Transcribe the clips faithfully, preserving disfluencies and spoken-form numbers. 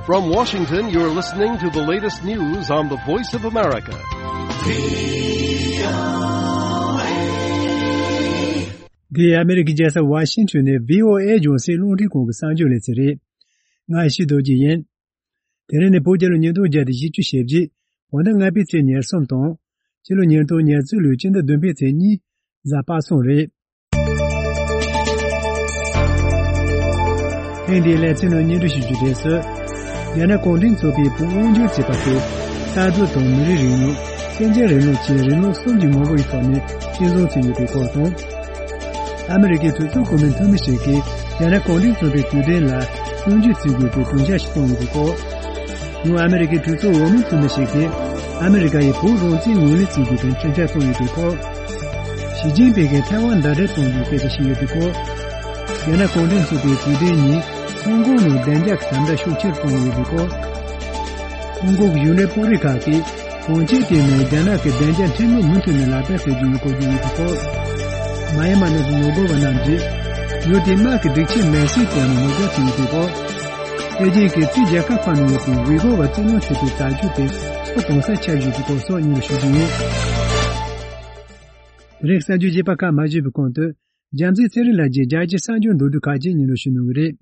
From Washington, you're listening to the latest news on the Voice of America. འདི་ཨ་མེ་རི་ཀའི་རྒྱལ་ས་ཝ་ཤིང་ཊོན་ནས་བྷི་ཨོ་ཨེ་རྒྱང་སྲིང་རླུང་འཕྲིན་ཁང་གི་གསར་འགྱུར་ལེ་ཚན་རེད། ང་ཡེ་ཤེས་རྡོ་རྗེ་ཡིན། དེ་རིང་ནི་བོད་རྒྱལ་ལོ་ཉིས་སྟོང་བརྒྱ་དང་བཞི་བཅུ་ཞེ་བརྒྱད། བོད་ཟླ་ལྔ་པའི་ཚེས་ཉེར་གསུམ་དང་། སྤྱི་ལོ་ཉིས་སྟོང་ཉེར་གཅིག་ལོའི་སྤྱི་ཟླ་བདུན་པའི་ཚེས་གཉིས། གཟའ་པ་སངས་རེད། ཐེངས་འདིའི་ལེ་ཚན་ནང་སྙན་སྒྲོན་ཞུ་རྒྱུ་དེ་ཚོ། རྒྱ་ནག་གུང་ཁྲན་ཚོགས་པའི་བོད་དབང་སྒྱུར་བྱེད་པ་དེ། རྩ་དོན་དང་མི་རིགས་རིང་ལུགས། གཅིག་གྱུར་རིང་ལུགས་བཅས་རིང་ལུགས་གསུམ་གྱི་ངོ་བོ་ཡི་ཐོག་ནས་སྤྱི་བཟུང་བྱས་ཡོད་པའི་སྐོར་དང་། ཨ་མི་རི་ཀའི་གྲོས་ཚོགས་གོང་མའི་འཐུས་མི་ཞིག་གིས་རྒྱ་ནག་གུང་ཁྲན་ཚོགས་པའི་དུས་དྲན་ལ་སྐྱོན་བརྗོད་བྱེད་དགོས་པའི་དགོངས་འཆར་ཞིག་བཏོན་ཡོད་པའི་སྐོར། ཡང་ཨ་མི་རི་ཀའི་གྲོས་ཚོགས་འོག་མའི་འཐུས་མི་ཞིག་གིས་ཨ་མི་རི་ཀ་ཡིས་བོད་རང་བཙན་ངོས་ལེན་བྱེད་དགོས་པའི་འཕྲིན་བཅར་བཏང་ཡོད་པའི་སྐོར། ཞི་ཅིན་ཕིང་གིས་ཐའེ་ཝན་ཟླ་བསྒྲིལ་གཏོང་རྒྱུའི་སྐད་ཆ་བཤད་ཡོད་པའི་སྐོར། རྒྱ་ནག་གུང་ཁྲན་ཚོགས་པའི་དུས་དྲན་ཉིན་ཧོང་ཀོང་ནང་བདེ་འཇགས་ཀྱི་དམ་དྲག་ཤུགས་ཆེར་གཏོང་ཡོད་པའི་སྐོར། ཧོང་ཀོང་གི་གཞུང་འབྲེལ་དཔོན་རིགས་ཁག་གིས་གངས་ཅན་ལྟེ་གནས་རྒྱ་ནག་གི་བདེ་འཇགས་ཁྲིམས་ལུགས་མུ་མཐུད་ནས་ལག་བསྟར་བྱ་རྒྱུ་ཡིན་སྐོར་བརྗོད་ཡོད་པའི་སྐོར། མ་ཡ་མ་ནང་གི་ངོ་རྒོལ་བ་རྣམས་ཀྱིས་ཡུལ་དེའི་དམག་གི་སྒྲིག་ཆས་མེར་སྲེག་བཏང་ནས་ངོ་རྒོལ་བྱེད་ཡོད་པའི་སྐོར། པེ་ཅིང་གིས་ཕྱིའི་རྒྱལ་ཁབ་ཁག་ནང་ཡོད་པའི་ཝི་གོ་བ་བཙན་གནོན་བྱེད་པའི་དྲག་སྤྱོད་དེ་ཚོ་གང་སར་ཁྱབ་བཞིན་པའི་སྐོར་སོགས་སྙན་སྒྲོན་ཞུ་རྒྱུ་ཡིན། དེ་རིང་གསར་འགྱུར་རྒྱས་པ་ཁག་མ་ཞུས་པའི་གོང་དུ། རྒྱལ་མཚན་ཚེ་རིང་ལགས་ཀྱིས་རྒྱལ་སྤྱིའི་གསར་འགྱུར་མདོར་བསྡུས་ཁག་ཅིག་སྙན་སྒྲོན་ཞུ་གནང་གི་རེད།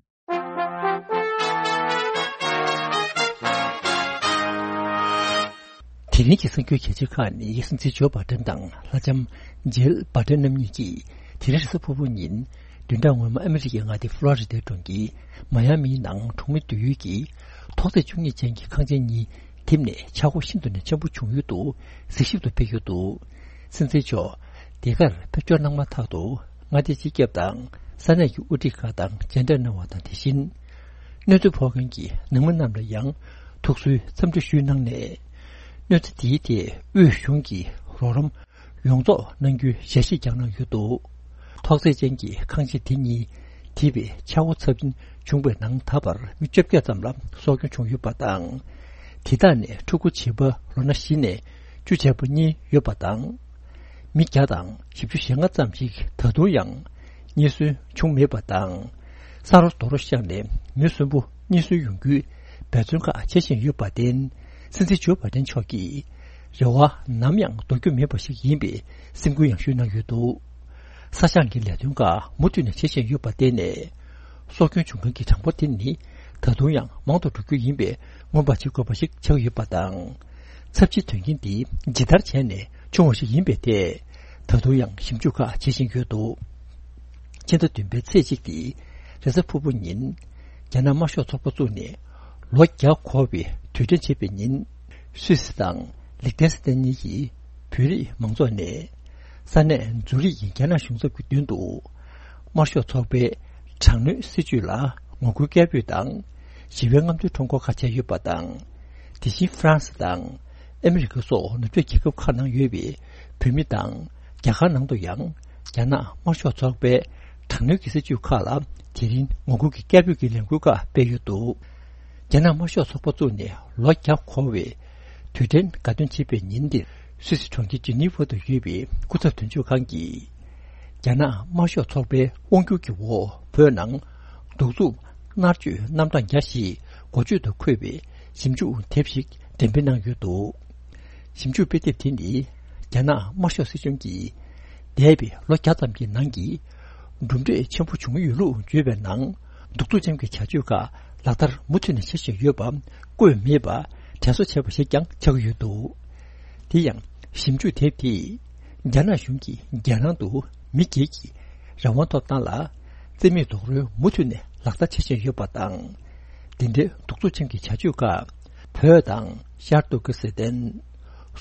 དེ་རིང་གི་གསར་འགྱུར་གལ་ཆེ་ཁག་ནི། སྲིད་འཛིན་ཇོ་བྷ་ཏན་དང་ལྷ་ལྕམ་ཇིལ་བྷ་ཏན་རྣམ་གཉིས་ཀྱིས་དེ་རིང་རེས་གཟའ་ཕུར་བུ་ཉིན་བདུན་ཕྲག་སྔོན་མ་ཨ་མི་རི་ཀའི་མངའ་སྡེ་ཕློ་རི་ཌའི་གྲོང་ཁྱེར་མ་ཡ་མིའི་ནང་གྲོང་མི་སྡོད་ཡུལ་གྱི་ཐོག་བརྩེགས་བཅུ་གཉིས་ཅན་གྱི་ཁང་ཆེན་གཉིས་ཐིམ་ནས་ཆག་སྒོ་ཤིན་ཏུ་ནས་ཆེན་པོ་བྱུང་ཡུལ་དུ་གཟིགས་ཞིབ་ཏུ་ཕེབས་ཡོད་འདུག། སྲིད་འཛིན་མཆོག་དེ་གར་ཕེབས་འབྱོར་གནང་མ་ཐག་ཏུ་མངའ་སྡེའི་སྤྱི་ཁྱབ་དང་ས་གནས་ཀྱི་དབུ་ཁྲིད་ཁག་དང་མཇལ་འཕྲད་གནང་བ་དང་། དེ་བཞིན་གནོད་འཚེ་ཕོག་མཁན་གྱི་ནང་མི་རྣམས་ལ་ཡང་ཐུགས་གསོའི་འཚམས་འདྲི་ཞུས་གནང་ནས། གནོད་འཚེ་དེའི་ཐད་དབུས་གཞུང་གིས་རོགས་རམ་ཡོངས་རྫོགས་གནང་རྒྱུའི་ཞལ་བཞེས་ཀྱང་གནང་ཡོད་འདུག། ཐོག་བརྩེགས་ཅན་གྱི་ཁང་ཆེན་དེ་གཉིས་འདས་པའི་ཆག་སྒོ་ཚབས་ཆེན་བྱུང་བའི་ནང་ད་བར་མི་བཅོ་བརྒྱད་ཙམ་ལ་སྲོག་སྐྱོན་བྱུང་ཡོད་པ་དང་། དེ་དག་ནས་ཕྲུ་གུ་བྱིས་པ་ལོ་ན་བཞི་ནས་བཅུ་བྱས་པ་གཉིས་ཡོད་པ་དང་། མི་བརྒྱ་དང་བཞི་བཅུ་ཞེ་ལྔ་ཙམ་ཞིག་ད་དུང་ཡང་རྙེད་སོན་བྱུང་མེད་པ་དང་། ས་རོ་རྡོ་རོ་བཤགས་ནས་མི་གསོན་པོ་རྙེད་སོན་ཡོང་རྒྱུའི་འབད་བརྩོན་ཁག་བྱེད་བཞིན་ཡོད་པར་བརྟེན། སྲིད་འཛིན་ཇོ་བྷ་ཏན་མཆོག་གིས་རེ་བ་ནམ་ཡང་ལྡོག་རྒྱུ་མེད་པ་ཞིག་ཡིན་པའི་སེམས་ཁུར་ཡང་ཞུས་གནང་ཡོད་འདུག། ས་ཞིང་གི་ལས་དོན་ཁག་མུ་མཐུད་ནས་བྱེད་བཞིན་ཡོད་པར་བརྟེན་ནས། སྲོག་སྐྱོན་བྱུང་མཁན་གྱི་གྲངས་འབོར་དེ་ནི་ད་དུང་ཡང་མང་དུ་འགྲོ་རྒྱུ་ཡིན་པས། སྔོན་དཔག་བྱེད་དགོས་པ་ཞིག་ཆགས་ཡོད་པ་དང་། ཚབས་ཆེའི་དོན་རྐྱེན་འདི་ཇི་ལྟར་བྱས་ནས་བྱུང་བ་ཞིག་ཡིན་པའི་ཐད་ད་དུང་ཡང་ཞིབ་འཇུག་ཁག་བྱེད་བཞིན་ཡོད་འདུག། ཕྱི་ཟླ་བདུན་པའི་ཚེས་གཅིག་སྟེ་རེས་གཟའ་ཕུར་བུ་ཉིན། རྒྱ་ནག་དམར་ཤོག་ཚོགས་པ་བཙུགས་ནས་ལོ་བརྒྱ་འཁོར་བའི་དུས་དྲན་བྱེད་པའི་ཉིན། སུད་སི་དང་ལིག་ཏེན་སི་ཏན་གཉིས་ཀྱི་བོད་རིགས་མང་ཚོགས་ནས་ས་གནས་ཛུ་རིག་གི་རྒྱ་ནག་གཞུང་ཚབ་ཀྱི་མདུན་དུ་དམར་ཤོག་ཚོགས་པའི་དྲག་གནོན་སྲིད་བྱུས་ལ་ངོ་རྒོལ་སྐད་འབོད་དང་། ཞི་བའི་རྔམ་སྟོན་ཁྲོམ་སྐོར་ཁག་བྱས་ཡོད་པ་དང་། དེ་བཞིན་ཧྥ་རན་སི་དང་ཨ་མི་རི་ཀ་སོགས་ནུབ་ཕྱོགས་རྒྱལ་ཁབ་ཁག་ནང་ཡོད་པའི་བོད་མི་དང་། རྒྱ་གར་ནང་དུ་ཡང་རྒྱ་ནག་དམར་ཤོག་ཚོགས་པའི་དྲག་གནོན་གྱི་སྲིད་བྱུས་ཁག་ལ་དེ་རིང་ངོ་རྒོལ་གྱི་སྐད་འབོད་ཀྱི་ལས་འགུལ་ཁག་སྤེལ་ཡོད་འདུག། རྒྱ་ནག་དམར་ཤོག་ཚོགས་པ་བཙུགས་ནས་ལོ་བརྒྱ་འཁོར་བའི་དུས་དྲན་དགའ་སྟོན་བྱེད་པའི་ཉིན་འདིར། སུད་སི་གྲོང་ཁྱེར་ཇི་ནི་ཝ་དུ་ཡོད་པའི་སྐུ་ཚབ་དོན་གཅོད་ཁང་གིས། རྒྱ་ནག་དམར་ཤོག་ཚོགས་པའི་དབང་སྒྱུར་གྱི་འོག་བོད་ནང་གདུག་རྩུབ་མནར་གཅོད་རྣམ་གྲངས་བརྒྱ་ཞིག་འགོ་བརྗོད་དུ་འཁོད་པའི་ཞིབ་འཇུག་དེབ་ཞིག་འགྲེམས་སྤེལ་གནང་ཡོད་འདུག། ཞིབ་འཇུག་དཔེ་དེབ་དེ་ནི་རྒྱ་ནག་དམར་ཤོག་སྲིད་གཞུང་གིས་འདས་པའི་ལོ་བརྒྱ་ཙམ་གྱི་ནང་གི་གྲུབ་འབྲས་ཆེན་པོ་བྱུང་ཡོད་ལུགས་བརྗོད་པའི་ནང་། གདུག་རྩུབ་ཅན་གྱི་བྱ་སྤྱོད་ཁག་ལག་བསྟར་མུ་མཐུད་ནས་བྱེད་བཞིན་ཡོད་པ་བཀོད་མེད་པ་དྲན་གསོ་བྱས་པ་ཞིག་ཀྱང་ཆགས་ཀྱི་ཡོད་འདུག། དེ་ཡང་ཞིབ་འཇུག་དེབ་དེས་རྒྱ་ནག་གཞུང་གིས་རྒྱལ་ནང་དུ་མི་སྒེར་གྱི་རང་དབང་ཐོབ་ཐང་ལ་རྩིས་མེད་རྡོག་རོལ་མུ་མཐུད་ནས་ལག་བསྟར་བྱེད་བཞིན་ཡོད་པ་དང་། དེ་འདྲའི་གདུག་རྩུབ་ཅན་གྱི་བྱ་སྤྱོད་ཁག་བོད་དང་ཤར་ཏུར་ཀི་སི་ཐན།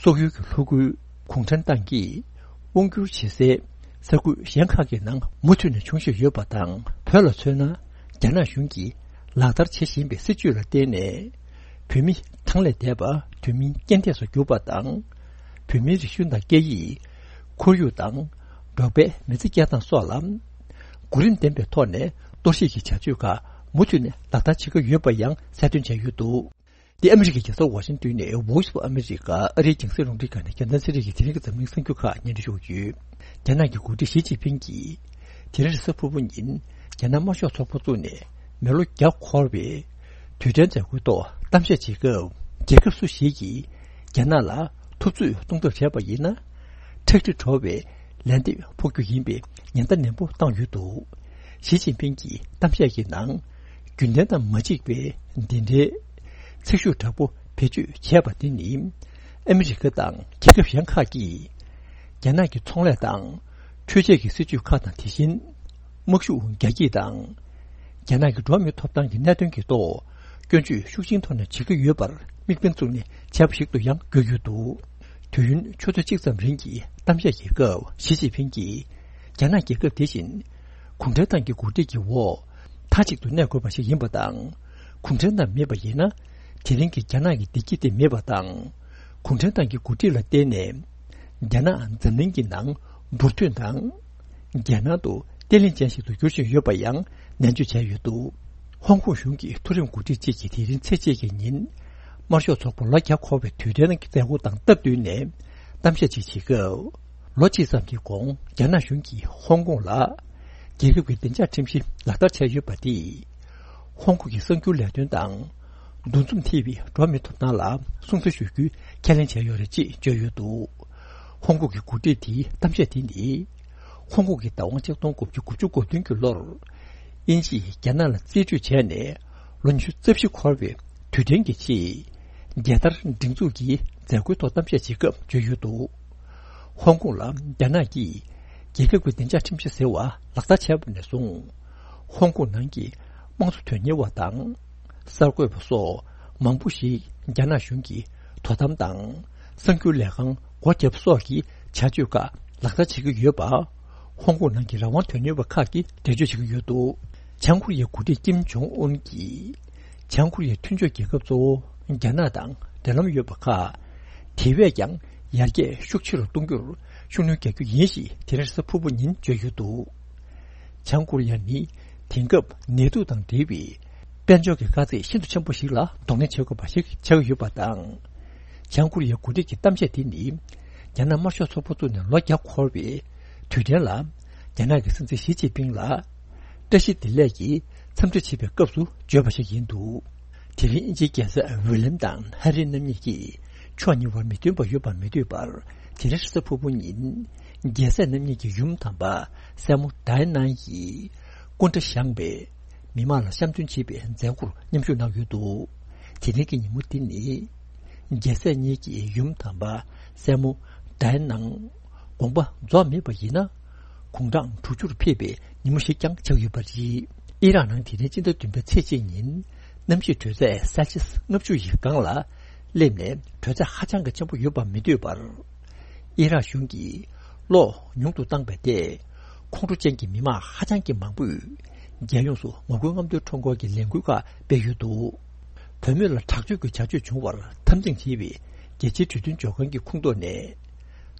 སོག་ཡུལ་གྱི་ལྷོ་ཁུལ་གུང་ཁྲན་ཏང་གིས་དབང་བསྒྱུར་བྱེད་སའི་ས་ཁུལ་གཞན་ཁག་གི་ནང་མུ་མཐུད་ནས་འབྱུང་བཞིན་ཡོད་པ་དང་། བོད་ལ་མཚོན་ན། རྒྱ་ནག་གཞུང་གིས་ལག་བསྟར་བྱེད་བཞིན་པའི་སྲིད་བྱུས་ལ་བརྟེན་ནས། བོད་མི་ཐང་ལས་འདས་པ་དུས་མིན་རྐྱེན་འདས་སུ་གྱུར་པ་དང་། བོད་མིའི་རིག་གཞུང་དང་སྐད་ཡིག་ཁོར་ཡུག་དང་འབྲོག་པའི་མི་ཚེ་སྐྱེལ་སྟངས་སོགས་ལ་གོ་རིམ་ལྡན་པའི་ཐོག་ནས་གཏོར་བཤིག་གི་བྱ་སྤྱོད་ཁག་མུ་མཐུད་ནས་ལག་བསྟར་བྱེད་ཀྱི་ཡོད་པ་ཡང་གསལ་སྟོན་བྱས་ཡོད་འདུག། འདི་ཨ་མི་རི་ཀའི་རྒྱལ་ས་ཝ་ཤིང་ཏོན་ནས་Voice of America ཨ་རིའི་རྒྱང་སྲིང་རླུང་འཕྲིན་ཁང་ནས་རྒྱལ་མཚན་ཚེ་རིང་གིས་དེ་རིང་གི་འཛམ་གླིང་གསར་འགྱུར་ཁག་སྙན་སྒྲོན་ཞུ་གི་ཡོད། རྒྱ་ནག་གི་འགོ་ཁྲིད་ཞི་ཅིན་ཕིང་གིས་དེ་རིང་རེས་གཟའ་ཕུར་བུ་ཉིན་རྒྱ་ནག་དམར་ཤོག་ཚོགས་པ་བཙུགས་ནས་མི་ལོ་བརྒྱ་འཁོར་བའི་ དུས་དྲན་མཛད་སྒོའི་ཐོག་གཏམ་བཤད་བྱེད་སྐབས། རྒྱལ་ཁབ་སུ་ཞིག་གིས་རྒྱ་ནག་ལ་འཐབ་རྩོད་གཏོང་ཐབས་བྱས་པ་ཡིན་ན། ཁྲག་དྲི་བྲོ་བའི་ལན་འདེབས་ཕོག་རྒྱུ་ཡིན་པའི་ཉེན་བརྡ་ནན་པོ་བཏང་ཡོད་འདུག། ཞི་ཅིན་ཕིང་གི་གཏམ་བཤད་ཀྱི་ནང་། རྒྱུན་ལྡན་དང་མ་གཅིག་པའི་འདི་འདྲའི་ཚིག་ཤུགས་དྲག་པོ་བེད་སྤྱོད་བྱས་པ་དེ་ནི། ཨ་མི་རི་ཀ་དང་རྒྱལ་ཁབ་གཞན་ཁག་གིས། རྒྱ་ནག་གི་ཚོང་ལས་དང་། འཕྲུལ་ཆས་ཀྱི་སྲིད་ཇུས་ཁག་དང་། དེ་བཞིན། དམག་ཤུགས་རྒྱ་སྐྱེད་དང་། རྒྱ་ནག་གི་འགྲོ་བ་མིའི་ཐོབ་ཐང་གི་གནད་དོན་གྱི་ཐོག་སྐྱོན་བརྗོད་ཤུགས་ཆེན་ཐོག་ནས་བྱེད་ཀྱི་ཡོད་པར་དམིགས་འབེན་བཙུགས་ནས་བྱས་པ་ཞིག་ཏུ་ཡང་འགྱུར་ཡོད་འདུག། དུས་ཡུན་ཆུ་ཚོད་གཅིག་ཙམ་རིང་གི་གཏམ་བཤད་ཀྱི་སྐབས། ཞི་ཅིན་ཕིང་གིས། རྒྱ་ནག་རྒྱལ་ཁབ་དེ་བཞིན་གུང་ཁྲན་ཏང་གི་འགོ་ཁྲིད་ཀྱི་འོག་མཐའ་གཅིག་ཏུ་གནས་དགོས་པ་ཞིག་ཡིན་པ་དང་། གུང་ཁྲན་ཏང་མེད་པ་ཡིན་ན། དེ་རིང་གི་རྒྱ་ནག་གི་བདེ་སྐྱིད་དེ་མེད་པ་དང་། གུང་ཁྲན་ཏང་གི་འགོ་ཁྲིད་ལ་བརྟེན་ནས། རྒྱ་ནག་འཛམ་གླིང་གི་ནང་འབུར་ཐོན་དང་། རྒྱལ་ནང་དུ་བརྟན་ལྷིང་ཅན་ཞིག་ཏུ་འགྱུར་བཞིན་ཡོད་པ་ཡང་ནན་བརྗོད་བྱས་ཡོད་འདུག། ཧོང་ཀོང་གཞུང་གི་མཐོ་རིམ་འགོ་ཁྲིད་ཅིག་གིས་དེ་རིང་ཚེས་གཅིག་གི་ཉིན། དམར་ཤོག་ཚོགས་པ་ལོ་བརྒྱ་འཁོར་བའི་དུས་དྲན་གྱི་མཛད་སྒོ་དང་སྟབས་བསྟུན་ནས་གཏམ་བཤད་ཅིག་བྱེད་སྐབས། ལོ་གཅིག་ཙམ་གྱི་གོང་རྒྱ་ནག་གཞུང་གིས་ཧོང་ཀོང་ལ་རྒྱལ་ཁབ་ཀྱི་བདེ་འཇགས་ཁྲིམས་གཞི་ལག་བསྟར་བྱས་ཡོད་པ་དེས། ཧོང་ཀོང་གི་གསར་འགྱུར་ལས་དོན་དང་། འདུ་འཛོམས་ཐེ་བའི་འགྲོ་བ་མིའི་ཐོབ་ཐང་ལ་སྲུང་བརྩི་ཞུ་རྒྱུའི་ཁས་ལེན་བྱས་ཡོད་རེད་ཅེས་བརྗོད་ཡོད་འདུག། ཧོང་ཀོང་གི་འགོ་ཁྲིད་དེའི་གཏམ་བཤད་དེ་ནི། ཧོང་ཀོང་གི་བདག་དབང་ཆིག་སྟོང་དགུ་བརྒྱ་དགུ་བཅུ་གོ་བདུན་གྱི་ལོར། དབྱིན་ཇིས་རྒྱ་ནག་ལ་རྩིས་སྤྲོད་བྱས་ནས་ལོ་ཉི་ཤུ་རྩ་བཞི་འཁོར་བའི་དུས་དྲན་གྱི་ཆེད། རྒྱལ་དར་སྒྲེང་འཛུགས་ཀྱི་མཛད་སྒོའི་ཐོག་གཏམ་བཤད་བྱེད་སྐབས་བརྗོད་ཡོད་འདུག། ཧོང་ཀོང་ལ་རྒྱ་ནག་གིས་རྒྱལ་ཁབ་ཀྱི་བདེ་འཇགས་ཁྲིམས་གཞི་ཟེར་བ་ལག་བསྟར་བྱས་པ་ནས་བཟུང་། ཧོང་ཀོང་ནང་གི་དམངས་གཙོ་དོན་གཉེར་བ་དང་། གསར་འགོད་པ་སོགས་མང་པོ་ཞིག་རྒྱ་ནག་གཞུང་གི་དོ་དམ་དང་། གསར་འགྱུར་ལས་ཁང་སྒོ་བརྒྱབ་སོགས་ཀྱི་བྱ་སྤྱོད་ཁག་ལག་བསྟར་བྱེད་ཀྱི་ཡོད་པ། ཧོང་ཀོང་ནང་གི་རང་དབང་དོན་གཉེར་བ་ཁག་གིས་འགྲེལ་བརྗོད་བྱེད་ཀྱི་ཡོད་འདུག། བྱང་ཀོ་རི་ཡའི་འགོ་ཁྲིད་ཀིམ་ཇོང་ཨུན་གྱིས། བྱང་ཀོ་རི་ཡའི་མཐུན་ཕྱོགས་རྒྱལ་ཁབ་གཙོ་བོ་རྒྱ་ནག་དང་འབྲེལ་ལམ་ཡོད་པ་ཁག་དེ་བས་ཀྱང་ཡར་རྒྱས་ཤུགས་ཆེ་རུ་གཏོང་རྒྱུར་ཤུགས་སྣོན་རྒྱག་རྒྱུ་ཡིན་ཞེས་དེ་རིང་གཟའ་ཕུར་བུ་ཉིན་བརྗོད་ཡོད་འདུག། བྱང་ཀོ་རི་ཡ་ནི་དེང་སྐབས་ནད་དུག་དང་འབྲེལ་བའི་དཔལ་འབྱོར་གྱི་དཀའ་ཚེགས་ཤིན་ཏུ་ཆེན་པོ་ཞིག་ལ་གདོང་ལེན་བྱེད་དགོས་པ་ཞིག་ཆགས་ཀྱི་ཡོད་པ་དང་། བྱང་ཀོ་རི་ཡའི་འགོ་ཁྲིད་ཀྱི་གཏམ་བཤད་དེ་ནི། རྒྱ་ནག་དམར་ཤོག་ཚོགས་པ་བཙུགས་ནས་ལོ་བརྒྱ་འཁོར་བའི་དུས་དྲན་ལ། རྒྱ་ནག་གི་སྲིད་འཛིན་ཞི་ཅིན་ཕིང་ལ་བཀྲ་ཤིས་བདེ་ལེགས་ཀྱི་འཚམས་འདྲི་བྱེད་པའི་སྐབས་སུ་བརྗོད་པ་ཞིག་ཡིན་འདུག། དེ་རིང་དབྱིན་ཇིའི་རྒྱལ་སྲས་ཝི་ལེམ་དང་ཧ་རི་རྣམ་གཉིས་ཀྱིས་ཕྱོགས་གཉིས་བར་མི་མཐུན་པ་ཡོད་པར་མི་འདོད་པར། དེ་རིང་གཟའ་ཕུར་བུ་ཉིན། རྒྱལ་སྲས་རྣམ་གཉིས་ཀྱི་ཡུམ་དམ་པ་སྲས་མོ་ཌའི་ནན་ཡིས་སྐུ་འདྲ་བཞེངས་པའི་མི་མང་ལ་བཤམས་སྟོན་བྱེད་པའི་མཛད་སྒོར་མཉམ་ཞུགས་གནང་ཡོད་འདུག། དེ་རིང་གི་ཉིན་མོ་འདི་ནི། རྒྱལ་སྲས་གཉིས་ཀྱི་ཡུམ་དམ་པ་སྲས་མོ་ཌའི་ནན་དགོངས་པ་རྫོགས་མེད་པ་ཡིན་ན། དགུང་གྲངས་དྲུག་ཅུར་ཕེབས་པའི་ཉིན་མོ་ཞིག་ཀྱང་ཆགས་ཡོད་པ་རེད། ཨི་རག་ནང་དེ་རིང་སྤྱི་ཟླ་བདུན་པའི་ཚེས་གཅིག་ཉིན། གནམ་གཤིས་དྲོད་ཚད་སེལ་སི་ཡས་ལྔ་བཅུ་ཡི་སྒང་ལ་སླེབས་ནས། དྲོད་ཚད་ཧ་ཅང་གི་ཆེན་པོ་ཡོད་པར་མི་འདོད་པར། ཨི་རག་གཞུང་གིས་གློག་ཉུང་དུ་བཏང་བས་ཏེ། ཁོང་ཁྲོ་ཅན་གྱི་མི་མང་ཧ་ཅང་གི་མང་པོས། རྒྱལ་ཡོངས་སུ་ངོ་རྒོལ་རྔམ་སྟོན་ཁྲོམ་སྐོར་གྱི་ལས་འགུལ་ཁག་སྤེལ་ཡོད་འདུག། བུད་མེད་ལ་དྲག་སྤྱོད་ཀྱི་བྱ་སྤྱོད་བྱུང་བར་འཐབ་འཛིང་བྱེད་པའི་རྒྱལ་སྤྱིའི་གྲོས་མཐུན་ལྗོངས་མཁན་གྱི་ཁོངས་གཏོགས་ནས།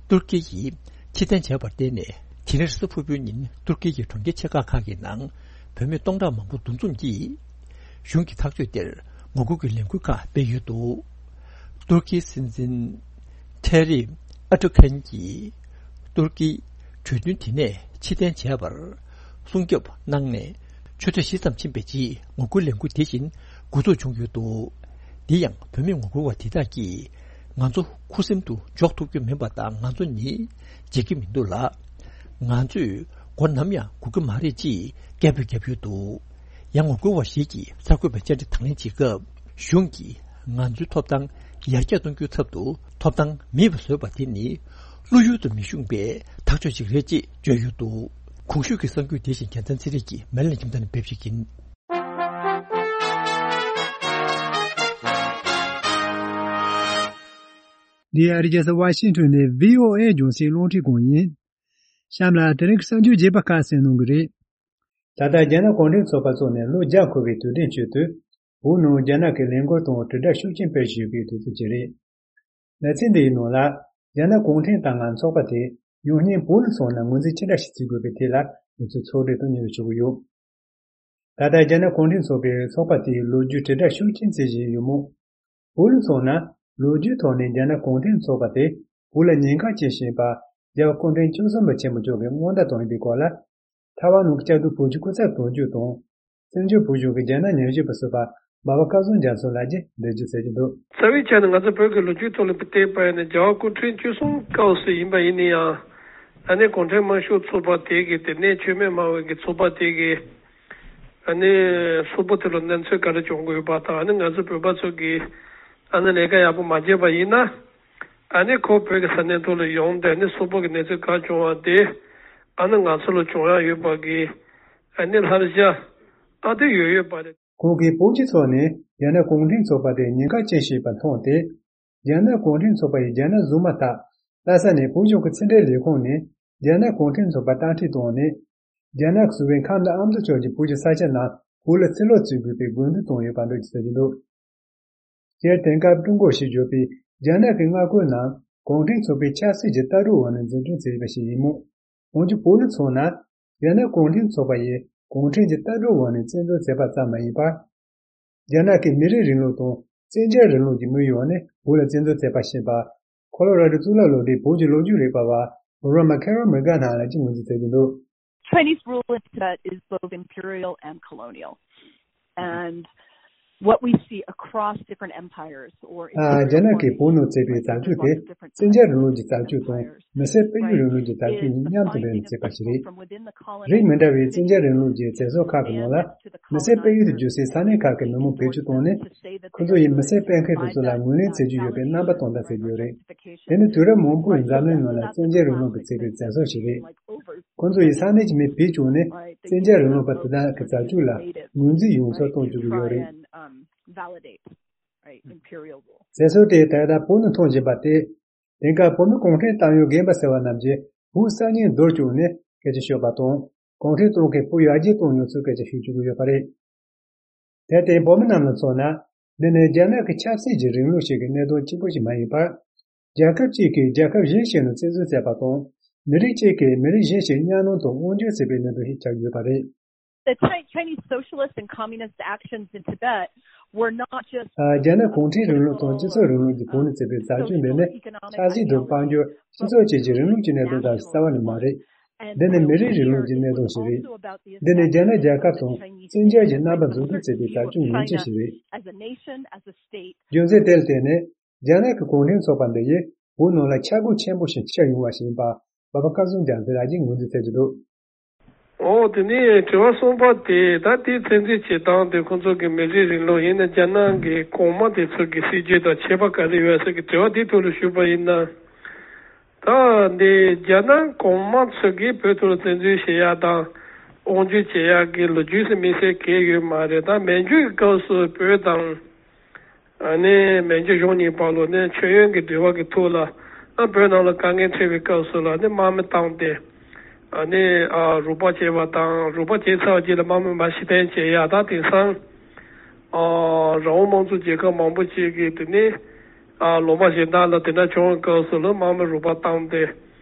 ཏུར་ཀི་ཡིས་ཕྱིར་འཐེན་བྱས་པར་བརྟེན་ནས། དེ་རིང་གཟའ་ཕུར་བུའི་ཉིན་ཏུར་ཀི་ཡི་གྲོང་ཁྱེར་ཆེ་ཁག་ཁག་གི་ནང་བུད་མེད་སྟོང་ཕྲག་མང་པོ་འདུ་འཛོམས་ཀྱིས། གཞུང་གི་ཐག་གཅོད་དེར་ངོ་རྒོལ་གྱི་ལས་འགུལ་ཁག་སྤེལ་ཡོད་འདུག། ཏུར་ཀིའི་སྲིད་འཛིན་ཐེ་རི་ཨར་ཏུ་ཁན་གྱིས་ཏུར་ཀིའི་གྲོས་མཐུན་དེ་ནས་ཕྱིར་འཐེན་བྱས་པར་སྲུང་སྐྱོབ་གནང་ནས་ཆུ་ཚོད་བཞི་ཙམ་ཕྱིན་པའི་རྗེས། ངོ་རྒོལ་ལས་འགུལ་དེ་བཞིན་འགོ་འཛུགས་བྱུང་ཡོད་འདུག། འདི་ཡང་བུད་མེད་ངོ་རྒོལ་བ་དེ་དག་གིས། ང་ཚོ་ཁུ་སིམ་དུ་འཇོག་ཐུབ་ཀྱི་མིན་པ་དང་། ང་ཚོ་ནི་བརྗེད་ཀྱི་མི་འདུག་ལ། ང་ཚོས་མགོ་ནམ་ཡང་སྒུར་གྱི་མ་རེད་ཅེས་སྐད་འབོད་བརྒྱབ་ཡོད་འདུག། ཡང་ངོ་རྒོལ་བ་ཞིག་གིས་གསར་འགོད་པར་བཅར་འདྲི་དང་ལེན་བྱེད་སྐབས། གཞུང་གིས་ང་ཚོའི་ཐོབ་ཐང་ཡར་རྒྱས་གཏོང་རྒྱུའི་ཚབ་ཏུ་ཐོབ་ཐང་མེད་པ་བཟོས་པ་དེ་ནི་བློ་ཡུལ་དུ་མི་ཤོང་པའི་ཐག་གཅོད་ཅིག་རེད་ཅེས་བརྗོད་ཡོད་འདུག། གོང་ཞུས་ཀྱི་གསར་འགྱུར་དེ་བཞིན་རྒྱལ་མཚན་ཚེ་རིང་གིས་མེ་ལན་ཁྱིམ་ཚང་ནས་ཕབ་བཤད་ཀྱིན། འདི་ཨ་རི་རྒྱལ་ས་ཝ་ཤིང་ཊོན་ནས་བྷི་ཨོ་ཨེ་རྒྱང་སྲིང་རླུང་འཕྲིན་ཁང་ཡིན། གཤམ་ལ་དེ་རིང་གི་གསར་འགྱུར་རྒྱས་པ་ཁག་གསན་གནང་གི་རེད། ད་ལྟ་རྒྱ་ནག་གུང་ཁྲན་ཚོགས་པ་བཙུགས་ནས་ལོ་བརྒྱ་འཁོར་བའི་དུས་དྲན་ཆེད་དུ། བོད་ནང་རྒྱ་ནག་གི་ལས་འགུལ་དང་དྲིལ་བསྒྲགས་ཤུགས་ཆེན་སྤེལ་བཞིན་ཡོད་པའི་དུས་ཚོད་ཅིག་རེད། ལེ་ཚན་འདིའི་ནང་ལ། རྒྱ་ནག་གུང་ཁྲན་ཏང་ངམ་ཚོགས་པ་དེ་ཡང་སྙིང་བོད་ལ་སོང་ན་ངོས་འཛིན་ཅི་འདྲ་ཞིག་བྱེད་དགོས་པའི་ཐད་ལ་ང་ཚོས་ཕྱོགས་སྒྲིག་དང་སྙན་སྒྲོན་ཞུ་གི་ཡོད། ད་ལྟ་རྒྱ་ནག་གུང་ཁྲན་ཚོགས་པའི་ཚོགས་པ་དེའི་ལོ་རྒྱུས་དྲིལ་བསྒྲགས་ཤུགས་ཆེན་བྱེད་བཞིན་ཡོད་མོད། བོད་ལ་སོང་ན་ལོ་རྒྱུས་ཐོག་ནས་རྒྱ་ནག་གུང་ཁྲན་ཚོགས་པ་དེ་བོད་ལ་ཉེན་ཁ་བྱེད་བཞིན་པ། རྒྱལ་བ་སྐུ་ཕྲེང་བཅུ་གསུམ་པ་ཆེན་པོ་མཆོག་གིས་སྔོན་བརྡ་བཏང་ཡོད་པའི་སྐོར་ལ། ཐའེ་ཝན་ནང་གི་བཅའ་སྡོད་བོད་ཀྱི་སྐུ་ཚབ་དོན་གཅོད་དང་། བཙན་བྱོལ་བོད་གཞུང་གི་རྒྱ་ནག་ཉམས་ཞིབ་པ་ཟུར་པ་ འབའ་པ་སྐལ་བཟང་རྒྱ་མཚོ་ལགས་ཀྱིས་འགྲེལ་བརྗོད་མཛད་ཀྱི་འདུག། རྩ་བའི་ཆ་ནས་ང་ཚོ་བོད་ཀྱི་ལོ་རྒྱུས་ཐོག་ལ་བལྟས་པ་ཡིན་ན། རྒྱལ་བ་སྐུ་ཕྲེང་བཅུ་གསུམ་སྐབས་སུ་ཡིན་པ་ཡིན་ན་ཡང་། ཨ་ནི་གུང་ཁྲན་དམར་ཤོག་ཚོགས་པ་དེ་གི་དེ་ནས་མཆོད་མེ་སྨྲ་བའི་གི་ཚོགས་པ་དེ་གི་ཨ་ནི་གསུམ་པོ་དེ་ལ་གནས་ཚུལ་ག་རེ་བྱུང་དགོས་པ་དང་། ཨ་ནི་ང་ཚོ་བོད་པ་ཚོ་གིས་ཨ་ནི་ལས་ཀ་ཡག་པོ་མ་བྱས་པ་ཡིན་ན། ཨ་ནི་ཁོ་བོད་ཀྱི་ས་གནས་ཐོག་ལ་ཡོང་སྟེ། ཨ་ནི་གསུམ་པོ་གི་གནས་ཚུལ་ག་བྱུང་བ་དེ་ཨ་ནི་ང་ཚོ་ལ་བྱུང་ཡག་ཡོད་པ་གི་ཨ་ནི་བསླབ་བྱ་ཨ་དེ་ཡོད་ཡོད་པ་རེད། ཁོང་གིས་བོད་སྤྱི་ཚོགས་ནས་རྒྱ་ནག་གུང་ཁྲན་ཚོགས་པ་དེ་ཉེན་ཁ་ཅན་ཞིག་ཡིན་པ་མཐོང་སྟེ། རྒྱ་ནག་གུང་ཁྲན་ཚོགས་པ་ཡིས་རྒྱ་ནག་བཟུང་མ་ཐག་ལྷ་ས་ནས་བོད་གཞུང་གི་ཕྱི་འབྲེལ་ལས་ཁུངས་ནས་རྒྱ་ནག་གུང་ཁྲན་ཚོགས་པ་རྟ་ཁྲིད་བཏང་ནས། རྒྱ་ནག་གི་སྲིད་བློན་ཁམས་དང་ཨ་མདོ་ཕྱོགས་ཀྱི་བོད་ཀྱི་ས་ཆ་རྣམས་བོད་ལ་ཕྱིར་སློག་བྱེད་དགོས་པའི་དགོས་འདུན་བཏོན་ཡོད་པ་འདྲ་ཞིག་ཟེར་གྱི་འདུག། སྤྱིར་དེང་སྐབས་ཀྲུང་གོ་ཞེས་བརྗོད་པའི་རྒྱ་ནག་གི་མངའ་ཁོངས་རྣམས་གུང་ཁྲན་ཚོགས་པའི་ཆབ་སྲིད་ཀྱི་ལྟ་གྲུབ་འོག་ནས་འཛིན་སྐྱོང་བྱས་པ་ཞིག་ཡིན་མོད། འོན་ཀྱང་བོད་ལ་མཚོན་ན། རྒྱ་ནག་གུང་ཁྲན་ཚོགས་པ་ཡིས་གུང་ཁྲན་གྱི་ལྟ་གྲུབ་འོག་ནས་བཙན་འཛུལ་བྱས་པ་ཙམ་མ་ཡིན་པར། རྒྱ་ནག་གི་མི་རིགས་རིང་ལུགས་དང་བཙན་རྒྱལ་རིང་ལུགས་ཀྱི་དམིགས་ཡུལ་འོག་ནས་བོད་ལ་བཙན་འཛུལ་བྱས་པ་ཞེས་པ། ཁོ་ལོ་ར་ཌོ་གཙུག་ལག་སློབ་གྲྭའི་བོད་ཀྱི་ལོ་རྒྱུས་རིག་པ་བ་Roma Carol Mcganaugh ལགས་ཀྱིས་ངོས་འཛིན་མཛད་ཀྱི་འདུག། Chinese rule in Tibet is both imperial and colonial. And what we see across different empires or ཨ། རྒྱ་ནག་གིས་བོད་ནང་བྱས་པའི་བྱ་སྤྱོད་དེ་བཙན་རྒྱལ་རིང་ལུགས་ཀྱི་བྱ་སྤྱོད་དང་མི་སེར་སྤེལ་ཡུལ་རིང་ལུགས་ཀྱི་བྱ་སྤྱོད་གཉིས་མཉམ་དུ་འབྲེལ་ནས་བྱས་པ་ཞིག་རེད། རིགས་མི་འདྲ་བའི་བཙན་རྒྱལ་རིང་ལུགས་ཀྱི་བྱེད་ཕྱོགས་ཁག་གི་ནང་ལ། མི་སེར་སྤེལ་ཡུལ་དུ་གྱུར་སའི་ས་གནས་ཁག་གི་མི་མང་བེད་སྤྱོད་བཏང་ནས། ཁོ་ཚོ་ཡིས་མི་སེར་སྤེལ་མཁན་དེ་ཚོ་ལ་ངོས་ལེན་བྱེད་རྒྱུ་ཡོད་པའི་རྣམ་པ་སྟོན་སྟངས་བྱེད་ཀྱི་ཡོད་རེད། དེ་ནི་དུས་རབས་མང་པོའི་འཛམ་གླིང་ནང་ལ་བཙན་རྒྱལ་རིང་ལུགས་ཀྱིས་བྱས་པའི་བྱ་སྤྱོད་ཞིག་རེད། ཁོ་ཚོ་ཡིས་ས་གནས་ཀྱི་མི་བེད་སྤྱོད་ནས་བཙན་རྒྱལ་རིང་ལུགས་པ་དེ་དག་གི་བྱ་སྤྱོད་ལ་ངོས་འཛིན་ཡོང་ཚུལ་གཏོང་བཅུག་གི་ཡོད་རེད། བྱེད་སྲོལ་དེ་ད་ལྟ་བོད་ནང་མཐོང་བཞིན་པ་སྟེ། དེང་སྐབས་བོད་མི་གུང་ཁྲན་ཏང་ཡོན་རྒན་པ་ཟེར་བ་རྣམས་ཀྱིས་བོད་གསར་རྙིང་རྡོལ་བཅུག་ནས་སྐད་ཆ་ཤོད་པ་དང་། གུང་ཁྲན་ཏང་གིས་བོད་ཡར་རྒྱས་གཏོང་མྱོང་ཚུལ་སྐད་ཆ་ཤོད་བཅུག་གི་ཡོད་པ་རེད། དེར་བརྟེན་བོད་མི་རྣམས་ལ་མཚོན་ན། འདི་ནི་རྒྱ་ནག་གི་ཆབ་སྲིད་ཀྱི་རིང་ལུགས་ཤིག་གི་གནད་དོན་གཅིག་པུ་ཞིག་མ་ཡིན་པར། རྒྱལ་ཁབ་གཅིག་གིས་རྒྱལ་ཁབ་གཞན་ཞིག་ནང་བཙན་འཛུལ་བྱས་པ་དང་། མི་རིགས་གཅིག་གིས་མི་རིགས་གཞན་ཞིག་གཉའ་གནོན་དང་དབང་སྒྱུར་བྱས་པའི་གནད་དོན་ཞིག་ཆགས་ཡོད་པ་རེད། The Chi- Chinese socialist and communist actions in Tibet were not just ཨ། རྒྱ་ནག་གུང་ཁྲན་རིང་ལུགས་དང་སྤྱི་ཚོགས་རིང་ལུགས་ཀྱི་བོད་ནང་བྱས་པའི་བྱ་སྤྱོད་འདི་ནི་ཆབ་སྲིད་དང་དཔལ་འབྱོར། སྤྱི་ཚོགས་བཅས་ཀྱི་རིང་ལུགས་ཀྱི་གནད་དོན་དང་རྩ་བ་ནས་མ་རེད། འདི་ནི་མི་རིགས་རིང་ལུགས་ཀྱི་གནད་དོན་ཞིག་རེད། འདི་ནི་རྒྱ་ནག་རྒྱལ་ཁབ་དང་བཙན་རྒྱལ་གྱི་རྣམ་པ་འཛུགས་སྐྲུན་བྱེད་པའི་བྱ་སྤྱོད་ངན་ཆེ་ཞིག་རེད། རྒྱུ་མཚན་དེ་ལ་བརྟེན་ནས། རྒྱ་ནག་གི་གུང་ཁྲན་ཚོགས་པ་འདི་ཡིས་བོད་ནང་ལ་ཆག་སྒོ་ཆེན་པོ་ཞིག་ཆགས་ཡོང་བ་ཞིག་ཡིན་པ། འབའ་པ་སྐལ་བཟང་རྒྱ་མཚོ་ལགས་ཀྱིས་ངོས་འཛིན་མཛད་ཀྱི་འདུག། འོ། དེ་ནས་དྲི་བ་གསུམ་པ་དེ། ད་དེའི་བཙན་འཛུལ་བྱེད་སྟངས་དེ་ཁོང་ཚོ་གི་མི་རིགས་རིང་ལུགས་ཡིན་ན། རྒྱ་ནག་གི་གོང་མ་དེ་ཚོ་གི་སྲིད་ཇུས་དང་ཁྱད་པར་ག་རེ་ཡོད་ཟེར་གི་དྲི་བ་དེའི་ཐོག་ལ་ཞུས་པ་ཡིན་ན། ད་འདི་རྒྱ་ནག་གོང་མ་ཚོ་གིས་བོད་ཐོག་ལ་བཙན་འཛུལ་བྱེད་ཡག་དང་དབང་སྒྱུར་བྱེད་ཡག་གི་ལོ་རྒྱུས་སུ་དམིགས་བསལ་གང་ཡང་ཡོད་མ་རེད། ད་མན་ཇུ་གི་སྐབས་སུ་བོད་དང་། ཨ་ནི་མན་ཇུ་གཞུང་གཉིས་བར་ལ་ནི་མཆོད་ཡོན་གྱི་འབྲེལ་བ་གི་ཐོག་ལ། ཨ། བོད་ནང་ལ་དཀའ་ངལ་འཕྲད་པའི་སྐབས་སུ་ལ་ནི་དམག་མི་བཏང་སྟེ། ཨ་ནི། ཨ། རོགས་པ་བྱས་པ་དང་། རོགས་པ་བྱས་ཚར་བའི་རྗེས་ལ་དམག་མི་མར་ཕྱིར་འཐེན་བྱེད་ཡག་དང་། དེང་སང་། ཨ། རང་དབང་དམངས་གཙོ་རྒྱལ་ཁབ་མང་པོ་ཅིག་གིས་དེ་ནི། ཨ། ལུང་པ་གཞན་དག་ལ་དེ་འདྲ་བྱུང་བའི་སྐབས་སུ་ལ་དམག་མི་རོགས་པ་བཏང་སྟེ།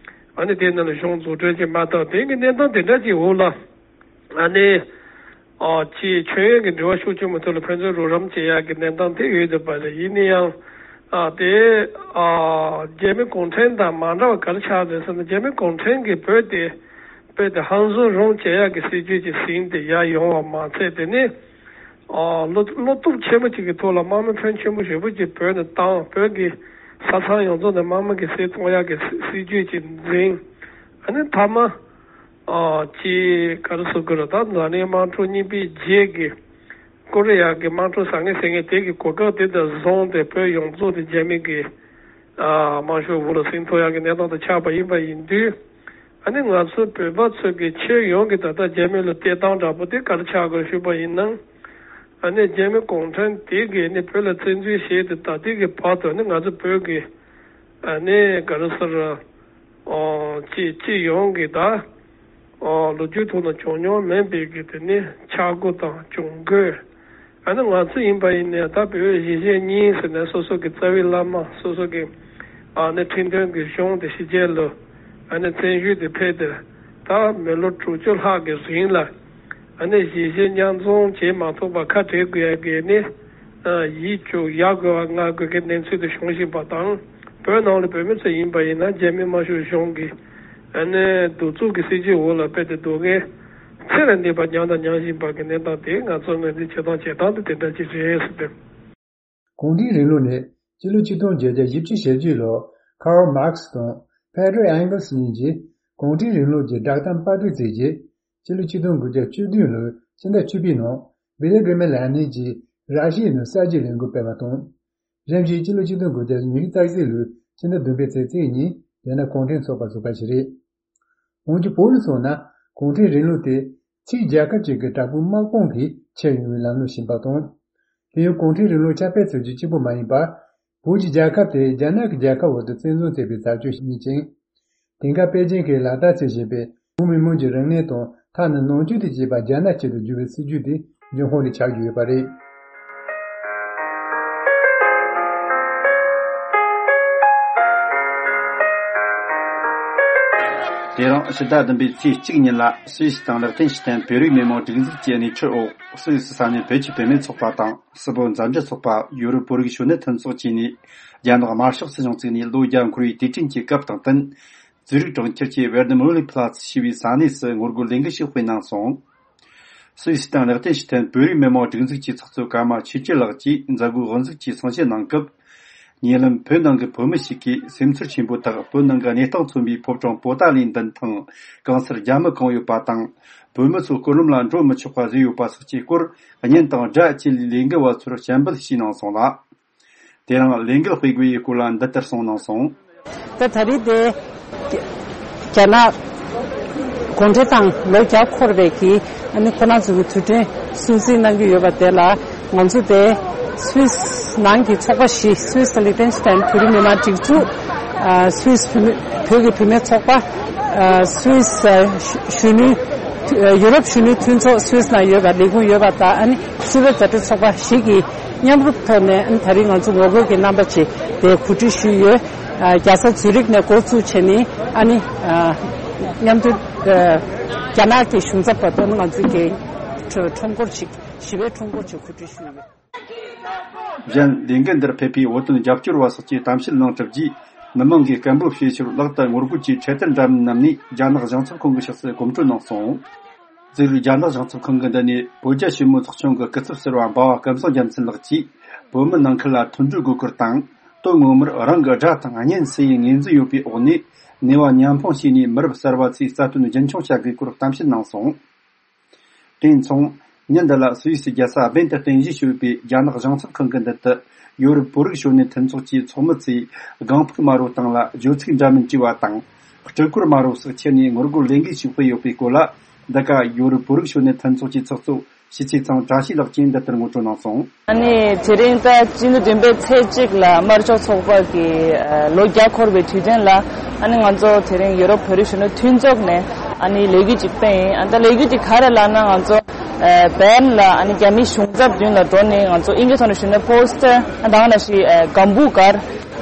ཨ་ནི་དེ་ནང་ལ་གཞུང་འཛུགས་སྐྲུན་བྱེད་མ་ཐུབ། དེང་གི་གནས་སྟངས་དེ་འདྲ་ཅིག་འོག་ལ། ཨ་ནི། ཨ། ཅིག་མཆོད་ཡོན་གྱི་འབྲེལ་བ་ཤུགས་ཆེན་པོ་ཐོག་ལ་ཕན་ཚུན་རོགས་རམ་བྱེད་ཡག་གི་གནས་སྟངས་དེ་ཡོད་བསྡད་པ་རེད། ཡིན་ན་ཡང་། ཨ། དེ། ཨ། རྒྱ་མི་གུང་ཁྲན་དང་མ་འདྲ་བ་ག་རེ་ཆགས་རེད་ཟེར་ན། རྒྱ་མི་གུང་ཁྲན་གྱིས་བོད་དེ། བོད་དེ་ཧང་སང་རུང་བྱེད་ཡག་གི་སྲིད་ཇུས་ཀྱི་ཟིན་ཏེ་ཡར་ཡོང་བ་མ་ཚད། དེ་ནི། ཨ། བློ་བློ་སྟོབས་ཆེན་པོ་ཅིག་གི་ཐོག་ལ་དམག་མི་ཕོན་ཆེན་པོ་ཞེ་པོ་ཅིག་བོད་ནས་བཏང་། བོད་ཀྱི་ས་མཚམས་ཡོངས་རྫོགས་ནས་དམག་མི་གིས་བསད་གཏོང་ཡག་གི་སྲིད་སྲིད་ཇུས་ཅིག་འཛིན། ཨ་ནི་མཐའ་མ། ཨ། ཅིག་ག་རེ་ཟེར་དགོས་རེད། ད་འཛམ་གླིང་དམག་འཁྲུག་གཉིས་པའི་རྗེས་ཀྱི་ཀོ་རི་ཡ་གི་དམག་འཁྲུག་ཟ་མཁན་ཟེར་མཁན་དེ་གི་གོ་སྐབས་དེ་དང་བཟུང་སྟེ། བོད་ཡོངས་རྫོགས་དེ་རྒྱ་མི་གི། ཨ། དམར་ཤོག་འོག་ལ་ཟིན་ཐུབ་ཡག་གི་གནས་སྟངས་དེ་ཆགས་པ་ཡིན་པ་ཡིན་དུས། ཨ་ནི་ང་ཚོ་བོད་པ་ཚོ་གི་ཁྱོན་ཡོངས་ཀྱི་ད་ལྟ་རྒྱ་མི་ལ་བལྟས་སྟངས་འདྲ་པོ་དེ་ག་རེ་ཆགས་དགོས་ཞུས་པ་ཡིན་ན། ཨ་ནི་རྒྱ་མི་གུང་ཁྲན་དེ་གིས་ནི་བོད་ལ་བཙན་འཛུལ་བྱས་ཏེ་ད་ལྟའི་གི་བར་དུ་ནི་ང་ཚོ་བོད་ཀྱི། ཨ་ནི་ག་རེ་ཟེར། ཨོ། སྤྱི་སྤྱི་ཡོངས་ཀྱི་ད། ཨོ། ལོ་རྒྱུས་ཐོག་ན་བྱུང་མྱོང་མེད་པའི་གི་དེ་ནི་ཆག་སྒོ་དང་གྱོང་གུད། ཨ་ནི་ང་ཚོ་ཡིན་པ་ཡིན་ནའི་ད་བོད་གཞིས་བྱེས་གཉིས་ཟེར་ནས་སོ་སོ་གི་རྩ་བའི་བླ་མ། སོ་སོ་གི། ཨ་ནི་ཁྲིམས་དོན་གྱི་གཞུང་དེ་ཕྱི་རྒྱལ་ལ། ཨ་ནི་བཙན་བྱོལ་དུ་ཕེབས་ཏེ། ད་མི་ལོ་དྲུག་ཅུ་ལྷག་གི་རིང་ལ། ཨ་ནི་གཞིས་བྱེས་མཉམ་འཛོམས་བྱེད་མ་ཐུབ་པར་ཁ་བྲལ་དགོས་ཡ་གི་ནི། ཨ། ཡིད་སྐྱོ་ཡ་དགོས་པ་ང་དགོས་ཀྱི་གནས་ཚུལ་དེ་བྱུང་བཞིན་པ་དང་། བོད་ནང་ལ་བོད་མི་ཚོ་ཡིན་པ་ཡིན་ན་རྒྱ་མི་དམར་ཤོག་གཞུང་གི། ཨ་ནི་གདུག་རྩུབ་ཀྱི་སྲིད་ཇུས་འོག་ལ་དཔེ་དེ་སྡུག་བསྔལ་ ཚེ་ལ་གནས་པ་མྱངས་དང་མྱང་བཞིན་པ་གི་གནས་སྟངས་དེ་ང་ཚོ་ངོས་འཛིན་བྱེད་སྟངས་བྱེད་སྟངས་དེ་དེ་འདྲ་ཅིག་རེད་ཟེར་ཏེ། གུང་ཁྲན་རིང་ལུགས་ནི་སྤྱི་ལོ་ཆིག་སྟོང་བརྒྱད་བརྒྱ་བཞི་བཅུ་ཞེ་བརྒྱད་ལོར་ཁཱརལ་མཱར་ཁེ་སི་དང་ཕེ་ཏྲོ་ཨེང་གལ་སི་གཉིས་ཀྱིས་གུང་ཁྲན་རིང་ལུགས་ཀྱི་བསྒྲགས་གཏམ་པར་སྐྲུན་མཛད་རྗེས། སྤྱི་ལོ་ཆིག་སྟོང་དགུ་བརྒྱ་བཅུ་བདུན་ལོའི་ཕྱི་ཟླ་བཅུ་པའི་ནང་བི་ལེ་གྷི་རི་མེ་ལེ་ནིན་གྱིས་ར་ཤི་ཡའི་ནང་གསར་བརྗེའི་ལས་འགུལ་སྤེལ་བ་དང་། གཞན་ཞིག་སྤྱི་ལོ་ཆིག་སྟོང་དགུ་བརྒྱ་ཉི་ཤུ་རྩ་གཅིག་ལོའི་ཕྱི་ཟླ་བདུན་པའི་ཚེས་ཉེར་གཉིས་རྒྱ་ནག་གུང་ཁྲན་ཚོགས་པ་བཙུགས་པ་ཞིག་རེད། འོན་ཀྱང་བོད་ནས་སོང་ན་གུང་ཁྲན་རིང་ལུགས་དེ་ཕྱིའི་རྒྱལ་ཁབ་ཅིག་གི་དྲག་པོའི་དམག་དཔུང་གིས་ཁྱེར་ཡོང་བའི་ལམ་ལུགས་ཤིག་ཡིན་པ་དང་། དེ་ཡང་གུང་ཁྲན་རིང་ལུགས་ཁྱབ་སྤེལ་བྱེད་རྒྱུ་གཅིག་པུ་མ་ཡིན་པར། བོད་ཀྱི་རྒྱལ་ཁབ་དེ་རྒྱ་ནག་གི་རྒྱལ་ཁབ་འོག་ཏུ་བཙན་བཟུང་བྱས་པའི་བྱ་སྤྱོད་ཞིག་ཡིན་ཅིང་། དེང་སྐབས་པེ་ཅིང་གིས་ལག་བསྟར་བྱེད་བཞིན་པའི་བོད་མི་མང་གི་རིག་གནས་དང་ཐ་ན་ནང་ཆོས་དང་བཅས་པ་རྒྱ་ནག་ཆེད་དུ་བསྒྱུར་བའི་སྲིད་ཇུས་དེ་འབྱུང་ཁུངས་རེ་ཆགས་ཀྱི་ཡོད་པ་རེད། དེ་རིང་ཕྱི་ཟླ་བདུན་པའི་ཚེས་གཅིག་ཉིན་ལ་སུད་སི་དང་ལེག་ཏེན་ཤི་ཐན་བོད་རིགས་མི་མང་སྒྲིག་འཛུགས་ཀྱི་སྣེ་ཁྲིད་འོག་སུད་སི་ས་གནས་བོད་ཀྱི་བུད་མེད་ཚོགས་པ་དང་། སྲིད་བོད་མཛའ་འབྲེལ་ཚོགས་པ། ཡོ་རོབ་བོད་རིགས་གཞོན་ནུ་མཐུན་ཚོགས་བཅས་ནས་རྒྱ་ནག་དམར་ཤོག་སྲིད་གཞུང་བཙུགས་ནས་ལོ་བརྒྱ་འཁོར་བའི་དུས་དྲན་གྱི་སྐབས་དང་བསྟུན། ཙུ་རིག་གྲོང་ཁྱེར་གྱི་ཝེར་ནམ་ལི་ཕ་ལ་ཙི་ཞེས་པའི་ས་གནས་སུ་ངོ་རྒོལ་ལས་འགུལ་ཞིག་སྤེལ་གནང་སོང་། སུད་སི་དང་ལེག་ཏེན་ཤི་ཐན་བོད་རིགས་མི་མང་སྒྲིག་འཛུགས་ཀྱི་ཚོགས་གཙོ་ཀརྨ་ཆོས་སྐྱིད་ལགས་ཀྱིས་མཛད་སྒོའི་དབུ་འཛུགས་ཀྱི་གསུང་བཤད་གནང་སྐབས། ཉེ་ལམ་བོད་ནང་གི་བོད་མི་ཞིག་གིས་སེམས་ཚོར་ཆེན་པོའི་ཐོག་བོད་ནང་གི་གནས་སྟངས་མཚོན་པའི་ཕོ་བྲང་པོ་ཏཱ་ལའི་མདུན་ཐང་གང་སར་རྒྱ་མི་གང་ཡོད་པ་དང་། བོད་མི་ཚོ་སྐོར་ལམ་ལ་འགྲོ་མི་ཆོག་པ་བཟོས་ཡོད་པ་སོགས་ཀྱི་སྐོར་བརྙན་དང་སྒྲ་བཅས་ལས་ལས་འགུལ་བ་ཚོར་སྤྱན་འབུལ་བྱས་གནང་སོང་ལ། དེ་རིང་ལས་འགུལ་སྤེལ་དགོས་པའི་སྐོར་ལ་འདི་ལྟར་གསུངས་གནང་སོང་། ད་ད་རེས་དེ་རྒྱ་ནག་གུང་ཁྲན་ཏང་ལོ་བརྒྱ་འཁོར་བའི་གི་ཨ་ནི་ཁོ་རང་ཚོ་གི་དུས་དྲན་སྲུང་བརྩི་གནང་གི་ཡོད་པ་དེ་ལ་ང་ཚོ་དེ་སུད་སི་ནང་གི་ཚོགས་པ་བཞི། སུད་སི་ལི་ཏེན་ཤི་ཐན་བོད་རིགས་མི་མང་སྒྲིག་འཛུགས། ཨ་སུད་སི་བོད་མི་བོད་ཀྱི་བུད་མེད་ཚོགས་པ། ཨ་སུད་སི་ཨ་གཞོན་ནུ། ཡུ་རོབ་གཞོན་ནུའི་མཐུན་ཚོགས་སུད་སི་ནང་ཡོད་པ་ལས་ཁུངས་ཡོད་པ་དང་། ཨ་ནི་སུད་བོད་མཛའ་འབྲེལ་ཚོགས་པ་བཞི་གིས་མཉམ་རུབ་ཐོག་ནས། ཨ་ནི་ད་རེས་ང་ཚོ་ངོ་རྒོལ་གྱི་རྣམ་པ་ཅིག་དེ་གོ་སྒྲིག་ཞུས་ཡོད། ཨ་རྒྱལ་ས་ཛུ་རིག་ནས་འགོ་བཙུགས་བྱས་ནས། ཨ་ནི་ཨ་མཉམ་དུ་ཨ་རྒྱ་ནག་གི་གཞུང་ཚབ་བར་དུ་ང་ཚོ་གི་ཁྲོམ་སྐོར་ཅིག་ཞི་བའི་ཁྲོམ་སྐོར་ཅིག་གོ་སྒྲིག་ཞུས་ཡོད། གཞན་ལས་འགུལ་འདིར་ཕེབས་པའི་བོད་དོན་རྒྱབ་སྐྱོར་བ་སོགས་ཀྱིས་གཏམ་བཤད་གནང་གྲུབ་རྗེས། མི་མང་གིས་སྐད་འབོད་བྱས་ཞོར་ལག་ཏུ་ངོ་རྒོལ་གྱི་འཕྲེད་དར་འདྲ་མིན་བསྣམས་ནས་རྒྱ་ནག་གཞུང་ཚབ་ཁང་གི་ཕྱོགས་སུ་གོམ་བགྲོད་གནང་སོང་། ཛུ་རིག་རྒྱ་ནག་གཞུང་ཚབ་ཁང་གི་མདུན་ནས་བོད་རྒྱ་ཞི་མོལ་ཚོགས་ཆུང་གི་སྐུ་ཚབ་ཟུར་པ་འབའ་བ་སྐལ་བཟང་རྒྱལ་མཚན་ལགས་ཀྱིས། བོད་མི་ནང་ཁུལ་ལ་མཐུན་སྒྲིལ་དགོས་སྐོར་དང་། དོན་ངོ་མར་རང་གི་དགྲ་དང་གཉེན་སུ་ཡིན་ངོས་འཛིན་ཡོད་པའི་འོག་ནས། ནུས་པ་མཉམ་སྤུངས་བྱས་ནས་མི་རབས་གསར་པ་ཚོའི་རྩ་དོན་རྒྱུན་འཁྱོངས་བྱ་དགོས་སྐོར་གཏམ་བཤད་གནང་སོང་། དེ་མཚུངས། ཉིན་འདི་ལ་སུད་སི་རྒྱལ་ས་སྦན་དུ་རྟེན་གཞི་བྱས་པའི་རྒྱ་ནག་གཞུང་ཚབ་ཁང་གི་མདུན་དུ། ཡོ་རོབ་བོད་རིགས་གཞོན་ནུ་མཐུན་ཚོགས་ཀྱི་ཚོགས་མི་ཚོས་སྒང་ཕུག་དམར་པོའི་སྟེང་ལ་བརྗོད་ཚིག་འདྲ་མིན་བྲིས་པ་དང་། སྤྲུལ་སྐོར་དམར་པོ་སོགས་ཁྱེར་ནས་ངོ་རྒོལ་ལས་འགུལ་ཞིག་སྤེལ་ཡོད་པའི་སྐོར་ལ། འདི་ག་ཡོ་རོབ་བོད་རིགས་གཞོན་ནུ་མཐུན་ཚོགས་ཀྱི་ཚོགས་གཙོ་ཞི་ཚེ་ཚང་བཀྲ་ཤིས་ལགས་ཀྱིས་འདི་ལྟར་ངོ་སྤྲོད་གནང་སོང་། ཨ་ནི་དེ་རིང་ད་སྤྱི་ཟླ་བདུན་པའི་ཚེས་གཅིག་ལ་དམར་ཕྱོགས་ཚོགས་པ་གི་ཨ་ལོ་བརྒྱ་འཁོར་བའི་དུས་དྲན་ལ། ཨ་ནི་ང་ཚོ་དེ་རིང་ཡོ་རོབ་བོད་རིགས་གཞོན་ནུ་མཐུན་ཚོགས་ནས་ཨ་ནི་ལས་འགུལ་ཅིག་སྤེལ་ཡིན། ཨ་ད་ལས་འགུལ་དེ་ག་རེ་ལབ་ན། ང་ཚོ་ཨ་བེར་ལིན་ལ་ཨ་ནི་རྒྱ་མིའི་གཞུང་ཚབ་མདུན་ལ་འགྲོ་ནས་ང་ཚོ་ཨིན་སྐད་ཐོག་ནས་ཞུས་ན་པོ་སི་ཊར། ཨ་ད་ག་ནང་བཞིན་ཨ་གམ་བུ་གར།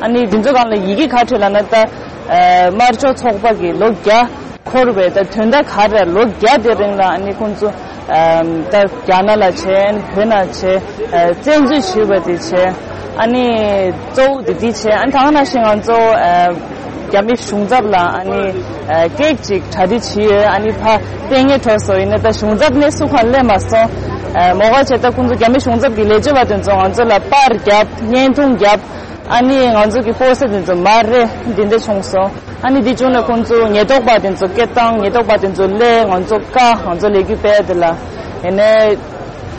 ཨ་ནི་འདི་ཚོ་སྒང་ལ་ཡི་གེ་ག་བྲིས་ལབ་ན། ད་ཨ་དམར་ཕྱོགས་ཚོགས་པ་གི་ལོ་བརྒྱ་འཁོར་བའི་ད་དོན་དག་ག་རེ། ལོ་བརྒྱ་དེ་རིང་ལ་ཨ་ནི་ཁོང་ཚོ་ཨམ་ད་རྒྱ་ནག་ལ་བྱས། ཨ་ནི་བོད་ནང་བྱས། ཨ་བཙན་འཛུལ་ཞུས་པ་དེ་བྱས། ཨ་ནི་གཙོ་བོ་དེ་དེ་བྱས། ཨ་ནི་ད་ག་ནང་བཞིན་ང་ཚོ་ཨ་རྒྱ་མི་གཞུང་ཚབ་ལ་ཨ་ནི་ཨ་སྐད་ཅིག་གྲ་སྒྲིག་བྱས་ཡོད། ཨ་ནི་ཕ་ལྟས་ངན་འཕྲོ་སོང་ཡིན་ན་ད་གཞུང་ཚབ་ནས་སུ་གང་སླེབས་མ་སོང་། ཨ་མོ་ག་བྱས། ད་ཁོང་ཚོ་རྒྱ་མི་གཞུང་ཚབ་ཀྱི་ལས་བྱེད་པ་དེ་ཚོ་ང་ཚོ་ལ་པར་བརྒྱབ། བརྙན་ཐུང་བརྒྱབ། ཨ་ནི་ང་ཚོ་གི་པོ་སི་ཊར་དེ་ཚོ་མར་རེད། འདི་འདྲ་བྱུང་སོང་། ཨ་ནི་འདི་བྱུང་ནས་ཁོང་ཚོ་ཉེན་རྟོག་པ་དེ་ཚོ་སྐད་བཏང་། ཉེན་རྟོག་པ་དེ་ཚོ་སླེབས། ང་ཚོ་བཀག་ང་ཚོ་ལས་འགུལ་སྤེལ་དེ་ལ། ཡིན་ནའི་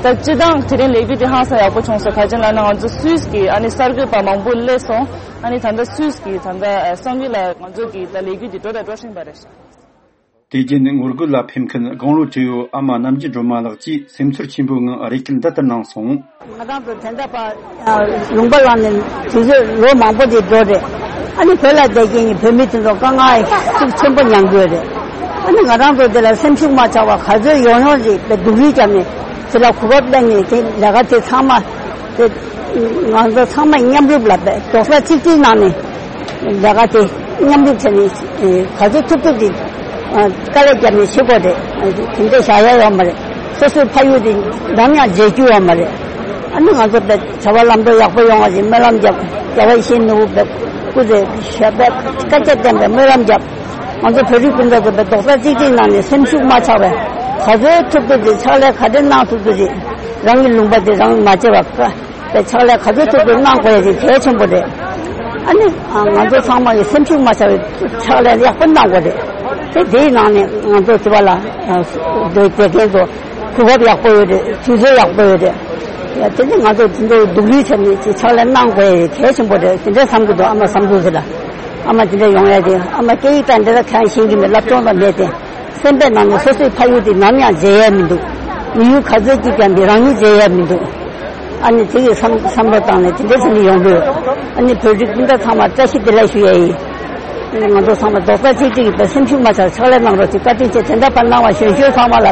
ད་སྤྱིར་བཏང་དེ་རིང་ལས་འགུལ་དེ་ཧང་སང་ཡག་པོ་བྱུང་སོང་། ག་ཅི་ལབ་ན་ང་ཚོ་སུད་སི་གི་ཨ་ནི་གསར་འགོད་པ་མང་པོ་སླེབས་སོང་། ཨ་ནི་ད་ལྟ་སུད་སི་གི་ད་ལྟ་ཨ་གསར་འགོད་ལ་ང་ཚོ་གི་ད་ལས་འགུལ་དེ་འགྲོ་དང་འགྲོ་བཞིན་པ་རེད་ཤག་དེ་རྗེས་ངོ་རྒོལ་ལ་ཕེབས་མཁན་དགུང་ལོ་བགྲེས་ཡོད་ཨ་མ་རྣམ་རྒྱལ་སྒྲོལ་མ་ལགས་ཀྱིས་སེམས་ཚོར་ཆེན་པོའི་ངང་རེ་སྐུལ་འདི་ལྟར་གནང་སོང་། ང་རང་ཚོ་དོན་དག་པ་ལུང་པ་བླངས་ནས་དུས་ཚོད་ལོ་མང་པོ་དེ་འགྲོ་རེད། ཨ་ནི་བོད་ལ་བསྡད་མཁན་གྱི་བོད་མི་དེ་ཚོ་དཀའ་ངལ་ཤུགས་ཆེན་པོ་མྱངས་དགོས་རེད། ཨ་ནི་ང་རང་ཚོ་དེ་ལ་སེམས་ཤུགས་མ་ཆག་པ་ག་ཚོད་ཡོང་ཡོང་རེད་པའི་སྡུག་རུས་བརྒྱབ་ནས་དེ་ལ་གོ་སྐབས་བླངས་ནས་དེ་ལས་ཀ་དེ་ཚང་མ་དེ་ང་ཚོ་ཚང་མ་མཉམ་རུབ་ལ་རྡོག་རྩ་གཅིག་སྒྲིལ་གནང་ནས་ལས་ཀ་དེ་མཉམ་རུབ་བྱས་ནས་ག་ཚོད་ཐུབ་ཐུབ་དེ་དཀའ་ལས་བརྒྱབ་ནས་བྱེད་དགོས་རེད། དེ་འདྲ་བཞག་ཡ་ཡོད་མ་རེད། སོ་སོའི་ཕ་ཡུལ་དེ་ནམ་ཡང་བརྗེད་རྒྱུ་ཡོད་མ་རེད། ཨ་ནི་ང་ཚོ་བྱ་བ་ལམ་འགྲོ་ཡག་པོ་ཡོང་བ་ཞིག་སྨོན་ལམ་རྒྱབ། རྒྱལ་བ་ཡིད་བཞིན་ནོར་བུ་བཀའ་དྲིན་ཆེ་བསྟན་པའི་སྨོན་ལམ་རྒྱབ། ང་ཚོ་བོད་རིགས་སྤུན་ཟླ་ཚོ་རྡོག་རྩ་གཅིག་སྒྲིལ་གནང་ནས་སེམས་ཤུགས་མ་ཆག་པའི་ ག་ཚོད་ཐུབ་ཐུབ་དེ་ཕྱག་ལས་ག་འདྲ་གནང་ཐུབ་ཐུབ་དེ་རང་གི་ལུང་པ་དེ་རང་མ་བརྗེད་པ་དེ་ཕྱག་ལས་ག་ཚོད་ཐུབ་ཐུབ་གནང་དགོས་ཡ་དེ་གལ་ཆེན་པོ་རེད། ཨ་ནི་ང་ཚོ་ཚང་མ་གི་སེམས་ཤུགས་མ་ཆག་པའི་ཕྱག་ལས་ཡག་པོ་གནང་དགོས་རེད། དེ་དེའི་ནང་ནས་ང་ཚོ་དེ་བ་ལ་འདོད་དེ་མཁན་ཚོ་གོ་སྐབས་ཡག་པོ་ཡོད་རེད། དུས་ཚོད་ཡག་པོ་ཡོད་རེད། དེ་ནི་ང་ཚོ་དེ་འདྲའི་སྡུག་རུས་བྱས་ནས་ཅིག་ཕྱག་ལས་གནང་དགོས་ཡ་གལ་ཆེན་པོ་རེད། དེ་འདྲ་བསམ་གྱི་འདུག་ཨ་མ་བསམ་ཚུལ་ཟེར་ལ། ཨ་མ་དེ་འདྲ་ཡོང་ཡ་དེ་ཨ་མ་སྐད་ཡིག་དང་འདི་ལ་གང་ཤེས་ཀྱི་མེད། སློབ་སྦྱོང་དང་མེད་དེ། སེམས་པའི་ནང་ནས་སོ་སོའི་ཕ་ཡུལ་དེ་ནམ་ཡང་མཇལ་ཡ་མི་འདུག་མི་ཡུལ་ག་ཚོད་ཅིག་ཀྱང་མི་རང་ཉིད་མཇལ་ཡ་མི་འདུག་ཨ་ནི་དེ་ཡི་བསམ་བསམ་བློ་བཏང་ནས་དེ་འདྲ་བྱས་ནས་ཡོང་དུས། ཨ་ནི་བོད་རིགས་སྤུན་ཟླ་ཚང་མ་བཀྲ་ཤིས་བདེ་ལེགས་ཞུ་ཡ་ཡིན། ང་ཚོ་ཚང་མ་རྡོག་རྩ་གཅིག་སྒྲིལ་གྱིས་སེམས་ཤུགས་མ་ཆག་ཕྱག་ལས་གནང་རོགས་ཅིག་བཀའ་དྲིན་ཆེ། དེ་འདྲ་ཕར་གནང་བ་གཞོན་གཞོན་ཚང་མ་ལ་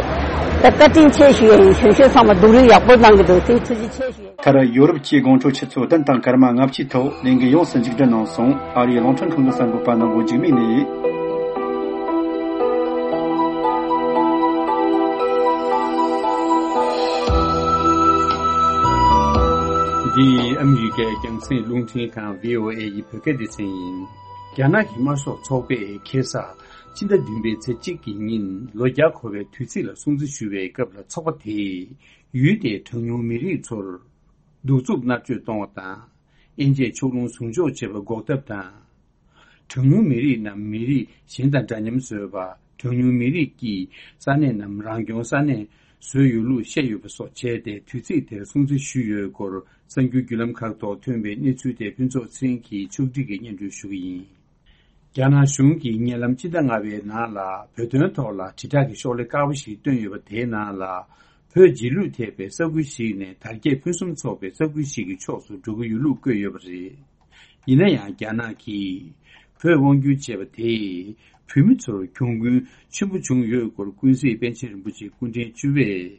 བཀའ་དྲིན་ཆེ་ཞུ་ཡ་ཡིན། གཞོན་གཞོན་ཚང་མ་སྡུག་རུས་ཡག་པོ་གནང་གི་འདུག་དེ་ཐུགས་རྗེ་ཆེ་ཞུ་ཡ་ཡིན། མཐར་ཡོ་རོབ་ཀྱི་དགོང་དྲོ་ཆུ་ཚོད་བདུན་དང་སྐར་མ་ལྔ་བཅུའི་ཐོག་ལས་འགུལ་ཡོངས་སུ་མཇུག་སྒྲིལ་གནང་སོང་། ཨ་རིའི་རླུང་འཕྲིན་ཁང་གི་གསར་འགོད་པ་ནོར་བུ་འཇིགས་མེད་ནས། འདི་ཨ་མི་རི་ཀའི་རྒྱང་སྲིང་རླུང་འཕྲིན་ཁང་བྷི་ཨོ་ཨེ་ཡི་བོད་སྐད་སྡེ་ཚན་ཡིན། རྒྱ་ནག་གི་དམར་ཤོག་ཚོགས་པས་ཁ་སང་སྤྱི་ཟླ་བདུན་པའི་ཚེས་གཅིག་གི་ཉིན་ལོ་བརྒྱ་འཁོར་བའི་དུས་ཚིགས་ལ་སྲུང་བརྩི་ཞུ་བའི་སྐབས་ལ་ཚོགས་པ་དེས་ཡུལ་དེའི་གྲངས་ཉུང་མི་རིགས་ཚོར་གདུག་རྩུབ་མནར་གཅོད་གཏོང་བ་དང་། དབྱེ་འབྱེད་ཕྱོགས་ལྷུང་ཟུང་འཇོག་བྱེད་པ་འགོག་ཐབས་དང་། གྲངས་ཉུང་མི་རིགས་རྣམས་མི་རིགས་གཞན་དང་འདྲ་མཉམ་བཟོས་པ། གྲངས་ཉུང་མི་རིགས་ཀྱི་ས་གནས་རྣམས་རང་སྐྱོང་ས་གནས་བཟོས་ཡོད་ལུགས་བཤད་ཡོད་པ་སོགས་བྱས་ཏེ། དུས་ཚིགས་དེར་སྲུང་བརྩི་ཞུས་ཡོད་སྐོར་གསར་འགྱུར་བརྒྱུད་ལམ་ཁག་ཐོག་ཐོན་པའི་གནས་ཚུལ་དེ་ཕུན་ཚོགས་ཚེ་རིང་གིས་ཕྱོགས་སྒྲིག་གིས་སྙན་སྒྲོན་ཞུ་གི་ཡིན། རྒྱ་ནག་གཞུང་གིས་ཉེ་ལམ་སྤྱི་ཟླ་ལྔ་པའི་ནང་ལ་བོད་དོན་ཐོག་ལ་དྲིལ་བསྒྲགས་ཀྱི་ཤོག་ལྷེ་དཀར་པོ་ཞིག་བཏོན་ཡོད་པ། དེའི་ནང་ལ་བོད་རྗེས་ལུས་ཐེབས་པའི་ས་ཁུལ་ཞིག་ནས་དར་རྒྱས་ཕུན་སུམ་ཚོགས་པའི་ས་ཁུལ་ཞིག་གི་ཕྱོགས་སུ་འགྲོ་གི་ཡོད་ལུགས་བཀོད་ཡོད་པ་རེད། ཡིན་ན་ཡང་རྒྱ་ནག་གིས་བོད་དབང་བསྒྱུར་བྱས་པ་དེས་བོད་མི་ཚོར་གྱོང་གུན་ཆེན་པོ་བྱུང་ཡོད་སྐོར་ཀུན་གཟིགས་པཎ་ཆེན་རིན་པོ་ཆེ་སྐུ་ཕྲེང་བཅུ་པས།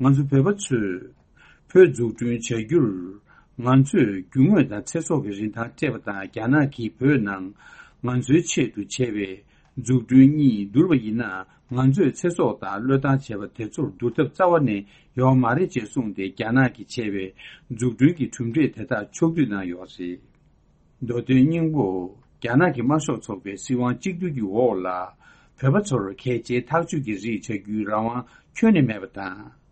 ང་ཚོ་བོད་པ་ཚོས་བོད་འཛུགས་སྐྲུན་བྱ་རྒྱུར་ང་ཚོས་རྒྱུ་དངོས་དང་ཚེ་སྲོག་གི་རིན་ཐང་སྤྲད་པ་དང་། རྒྱ་ནག་གིས་བོད་ནང་ང་ཚོའི་ཆེད་དུ་བྱས་པའི་འཛུགས་སྐྲུན་གཉིས་བསྡུར་བ་ཡིན་ན། ང་ཚོས་ཚེ་སྲོག་དང་བློས་བཏང་བྱས་པ་དེ་ཚོར་བསྡུར་ཐབས་རྩ་བ་ནས་ཡོད་མ་རེད་ཅེས་གསུངས་ཏེ། རྒྱ་ནག་གིས་བྱས་པའི་འཛུགས་སྐྲུན་གྱི་གྲུབ་འབྲས་དེ་དག་ཕྱོགས་བསྡུས་གནང་ཡོད་རེད། མདོ་དོན་སྙིང་པོ། རྒྱ་ནག་གི་དམར་ཤོག་ཚོགས་པའི་སྲིད་དབང་གཅིག་སྡུད་ཀྱི་འོག་ལ། བོད་པ་ཚོར་གལ་ཆེའི་ཐག་གཅོད་ཀྱི་རིགས་བྱ་རྒྱུའི་རང་དབང་ཁྱོན་ནས་མེད་པ་དང་།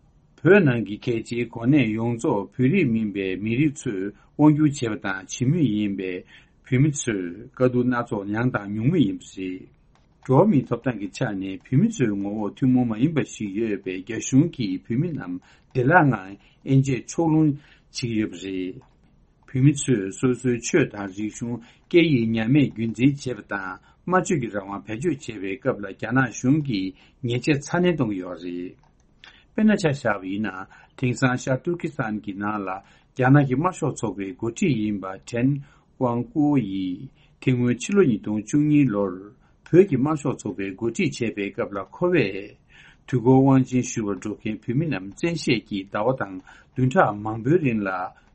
བོད་ནང་གི་གལ་ཆེའི་གོ་གནས་ཡོངས་རྫོགས་བོད་རིགས་མིན་པའི་མི་རིགས་ཚོས་དབང་སྒྱུར་བྱས་པ་དང་བྱེད་མུས་ཡིན་པས། བོད་མི་ཚོས་དཀའ་སྡུག་སྣ་ཚོགས་མྱངས་དང་མྱོང་མུས་ཡིན་པ་རེད། འགྲོ་བ་མིའི་ཐོབ་ཐང་གི་ཆ་ནས་བོད་མི་ཚོའི་ངོ་བོ་ཐུན་མོང་མ་ཡིན་པ་ཞིག་ཡོད་པས། རྒྱ་གཞུང་གིས་བོད་མི་རྣམས་བདེ་བླག་ངང་དབྱེ་འབྱེད་ཕྱོགས་ལྷུང་བྱེད་ཀྱི་ཡོད་པ་རེད། བོད་མི་ཚོས་སོ་སོའི་ཆོས་དང་རིག་གཞུང་། སྐད་ཡིག་ཉམས་མེད་རྒྱུན་འཛིན་བྱེད་པ་དང་། སྨྲ་བརྗོད་ཀྱི་རང་དབང་བེད་སྤྱོད་བྱེད་པའི་སྐབས་ལ་རྒྱ་ནག་གཞུང་གིས་ཉེས་ཆད་ཚ་ནན་གཏོང་གི་ཡོད་རེད། དཔེར་ན་ཆ་བཞག་པ་ཡིན་ན། དེང་སང་ཤར་ཏུར་ཀི་སི་ཐན་གྱི་ནང་ལ་རྒྱ་ནག་གི་དམར་ཤོག་ཚོགས་པའི་འགོ་ཁྲིད་ཡིན་པ་ཁྲེན་ཝང་ཀུའོ་ཡིས་དེ་སྔོན་ཕྱི་ལོ་ཉིས་སྟོང་བཅུ་གཉིས་ལོར་བོད་ཀྱི་དམར་ཤོག་ཚོགས་པའི་འགོ་ཁྲིད་བྱས་པའི་སྐབས་ལ། ཁོ་བས་དུས་འཁོར་དབང་ཆེན་ཞུ་བར་འགྲོ་མཁན་བོད་མི་རྣམས་བཙན་ཤེད་ཀྱིས་ཟླ་བ་དང་བདུན་ཕྲག་མང་པོའི་རིང་ལ་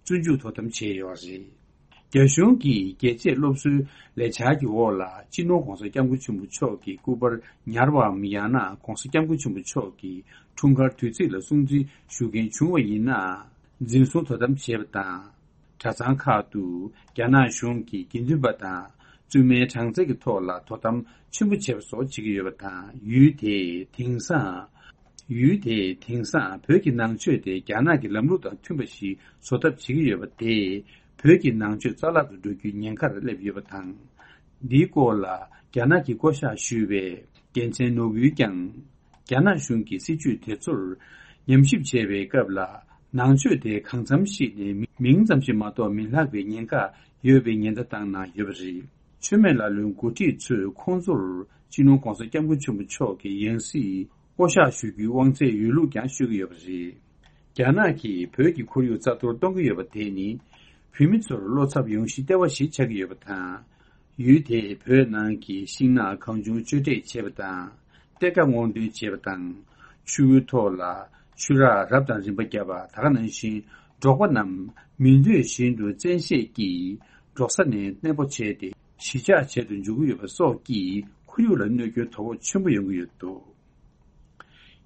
བཙོན་འཇུག་དོ་དམ་བྱས་ཡོད་རེད། རྒྱ་གཞུང་གིས་རྒྱལ་གཅེས་སློབ་གསོའི་ལས་འཆར་གྱི་འོག་ལ། སྤྱི་ནོར་༧གོང་ས་༧སྐྱབས་མགོན་ཆེན་པོ་མཆོག་གི་སྐུ་པར་ཉར་བའམ། ཡང་ན་༧གོང་ས་༧སྐྱབས་མགོན་ཆེན་པོ་མཆོག་གི་འཁྲུངས་སྐར་དུས་ཚིགས་ལ་སྲུང་བརྩི་ཞུ་མཁན་བྱུང་བ་ཡིན་ན། འཛིན་བཟུང་དོ་དམ་བྱེད་པ་དང་། གྲྭ་ཚང་ཁག་ཏུ་རྒྱ་ནག་གཞུང་གི་དགེ་འདུན་པ་དང་བཙུན་མའི་གྲངས་ཚད་ཀྱི་ཐོག་ལ་དོ་དམ་ཆེན་པོ་བྱེད་པ་སོགས་བྱེད་ཀྱི་ཡོད་པ་དང་། ཡུལ་དེས་དེང་སང་། ཡུལ་དེས་དེང་སང་བོད་ཀྱི་ནང་ཆོས་དེ་རྒྱ་ནག་གི་ལམ་ལུགས་དང་མཐུན་པ་ཞིག་བཟོ་ཐབས་བྱེད་ཀྱི་ཡོད་པ་དེས་བོད་ཀྱི་ནང་ཆོས་རྩ་བརླག་ཏུ་འགྲོ་རྒྱུའི་ཉེན་ཁར་སླེབས་ཡོད་པ་དང་། འདིའི་སྐོར་ལ་རྒྱ་ནག་གི་བསྐོ་བཞག་ཞུས་པའི་རྒྱལ་མཚན་ནོར་བུས་ཀྱང་། རྒྱ་ནག་གཞུང་གི་སྲིད་ཇུས་དེ་ཚོར་ཉམས་ཞིབ་བྱེད་པའི་སྐབས་ལ། ནང་ཆོས་དེ་གང་འཚམ་ཞིག་ནས་མིང་ཙམ་ཞིག་མ་གཏོགས་མི་ལྷག་པའི་ཉེན་ཁ་ཡོད་པའི་ཉེན་བརྡ་བཏང་གནང་ཡོད་པ་རེད། མཆོད་མེ་ལ་ལུའི་འགོ་ཁྲིད་ཚོས་ཁོང་ཚོར་སྤྱི་ནོར་༧གོང་ས་༧སྐྱབས་མགོན་ཆེན་པོ་མཆོག་གི་ཡང་སྲིད་བསྐོ་བཞག་ཞུ་རྒྱུའི་དབང་ཚད་ཡོད་ལུགས་ཀྱང་ཤོད་ཀྱི་ཡོད་པ་རེད། རྒྱ་ནག་གིས་བོད་ཀྱི་ཁོར་ཡུག་རྩ་གཏོར་གཏོང་གི་ཡོད་པ་དེ་ནི། བོད་མི་ཚོར་བློ་འཚབ་ཡོང་གཞི་ལྟེ་བ་ཞིག་ཆགས་ཀྱི་ཡོད་པ་དང་། ཡུལ་དེས་བོད་ནང་གི་ཤིང་ནགས་གང་བྱུང་གཅོད་འབྲེག་བྱེད་པ་དང་། གཏེར་ཁ་སྔོག་འདོན་བྱེད་པ་དང་། ཆུ་བོའི་ཐོག་ལ་ཆུ་རགས་རབ་དང་རིམ་པ་བརྒྱབ་པ། ད་ག་ནང་བཞིན་འབྲོག་པ་རྣམས་མི་འདོད་བཞིན་དུ་བཙན་ཤེད་ཀྱིས་འབྲོག་ས་ནས་གནས་སྤོ་བྱས་ཏེ། གཞིས་ཆགས་བྱེད་དུ་འཇུག་གི་ཡོད་པ་སོགས་ཀྱིས་ཁོར་ཡུག་ལ་གནོད་སྐྱོན་དོ་ཕོག་ཆེན་པོ་ཡོང་གི་ཡོད་འདུག་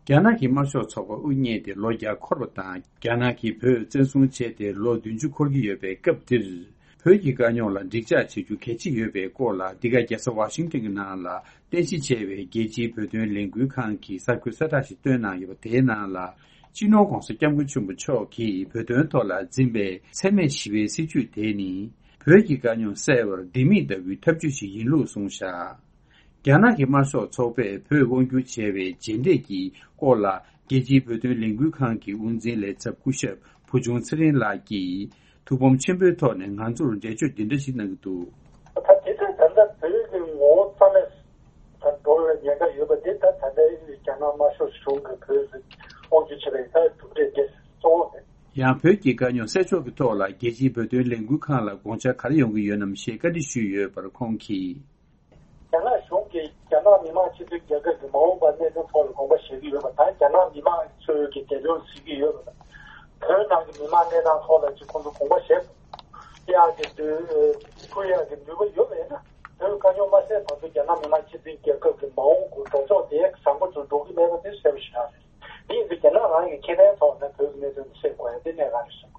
རྒྱ་ནག་གི་དམར་ཤོག་ཚོགས་པ་དབུ་བརྙེས་ཏེ་ལོ་བརྒྱ་འཁོར་བ་དང་། རྒྱ་ནག་གིས་བོད་བཙན་བཟུང་བྱས་ཏེ་ལོ་བདུན་ཅུ་འཁོར་གྱི་ཡོད་པའི་སྐབས་འདིར། བོད་ཀྱི་དཀའ་རྙོག་ལ་འགྲིག་འཇགས་བྱེད་རྒྱུ་གལ་ཆེ་ཡོད་པའི་སྐོར་ལ། འདི་ག་རྒྱལ་ས་ཝ་ཤིང་ཊོན་གྱི་ནང་ལ་རྟེན་གཞི་བྱས་པའི་རྒྱལ་སྤྱིའི་བོད་དོན་ལས་འགུལ་ཁང་གིས་གསར་འགོད་གསལ་བསྒྲགས་ཤིག་བཏོན་གནང་ཡོད་པ། དེའི་ནང་ལ། སྤྱི་ནོར་༧གོང་ས་༧སྐྱབས་མགོན་ཆེན་པོ་མཆོག་གིས་བོད་དོན་ཐོག་ལ་འཛིན་པའི་འཚེ་མེད་ཞི་བའི་སྲིད་བྱུས་དེ་ནི། བོད་ཀྱི་དཀའ་རྙོག་སེལ་བར་ལྡེ་མིག་ལྟ་བུའི་ཐབས་ཇུས་ཤིག་ཡིན་ལུགས་གསུངས་བཞག། རྒྱ་ནག་གི་དམར་ཤོག་ཚོགས་པས་བོད་དབང་བསྒྱུར་བྱས་པའི་རྗེས་འབྲས་ཀྱི་སྐོར་ལ། རྒྱལ་སྤྱིའི་བོད་དོན་ལས་འགུལ་ཁང་གི་དབུ་འཛིན་ལས་ཚབ་སྐུ་ཞབས་བུ་ཆུང་ཚེ་རིང་ལགས་ཀྱིས། ཐུགས་ཕམ་ཆེན་པོའི་ཐོག་ནས་ང་ཚོར་འགྲེལ་བརྗོད་འདི་འདྲ་ཞིག་གནང་གི་འདུག། ད་དེ་ཚོས་ད་ལྟ་བོད་ཀྱི་ངོ་བོ་རྩ་མེད་དུ་འགྲོ་བའི་ཉེན་ཁ་ཡོད་པ་དེ། ད་ད་ལྟའི་རྒྱ་ནག་དམར་ཤོག་གཞུང་གིས་བོད་དབང་བསྒྱུར་བྱས་པའི་ད་གྲུབ་འབྲས་དེ་གཙོ་བོ་རེད། ཡང་བོད་ཀྱི་དཀའ་རྙོག་སེལ་ཕྱོགས་ཀྱི་ཐོག་ལ་རྒྱལ་སྤྱིའི་བོད་དོན་ལས་འགུལ་ཁང་ལ་དགོངས་འཆར་ག་རེ་ཡོང་གི་ཡོད་ནམ་ཞེས་བཀའ་འདྲི་ཞུས་ཡོད་པར་ཁོང་གིས། རྒྱ་ནག་གཞུང་གིས་རྒྱ་ནག་མི་དམངས་སྤྱི་མཐུན་རྒྱལ་ཁབ་ཀྱི་མ་འོངས་པ་གནད་དོན་ཐོག་ལ་དགོངས་པ་བཞེས་ཀྱི་ཡོད་པ་དང་། རྒྱ་ནག་མི་དམངས་ཚོས་ཀྱི་འདས་དོན་གཟིགས་ཀྱི་ཡོད་པ་དང་། བོད་ནང་གི་མི་དམངས་གནས་སྟངས་ཐོག་ལ་ཅིག་ཁོང་ཚོ་དགོངས་པ་བཞེས་ཡག་གི་འདོད་ཕུལ་ཡག་གི་འདོད་པ་ཡོད་པ་ཡིན་ན། བོད་དཀའ་རྙོག་མ་སེལ་བར་དུ་རྒྱ་ནག་མི་དམངས་སྤྱི་མཐུན་རྒྱལ་ཁབ་ཀྱི་མ་འོངས་ཀྱི་འགྲོ་ཕྱོགས་དེ་བཟང་པོ་དུ་འགྲོ་གི་མེད་པ་དེ་གསལ་པོ་ཞེ་དྲག་རེད། དེ་ཡིན་ཚེ་རྒྱ་ནག་རང་གི་ཁེ་ཕན་ཐོག་ནས་བོད་ཀྱི་གནད་དོན་དེ་སེལ་དགོས་ཡ་དེ་གནད་འགག་རེད་བསམ་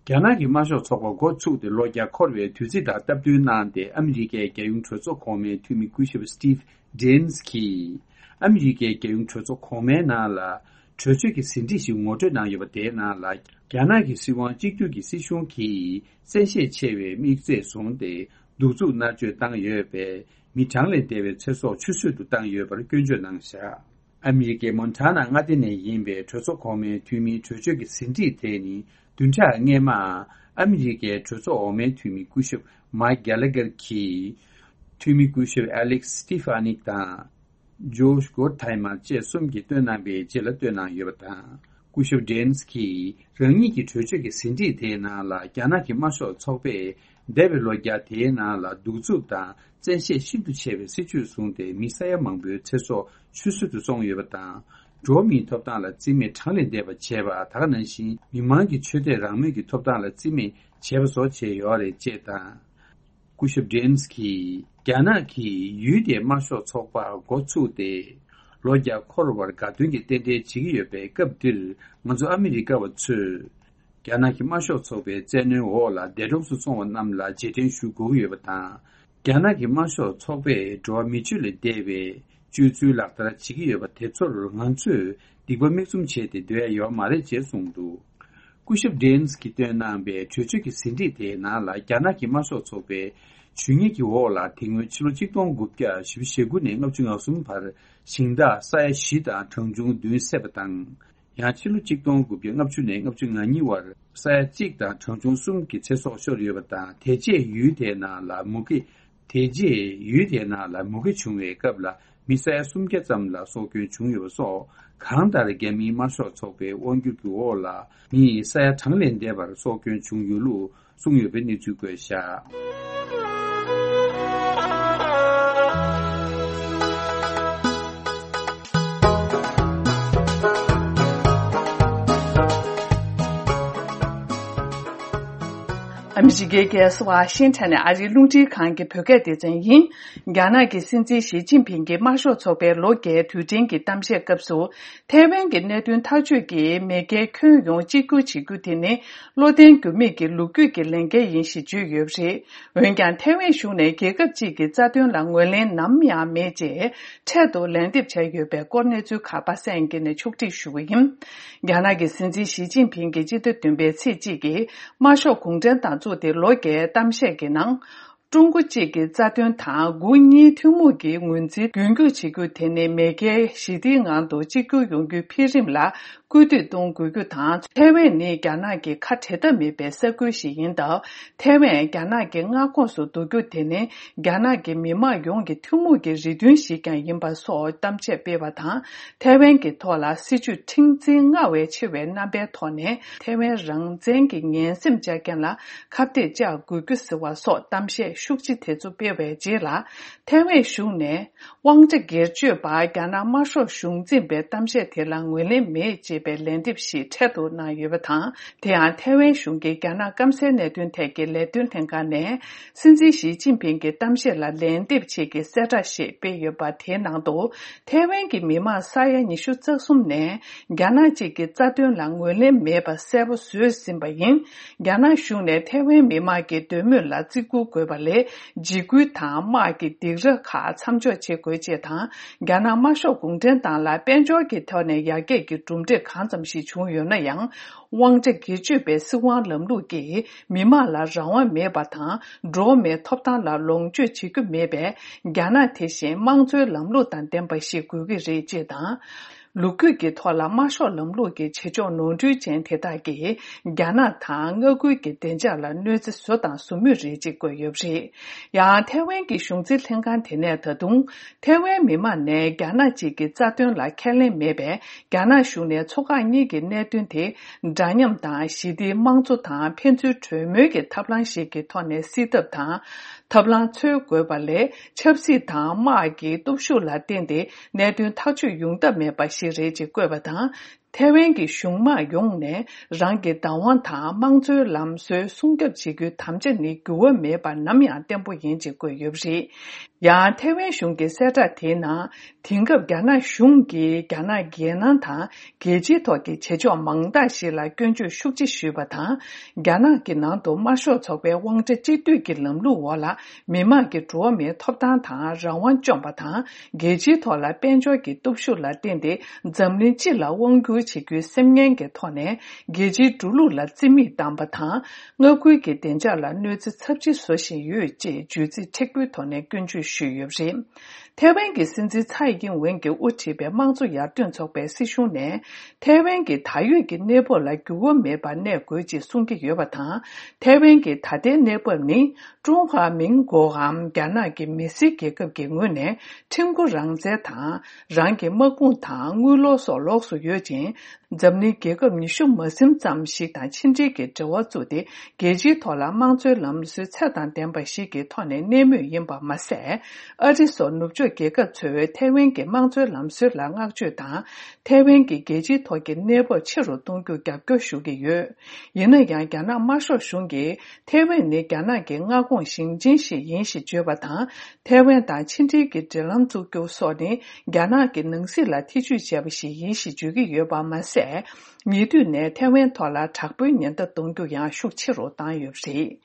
གི། རྒྱ་ནག་གི་དམར་ཤོག་ཚོགས་པ་འགོ་ཚུགས་ཏེ་ལོ་བརྒྱ་འཁོར་བའི་དུས་ཚིགས་དང་སྟབས་བསྟུན་གནང་སྟེ། ཨ་མི་རི་ཀའི་རྒྱལ་ཡོངས་གྲོས་ཚོགས་གོང་མའི་འཐུས་མི་སྐུ་ཞབས་སི་ཊིབ་ཌེ་ནས་གིས། ཨ་མི་རི་ཀའི་རྒྱལ་ཡོངས་གྲོས་ཚོགས་གོང་མའི་ནང་ལ་གྲོས་ཆོད་ཀྱི་ཟིན་བྲིས་ཤིག་ངོ་སྤྲོད་གནང་ཡོད་པ། དེའི་ནང་ལ། རྒྱ་ནག་གི་སྲིད་དབང་གཅིག་གྱུར་གྱི་སྲིད་གཞུང་གིས་བཙན་ཤེད་ཆེ་བའི་དམིགས་ཚད་བཟུང་སྟེ། གདུག་རྩུབ་མནར་གཅོད་བཏང་ཡོད་པས། མི་གྲངས་ལས་འདས་པའི་ཚེ་སྲོག་ཆུད་ཟོས་སུ་བཏང་ཡོད་པར་སྐྱོན་བརྗོད་གནང་བཞག། ཨ་མི་རི་ཀའི་མོན་ཊ་ན་མངའ་སྡེ་ནས་ཡིན་པའི་གྲོས་ཚོགས་གོང་མའི་འཐུས་མིའི་གྲོས་ཆོད་ཀྱི་ཟིན་བྲིས་དེ་ནི། བདུན་ཕྲག་སྔོན་མ། ཨ་མི་རི་ཀའི་གྲོས་ཚོགས་འོག་མའི་འཐུས་མི་སྐུ་ཞབས་མཱིཀ་གྷེ་ལ་གྷེར་གྱིས། འཐུས་མི་སྐུ་ཞབས་ཨ་ལེག་སི་སི་ཊི་ཕ་ནིག་དང་། ཇོ་ཤ་གྷོ་ཐའི་མར་བཅས་གསུམ་གྱིས་བཏོན་གནང་བའི་རྗེས་ལ་བཏོན་གནང་ཡོད་པ་དང་། སྐུ་ཞབས་ཌེ་ནས་གིས་རང་ཉིད་ཀྱི་གྲོས་ཆོད་ཀྱི་ཟིན་བྲིས་དེའི་ནང་ལ། རྒྱ་ནག་གི་དམར་ཤོག་ཚོགས་པས་འདས་པའི་ལོ་བརྒྱ་དེའི་ནང་ལ་གདུག་རྩུབ་དང་། བཙན་ཤེད་ཤིན་ཏུ་ཆེ་བའི་སྲིད་བྱུས་བཟུང་སྟེ། མི་ས་ཡ་མང་པོའི་ཚེ་སྲོག་ཆུད་ཟོས་སུ་སོང་ཡོད་པ་དང་། འགྲོ་བ་མིའི་ཐོབ་ཐང་ལ་བརྩི་མེད་གྲངས་ལས་འདས་པ་བྱས་པ། ད་ག་ནང་བཞིན་མི་མང་གི་ཆོས་དད་རང་མོས་ཀྱི་ཐོབ་ཐང་ལ་བརྩི་མེད་བྱས་པ་སོགས་བྱས་ཡོད་རེད་ཅེས་དང་། སྐུ་ཞབས་ཌེ་ནས་གིས། རྒྱ་ནག་གིས་ཡུལ་དེའི་དམར་ཤོག་ཚོགས་པ་འགོ་ཚུགས་ཏེ། ལོ་བརྒྱ་འཁོར་བར་དགའ་སྟོན་གྱི་རྟེན་འབྲེལ་བྱེད་ཀྱི་ཡོད་པའི་སྐབས་འདིར། ང་ཚོ་ཨ་མི་རི་ཀ་བ་ཚོས། རྒྱ་ནག་གི་དམར་ཤོག་ཚོགས་པའི་བཙན་གནོན་འོག་ལ་འདས་གྲོངས་སུ་སོང་བ་རྣམས་ལ་རྗེས་དྲན་ཞུ་དགོས་ཀྱི་ཡོད་པ་དང་། རྒྱ་ནག་གི་དམར་ཤོག་ཚོགས་པས་འགྲོ་བ་མི་ཆོས་ལས་འདས་པའི་སྤྱོད་ཚུལ་ལག་བསྟར་བྱེད་ཀྱི་ཡོད་པ་དེ་ཚོར་ང་ཚོས་སྡིག་པ་མིག་བཙུམ་བྱས་ཏེ་སྡོད་ཡ་ཡོད་མ་རེད་ཅེས་གསུངས་འདུག། སྐུ་ཞབས་ཌེ་ནས་ཀྱིས་བཏོན་གནང་བའི་གྲོས་ཆོད་ཀྱི་ཟིན་བྲིས་དེའི་ནང་ལ། རྒྱ་ནག་གི་དམར་ཤོག་ཚོགས་པའི་ཇུས་ངན་གྱི་འོག་ལ། དེ་སྔོན་ཕྱི་ལོ་ཆིག་སྟོང་དགུ་བརྒྱ་བཞི་བཅུ་ཞེ་དགུ་ནས་ལྔ་བཅུ་ང་གསུམ་བར་ཞིང་བདག་ས་ཡ་བཞི་དང་གྲངས་ཆུང་བདུན་བསད་པ་དང་། ཡང་ཕྱི་ལོ་ཆིག་སྟོང་དགུ་བརྒྱ་ལྔ་བཅུ་ནས་ལྔ་བཅུ་ང་གཉིས་བར་ས་ཡ་གཅིག་དང་གྲངས་ཆུང་གསུམ་གྱི་ཚེ་སྲོག་ཤོར་ཡོད་པ་དང་། དེ་རྗེས་ཡུལ་དེའི་ནང་ལ་མུ་གེ། དེ་རྗེས་ཡུལ་དེའི་ནང་ལ་མུ་གེ་བྱུང་བའི་སྐབས་ལ། མི་ས་ཡ་སུམ་བརྒྱ་ཙམ་ལ་སྲོག་སྐྱོན་བྱུང་ཡོད་པ་སོགས། གང་ལྟར་རྒྱ་མིའི་དམར་ཤོག་ཚོགས་པའི་དབང་སྒྱུར་གྱི་འོག་ལ། མི་ས་ཡ་གྲངས་ལས་འདས་པར་སྲོག་སྐྱོན་བྱུང་ཡོད་ལུགས་གསུངས་ཡོད་པའི་གནས་ཚུལ་བཀོད་བཞག། ཨ་མི་རི་ཀའི་རྒྱལ་ས་ཝ་ཤིང་ཊོན་ནས་ཨ་རིའི་རླུང་འཕྲིན་ཁང་གི་བོད་སྐད་སྡེ་ཚན་ཡིན། རྒྱ་ནག་གི་སྲིད་འཛིན་ཞི་ཅིན་ཕིང་གིས་དམར་ཤོག་ཚོགས་པའི་ལོ་བརྒྱའི་དུས་དྲན་གྱི་གཏམ་བཤད་སྐབས་སུ། ཐའེ་ཝན་གྱི་གནད་དོན་ཐག་གཅོད་ཀྱིས་མེས་རྒྱལ་ཁྱོན་ཡོངས་གཅིག་གྱུར་བྱེད་རྒྱུ་དེ་ནི་བློ་བརྟན་འགྱུར་མེད་ཀྱི་ལོ་རྒྱུས་ཀྱི་ལས་འགན་ཡིན་ཞེས་བརྗོད་ཡོད་པ་རེད། འོན་ཀྱང་། ཐའེ་ཝན་གཞུང་ནས་རྒྱལ་ཁབ་ཅིག་གི་རྩ་དོན་ལ་ངོས་ལེན་ནམ་ཡང་མེད་ཅེས་འཕྲལ་དུ་ལན་འདེབས་བྱས་ཡོད་པའི་སྐོར་གནས་ཚུལ་ཁག་པ་སངས་སྐྱིད་ནས་ཕྱོགས་སྒྲིག་ཞུ་གི་ཡིན། རྒྱ་ནག་གི་སྲིད་འཛིན་ཞི་ཅིན་ཕིང་གིས་སྤྱི་ཟླ་བདུན་པའི་ཚེས་གཅིག་གི་དམར་ཤོག་གུང་ཁྲན་ཏང་བཙུགས་ཏེ་ལོ་བརྒྱའི་གཏམ་བཤད་ཀྱི་ནང་། ཀྲུང་གོ་གཅིག་གི་རྩ་དོན་དང་དགུ་གཉིས་ཐུན་མོང་གི་ངོས་འཛིན་རྒྱུན་འཁྱོངས་བྱེད་རྒྱུ་དེ་ནི་མེས་རྒྱལ་ཞི་བདེའི་ངང་དུ་གཅིག་གྱུར་ཡོང་རྒྱུའི་འཕེལ་རིམ་ལ་སྐུལ་འདེད་གཏོང་དགོས་རྒྱུ་དང་། ཐའེ་ཝན་ནི་རྒྱ་ནག་གི་ཁ་བྲལ་ཐབས་མེད་པའི་ས་ཁུལ་ཞིག་ཡིན་སྟབས། ཐའེ་ཝན་རྒྱ་ནག་གི་མངའ་ཁོངས་སུ་བསྡུ་རྒྱུ་དེ་ནི་རྒྱ་ནག་གི་མི་དམངས་ཡོངས་ཀྱི་ཐུན་མོང་གི་རེ་འདུན་ཞིག་ཀྱང་ཡིན་པ་སོགས་གཏམ་བཤད་སྤེལ་བ་དང་། ཐའེ་ཝན་གྱི་ཐོག་ལ་སྲིད་བྱུས་མཁྲེགས་འཛིན་སྔར་བས་ཆེ་བའི་རྣམ་པའི་ཐོག་ནས་ཐའེ་ཝན་རང་བཙན་གྱི་ངན་སེམས་བཅག་མཁན་ལ་ཁ་གཏད་བཅག་དགོས་རྒྱུ་ཟེར་བ་སོགས་གཏམ་བཤད་ ཤུགས་ཆེ་དེ་ཚོ་སྤེལ་བའི་རྗེས་ལ། ཐའེ་ཝན་གཞུང་ནས་དབང་ཆ་སྒེར་གཅོད་པ་རྒྱ་ནག་དམར་ཤོག་གཞུང་འཛིན་པའི་གཏམ་བཤད་དེ་ལ་ངོས་ལེན་མེད་ཅེས་པའི་ལན་འདེབས་ཤིག་འཕྲལ་དུ་གནང་ཡོད་པ་དང་། དེ་ཡང་ཐའེ་ཝན་གཞུང་གི་རྒྱ་ནག་སྐམ་སའི་གནད་དོན་ཐད་ཀྱི་ལས་དོན་ལྷན་ཁང་ནས། སྲིད་འཛིན་ཞི་ཅིན་ཕིང་གི་གཏམ་བཤད་ལ་ལན་འདེབས་ཆེད་ཀྱི་གསལ་བསྒྲགས་ཤིག་སྤེལ་ཡོད་པ་དེའི་ནང་དུ། ཐའེ་ཝན་གྱི་མི་མང་ས་ཡ་ཉི་ཤུ་རྩ་གསུམ་ནས་རྒྱ་ནག་གཅིག་གི་རྩ་དོན་ལ་ངོས་ལེན་མེད་པ་གསལ་པོ་བཟོས་ཟིན་པ་ཡིན། རྒྱ་ནག་གཞུང་ནས་ཐའེ་ཝན་མི་མང་གི་འདོད་མོས་ལ་བརྩི་བཀུར་དགོས་པ་ལས། འཇིགས་སྐུལ་དང་དམག་གི་སྡིགས་ར་ཁག་མཚམས་འཇོག་བྱེད་དགོས་ཅེས་དང་། རྒྱ་ནག་དམར་ཤོག་གུང་ཁྲན་ཏང་ལ་དཔལ་འབྱོར་གྱི་ཐོག་ནས་ཡར་རྒྱས་ཀྱི་གྲུབ་འབྲས་གང་ཙམ་ཞིག་བྱུང་ཡོད་ན་ཡང་། དབང་ཆ་སྒེར་གཅོད་པའི་སྲིད་དབང་ལམ་ལུགས་ཀྱིས་མི་དམངས་ལ་རང་དབང་མེད་པ་དང་། འགྲོ་བ་མིའི་ཐོབ་ཐང་ལ་ལོངས་སྤྱོད་བྱེད་རྒྱུ་མེད་པས། རྒྱ་ནག་དེ་བཞིན་དམངས་གཙོའི་ལམ་ལུགས་དང་ལྡན་པ་ཞིག་དགོས་ཀྱི་རེད་ཅེས་དང་། ལོ་རྒྱུས་ཀྱི་ཐོག་ལ་དམར་ཤོག་ལམ་ལུགས་ཀྱི་བྱེད་ཕྱོགས་ནོར་འཁྲུལ་ཅན་དེ་དག་གིས་རྒྱ་ནག་དང་མངའ་ཁུལ་གྱི་བདེ་འཇགས་ལ་གནོད་འཚེ་བཟོ་དང་བཟོ་མུས་རེད་ཅེས་བཀོད་ཡོད་པ་རེད། ཡང་ཐའེ་ཝན་གྱི་གཞུང་འཛིན་ལྷན་ཁང་དེ་ནས་ད་དུང་། ཐའེ་ཝན་མི་དམངས་ནས་རྒྱ་ནག་གཅིག་གི་རྩ་དོན་ལ་ཁས་ལེན་མེད་པས། རྒྱ་ནག་གཞུང་ནས་མཚོ་འགག་གཉིས་ཀྱི་གནད་དོན་དེ་འདྲ་མཉམ་དང་ཞི་བདེའི་དམངས་གཙོ་དང་ཕན་ཚུན་གྲོས་མོལ་གྱི་ཐབས་ལམ་ཞིག་གི་ཐོག་ནས་སེལ་ཐབས་དང་། ཐབས་ལམ་འཚོལ་དགོས་པ་ལས་ཆབ་སྲིད་དང་དམག་གི་སྟོབས་ཤུགས་ལ་བརྟེན་ཏེ་གནད་དོན་ཐག་གཅོད་ཡོང་ཐབས་མེད་པ་ཞིག་རེད་ཅེས་བཀོད་པ་དང་། ཐའེ་ཝན་གྱི་གཞུང་དམངས་ཡོངས་ནས་རང་གི་བདག་དབང་དང་དམངས་གཙོའི་ལམ་སྲོལ་སྲུང་སྐྱོབ་བྱེད་རྒྱུའི་དམ་བཅའ་ནི་འགྱུར་བ་མེད་པར་ནམ་ཡང་བརྟན་པོ་ཡིན་ཅེས་བཀོད་ཡོད་པ་རེད། ཡང་ཐའེ་ཝན་གཞུང་གི་གསལ་བསྒྲགས་དེའི་ནང་། དེང་སྐབས་རྒྱ་ནག་གཞུང་གིས་རྒྱ་ནག་རྒྱལ་ནང་དང་རྒྱལ་སྤྱིའི་ཐོག་གི་བྱེད་ཕྱོགས་མང་དག་ཞིག་ལ་སྐྱོན་བརྗོད་ཤུགས་ཆེ་ཞུས་པ་དང་། རྒྱ་ནག་གི་ནང་དུ་དམར་ཤོག་ཚོགས་པའི་དབང་ཆ་གཅིག་སྡུད་ཀྱི་ལམ་ལུགས་འོག་ལ། མི་དམངས་ཀྱི་འགྲོ་བ་མིའི་ཐོབ་ཐང་དང་རང་དབང་བཅོམ་པ་དང་། རྒྱལ་སྤྱིའི་ཐོག་ལ་དཔལ་འབྱོར་གྱི་སྟོབས་ཤུགས་ལ་བརྟེན་ཏེ། འཛམ་གླིང་སྤྱི་ལ་དབང་བསྒྱུར་བྱེད་རྒྱུའི་སེམས་ངན་གྱི་ཐོག་ནས། རྒྱལ་སྤྱིའི་འགྲོ་ལུགས་ལ་རྩིས་མེད་བཏང་པ་དང་། མངའ་ཁུལ་གྱི་བདེ་འཇགས་ལ་གནོད་འཚེ་ཚབས་ཆེ་བཟོ་བཞིན་ཡོད་ཅེས་བརྗོད་ཚིག་མཁྲེགས་པོའི་ཐོག་ནས་སྐྱོན་བརྗོད་ཞུས་ཡོད་པ་རེད། ཐའེ་ཝན་གྱི་སྲིད་འཛིན་ཚའེ་ཡིན་ཝེན་གྱིས་དབུ་ཁྲིད་པའི་དམངས་གཙོ་ཡར་ཐོན་ཚོགས་པའི་སྲིད་གཞུང་ནས། ཐའེ་ཝན་གྱི་ད་ཡོད་ཀྱི་གནས་བབ་ལ་འགྱུར་བ་མེད་པར་གནས་དགོས་ཅེས་གསུང་གི་ཡོད་པ་དང་། ཐའེ་ཝན་གྱི་ད་ལྟའི་གནས་བབ་ནི། ཀྲུང་ཧྭ་མིན་གོའམ་རྒྱ་ནག་གི་མི་སེར་རྒྱལ་ཁབ་ཀྱི་ངོས་ནས་ཁྲིམས་མགོ་རང་བཙན་དང་། རང་གི་དམག་དཔུང་དང་དངུལ་ལོར་སོགས་ལོགས་སུ་ཡོད་ཅིང་། འཛམ་གླིང་རྒྱལ་ཁབ་ཉི་ཤུ་མ་ཟིན་ཙམ་ཞིག་དང་ཕྱི་འབྲེལ་གྱི་འབྲེལ་བ་བཙུགས་ཏེ། རྒྱལ་སྤྱིའི་ཐོག་ལ་དམངས་གཙོའི་ལམ་སྲོལ་ཚད་དང་ལྡན་པ་ཞིག་གི་ཐོག་ནས་གནས་མུས་ཡིན་པ་མ་ཟད། ཨ་རི་སོགས་ནུབ་ཕྱོགས་རྒྱལ་ཁབ་ཚོས་ཐའེ་ཝན་གྱི་དམངས་གཙོའི་ལམ་སྲོལ་ལ་བསྔགས་བརྗོད་དང་། ཐའེ་ཝན་གྱི་རྒྱལ་སྤྱིའི་ཐོག་གི་གནས་བབ་ཆེ་རུ་གཏོང་རྒྱུར་རྒྱབ་སྐྱོར་ཞུ་གི་ཡོད། ཡིན་ན་ཡང་། རྒྱ་ནག་དམར་ཤོག་གཞུང་གིས་ཐའེ་ཝན་ནི་རྒྱ་ནག་གི་མངའ་ཁོངས་ཞིང་ཆེན་ཞིག་ཡིན་ཞེས་བརྗོད་པ་དང་། ཐའེ་ཝན་དང་ཕྱི་འབྲེལ་གྱི་འབྲེལ་ལམ་བཙུགས་རྒྱུ་སོགས་ནི་རྒྱ་ནག་གི་ནང་སྲིད་ལ་ཐེ་ཇུས་བྱས་པ་ཞིག་ཡིན་ཞེས་བརྗོད་ཀྱི་ཡོད་པ་མ་ཟད། ཉེ་དུས་ནས་ཐའེ་ཝན་ཐོག་ལ་དྲག་པོའི་ཉེན་བརྡ་གཏོང་རྒྱུ་ཡང་ཤུགས་ཆེ་རུ་བཏང་ཡོད་པ་རེད།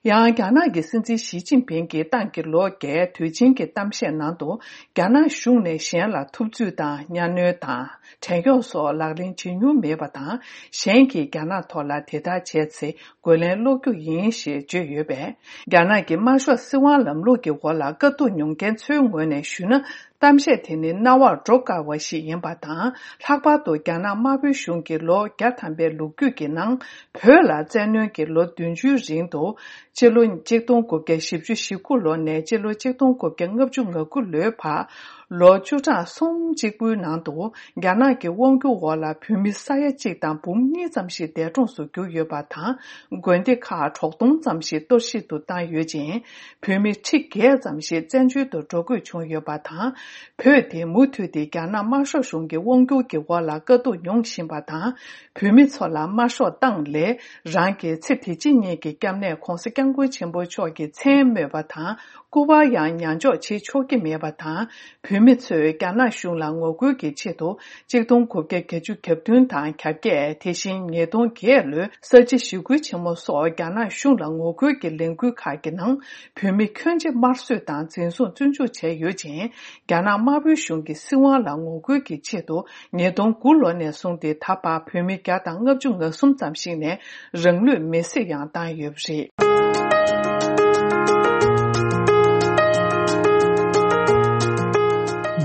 ཡང་། རྒྱ་ནག་གི་སྲིད་འཛིན་ཞི་ཅིན་ཕིང་གིས་ཏང་གི་ལོ་བརྒྱའི་དུས་ཆེན་གྱི་གཏམ་བཤད་ནང་དུ། རྒྱ་ནག་གཞུང་ནས་གཞན་ལ་ཐུབ་ཚོད་དང་གཉའ་གནོན་དང་། བྲན་གཡོག་སོགས་ལག་ལེན་བྱེད་མྱོང་མེད་པ་དང་། གཞན་གྱིས་རྒྱ་ནག་ཐོག་ལ་དེ་ལྟར་བྱས་ཚེ། རྒོལ་ལན་སློག་རྒྱུ་ཡིན་ཞེས་བརྗོད་ཡོད་པས། རྒྱ་ནག་གི་དམར་ཤོག་སྲིད་དབང་ལམ་ལུགས་ཀྱི་འོག་ལ་དཀའ་སྡུག་མྱོང་མཁན་ཚོའི་ངོས་ནས་ཞུས་ན། གཏམ་བཤད་དེ་ནི་རྣ་བར་འགྲོ་དཀའ་བ་ཞིག་ཡིན་པ་དང་། ལྷག་པར་དུ་རྒྱ་ནག་དམར་པོའི་གཞུང་གིས་ལོ་བརྒྱ་ཐམ་པའི་ལོ་རྒྱུས་ཀྱི་ནང་། བོད་ལ་བཙན་གནོན་གྱིས་ལོ་བདུན་ཅུའི་རིང་དུ། སྤྱི་ལོ་གཅིག་སྟོང་དགུ་བརྒྱ་བཞི་བཅུ་ཞེ་དགུ་ལོ་ནས་སྤྱི་ལོ་གཅིག་སྟོང་དགུ་བརྒྱ་ལྔ་བཅུ་ང་དགུ་ལོའི་བར། ལོ་བཅུ་ཕྲག་གསུམ་གཅིག་པུའི་ནང་དུ། རྒྱ་ནག་གི་དབང་སྒྱུར་འོག་ལ་བོད་མི་ས་ཡ་གཅིག་དང་འབུམ་གཉིས་ཙམ་ཞིག་འདས་གྲོངས་སུ་གྱུར་ཡོད་པ་དང་། དགོན་སྡེ་ཁག་དྲུག་སྟོང་ཙམ་ཞིག་གཏོར་བཤིག་ཏུ་བཏང་ཡོད་ཅིང་། བོད་མི་ཁྲི་བརྒྱད་ཙམ་ཞིག་བཙན་བྱོལ་དུ་འགྲོ་དགོས་བྱུང་ཡོད་པ་དང་། བོད་དེ་མུ་མཐུད་དེ་རྒྱ་ནག་དམར་ཤོག་གཞུང་གི་དབང་སྒྱུར་གྱི་འོག་ལ་དཀའ་སྡུག་མྱོང་བཞིན་པ་དང་། བོད་མི་ཚོ་ལ་དམར་ཤོག་ཏང་ལས་རང་གི་ཚེ་དེ་ཕྱི་གཉིས་ཀྱི་སྐྱབས་གནས་༧གོང་ས་༧སྐྱབས་མགོན་ཆེན་པོ་མཆོག་གི་མཚན་སྨོས་པ་དང་། སྐུ་པར་ཡང་ཉར་འཇོག་བྱེད་ཆོག་གི་མེད་པ་དང་། བོད་མི་ཚོས་རྒྱ་ནག་གཞུང་ལ་ངོ་རྒོལ་གྱི་ཆེད་དུ། གཅིག་སྟོང་དགུ་བརྒྱ་བརྒྱད་ཅུ་གྱ་བདུན་དང་གྱ་བརྒྱད། དེ་བཞིན་ཉིས་སྟོང་བརྒྱད་ལོའི་གསར་བརྗེ་ཞི་རྒོལ་ཆེན་མོ་སོགས་རྒྱ་ནག་གཞུང་ལ་ངོ་རྒོལ་གྱི་ལས་འགུལ་ཁག་གི་ནང་། བོད་མི་ཁྱོན་ཆེ་དམར་གསོད་དང་འཛིན་བཟུང་བཙོན་འཇུག་བྱས་ཡོད་ཅིང་། རྒྱ་ནག་དམར་པོའི་གཞུང་གི་སྲིད་དབང་ལ་ངོ་རྒོལ་གྱི་ཆེད་དུ། ཉིས་སྟོང་དགུ་ལོ་ནས་བཟུང་སྟེ་ད་བར་བོད་མི་བརྒྱ་དང་ལྔ་བཅུ་ང་གསུམ་ཙམ་ཞིག་ནས་རང་ལུས་མེར་སྲེག་ཡང་བཏང་ཡོད་པ་རེད།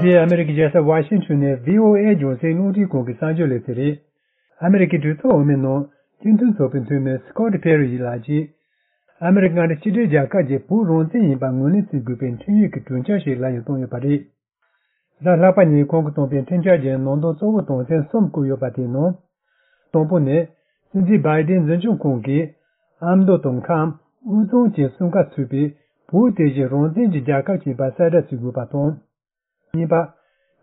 འདི་ཨ་མེ་རི་ཀའི་རྒྱལ་ས་ཝ་ཤིང་ཊོན་ནས་བྷི་ཨོ་ཨེ་རྒྱང་སྲིང་རླུང་འཕྲིན་ཁང་གི་གསར་འགྱུར་ལེ་ཚན་རེད། ཨ་མེ་རི་ཀའི་གྲོས་ཚོགས་འོས་མིའི་ནང་སྤྱི་མཐུན་ཚོགས་པའི་འཐུས་མི་སི་ཀོ་ཊི་ཕེ་རི་ཡི་ལགས་ཀྱིས། ཨ་མེ་རི་ཀ་མངའ་སྡེ་གཅིག་སྒྲིལ་རྒྱལ་ཁབ་ཀྱི་བོད་རང་བཙན་ཡིན་པ་ངོས་ལེན་བྱེད་དགོས་པའི་འཕྲིན་ཡིག་གི་གྲོས་འཆར་ཞིག་ལམ་ཡང་བཏང་ཡོད་པ་རེད། གཟའ་ལྷག་པ་ཉིན་ཁོང་གིས་བཏོན་པའི་འཕྲིན་བཅར་གྱི་ནང་དོན་གཙོ་བོ་དོན་ཚན་གསུམ་བཀོད་ཡོད་པ་དེའི་ནང་། དང་པོ་ནི། སྲིད་འཛིན་བྷའི་ཌེན་འཛིན་སྐྱོང་ཁང་གིས་ཨ་མདོ་དང་ཁམས་དབུས་གཙང་བཅས་གསུམ་ཀ་ཚུད་པའི་ བོད་དེ་བཞིན་རང་བཙན་གྱི་རྒྱལ་ཁབ་ཅིག་ཡིན་པ་གསལ་བསྒྲགས་བྱེད་དགོས་པ་དང་། གཉིས་པ།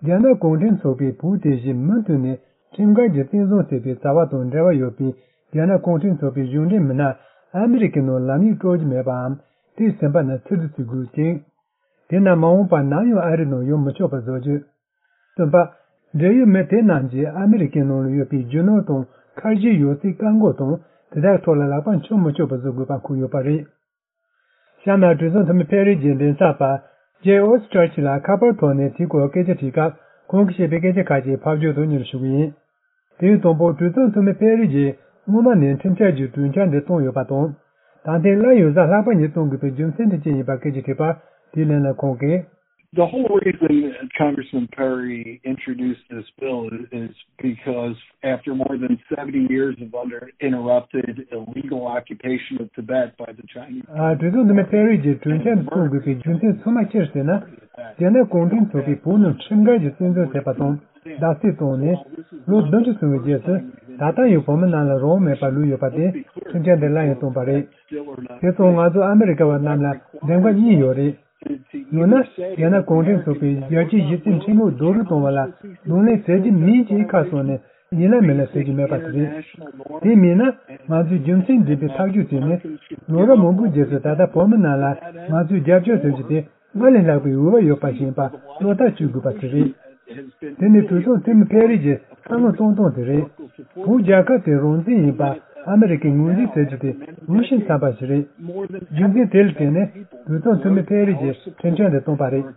རྒྱ་ནག་གུང་ཁྲན་ཚོགས་པས་བོད་དེ་བཞིན་མུ་མཐུད་ནས་ཁྲིམས་འགལ་གྱི་བཙན་བཟུང་བྱས་པའི་བྱ་བ་དང་འབྲེལ་བ་ཡོད་པའི་རྒྱ་ནག་གུང་ཁྲན་ཚོགས་པའི་གཞུང་འབྲེལ་མི་སྣ་ཨ་མི་རི་ཀའི་ནང་ལམ་ཡིག་སྤྲོད་རྒྱུ་མེད་པའམ་དེ་ཟིན་པ་ན་ཕྱིར་བསྡུ་བྱེད་དགོས་ཅིང་། དེ་ན་མ་འོངས་པར་ནམ་ཡང་ཨ་རིའི་ནང་ཡོང་མི་ཆོག་པ་བཟོ་རྒྱུ། གསུམ་པ། འབྲེལ་ཡོད་མི་དེ་རྣམས་ཀྱིས་ཨ་མི་རི་ཀའི་ནང་ལ་ཡོད་པའི་རྒྱུ་ནོར་དང་ཁ་ཞེ་ཡོད་ཚད་བཀག་འགོག་དང་དེ་དག་ཐོག་ལ་ལག་པ་འཆང་མི་ཆོག་པ་བཟོ་དགོས་པ་འཁོད་ཡོད་པ་རེད། གཤམ་ན་གྲོས་ཚོགས་འཐུས་མི་ཕེ་རི་གྱི་མགྲིན་ཚབ་པ་ཇེ་ཨོ་སི་ཀྲར་ཆི་ལ་ཁ་པར་ཐོག་ནས་དེའི་སྐོར་སྐད་ཆ་དྲིས་སྐབས་ཁོང་གིས་བཤད་པའི་སྐད་ཆ་ཁག་ཅིག་ཕབ་སྒྱུར་དུ་སྙན་སྒྲོན་ཞུ་གི་ཡིན། དེ་ཡི་དང་པོ་གྲོས་ཚོགས་འཐུས་མི་ཕེ་རི་གྱིས་སྔོན་མ་ནས་ཁྲིམས་འཆར་གྱི་གྲོས་འཆར་འདི་བཏོན་ཡོད་པ་དང་། ད་ཐེངས་སླར་ཡང་གཟའ་ལྷག་པ་ཉིན་གཏོང་དགོས་པའི་རྒྱུ་མཚན་དེ་ཅི་ཡིན་པར་སྐད་ཆ་དྲིས་པར་དེའི་ལན་ལ་ཁོང་གིས། The whole reason Congressman Perry introduced this bill is because after more than seventy years of uninterrupted illegal occupation of Tibet by the Chinese. ཨ། གྲོས་ཚོགས་འཐུས་མི་ཕེ་རི་གྱིས་གྲོས་འཆར་འདི་གཏོང་དགོས་པའི་རྒྱུ་མཚན་ཚང་མ་ཅི་རེད་ཟེར་ན། རྒྱ་ནག་གུང་ཁྲན་ཚོགས་པས་བོད་ནང་ཁྲིམས་འགལ་གྱི་བཙན་འཛུལ་བྱས་པ་དང་། བརྡབ་གསིག་བཏང་ནས་ལོ་བདུན་ཅུ་སོང་བའི་རྗེས་སུ་ད་ལྟ་ཡང་བོད་མི་རྣམས་ལ་རང་དབང་མེད་པར་ལུས་ཡོད་པ་དེ་ཁྲིམས་འཆར་འདི་སླར་ཡང་བཏོན་པ་རེད། དེ་སོང་ང་ཚོ་ཨ་མི་རི་ཀ་བ་རྣམས་ལ་འདེམས་ཀ་གཉིས་ཡོད་རེད། ཡང་ན་རྒྱ་ནག་གུང་ཁྲན་ཚོགས་པའི་རྒྱལ་སྤྱིའི་གཞི་རྩའི་ཁྲིམས་ལུགས་རྡོག་རོལ་གཏོང་བ་ལ་གདོང་ལེན་བྱེད་ཀྱི་མིན་ཅེས་ཁ་གསོ་ནས་ཡིན་ལ་མིན་ལ་ཟེར་གྱི་མེད་པ་དེ་རེད། དེ་མིན་ན་ང་ཚོས་རྒྱུ་མཚན་ལྡན་པའི་ཐག་གཅོད་བྱས་ནས་ལོ་རབས་མང་པོའི་རྗེས་སུ་ད་ལྟ་བོད་མི་རྣམས་ལ་ང་ཚོས་རྒྱབ་སྐྱོར་ཟེར་རྒྱུ་དེ། སྔར་ལས་ལྷག་པའི་འོས་བབ་ཡོད་པ་ཞིག་ཡིན་པ་བློ་ཐག་གཅོད་དགོས་པ་དེ་རེད། དེ་ནི་གྲོས་ཚོགས་འཐུས་མི་ཕེ་རི་གྱི་བསམ་བློ་གཏོང་སྟངས་དེ་རེད། བོད་རྒྱལ་ཁབ་དེ་རང་བཙན་ཡིན་པ་ཨ་མི་རི་ཀས་ངོས་འཛིན་བྱེད་རྒྱུ་དེ་འོས་ཤིང་འཚམ་པ་ཞིག་རེད། རྒྱུ་མཚན་དེ་ལ་བརྟེན་ནས་གྲོས་ཚོགས་འཐུས་མི་ཕེ་རི་གྱིས་ཁྲིམས་འཆར་འདི་བཏོན་པ་རེད།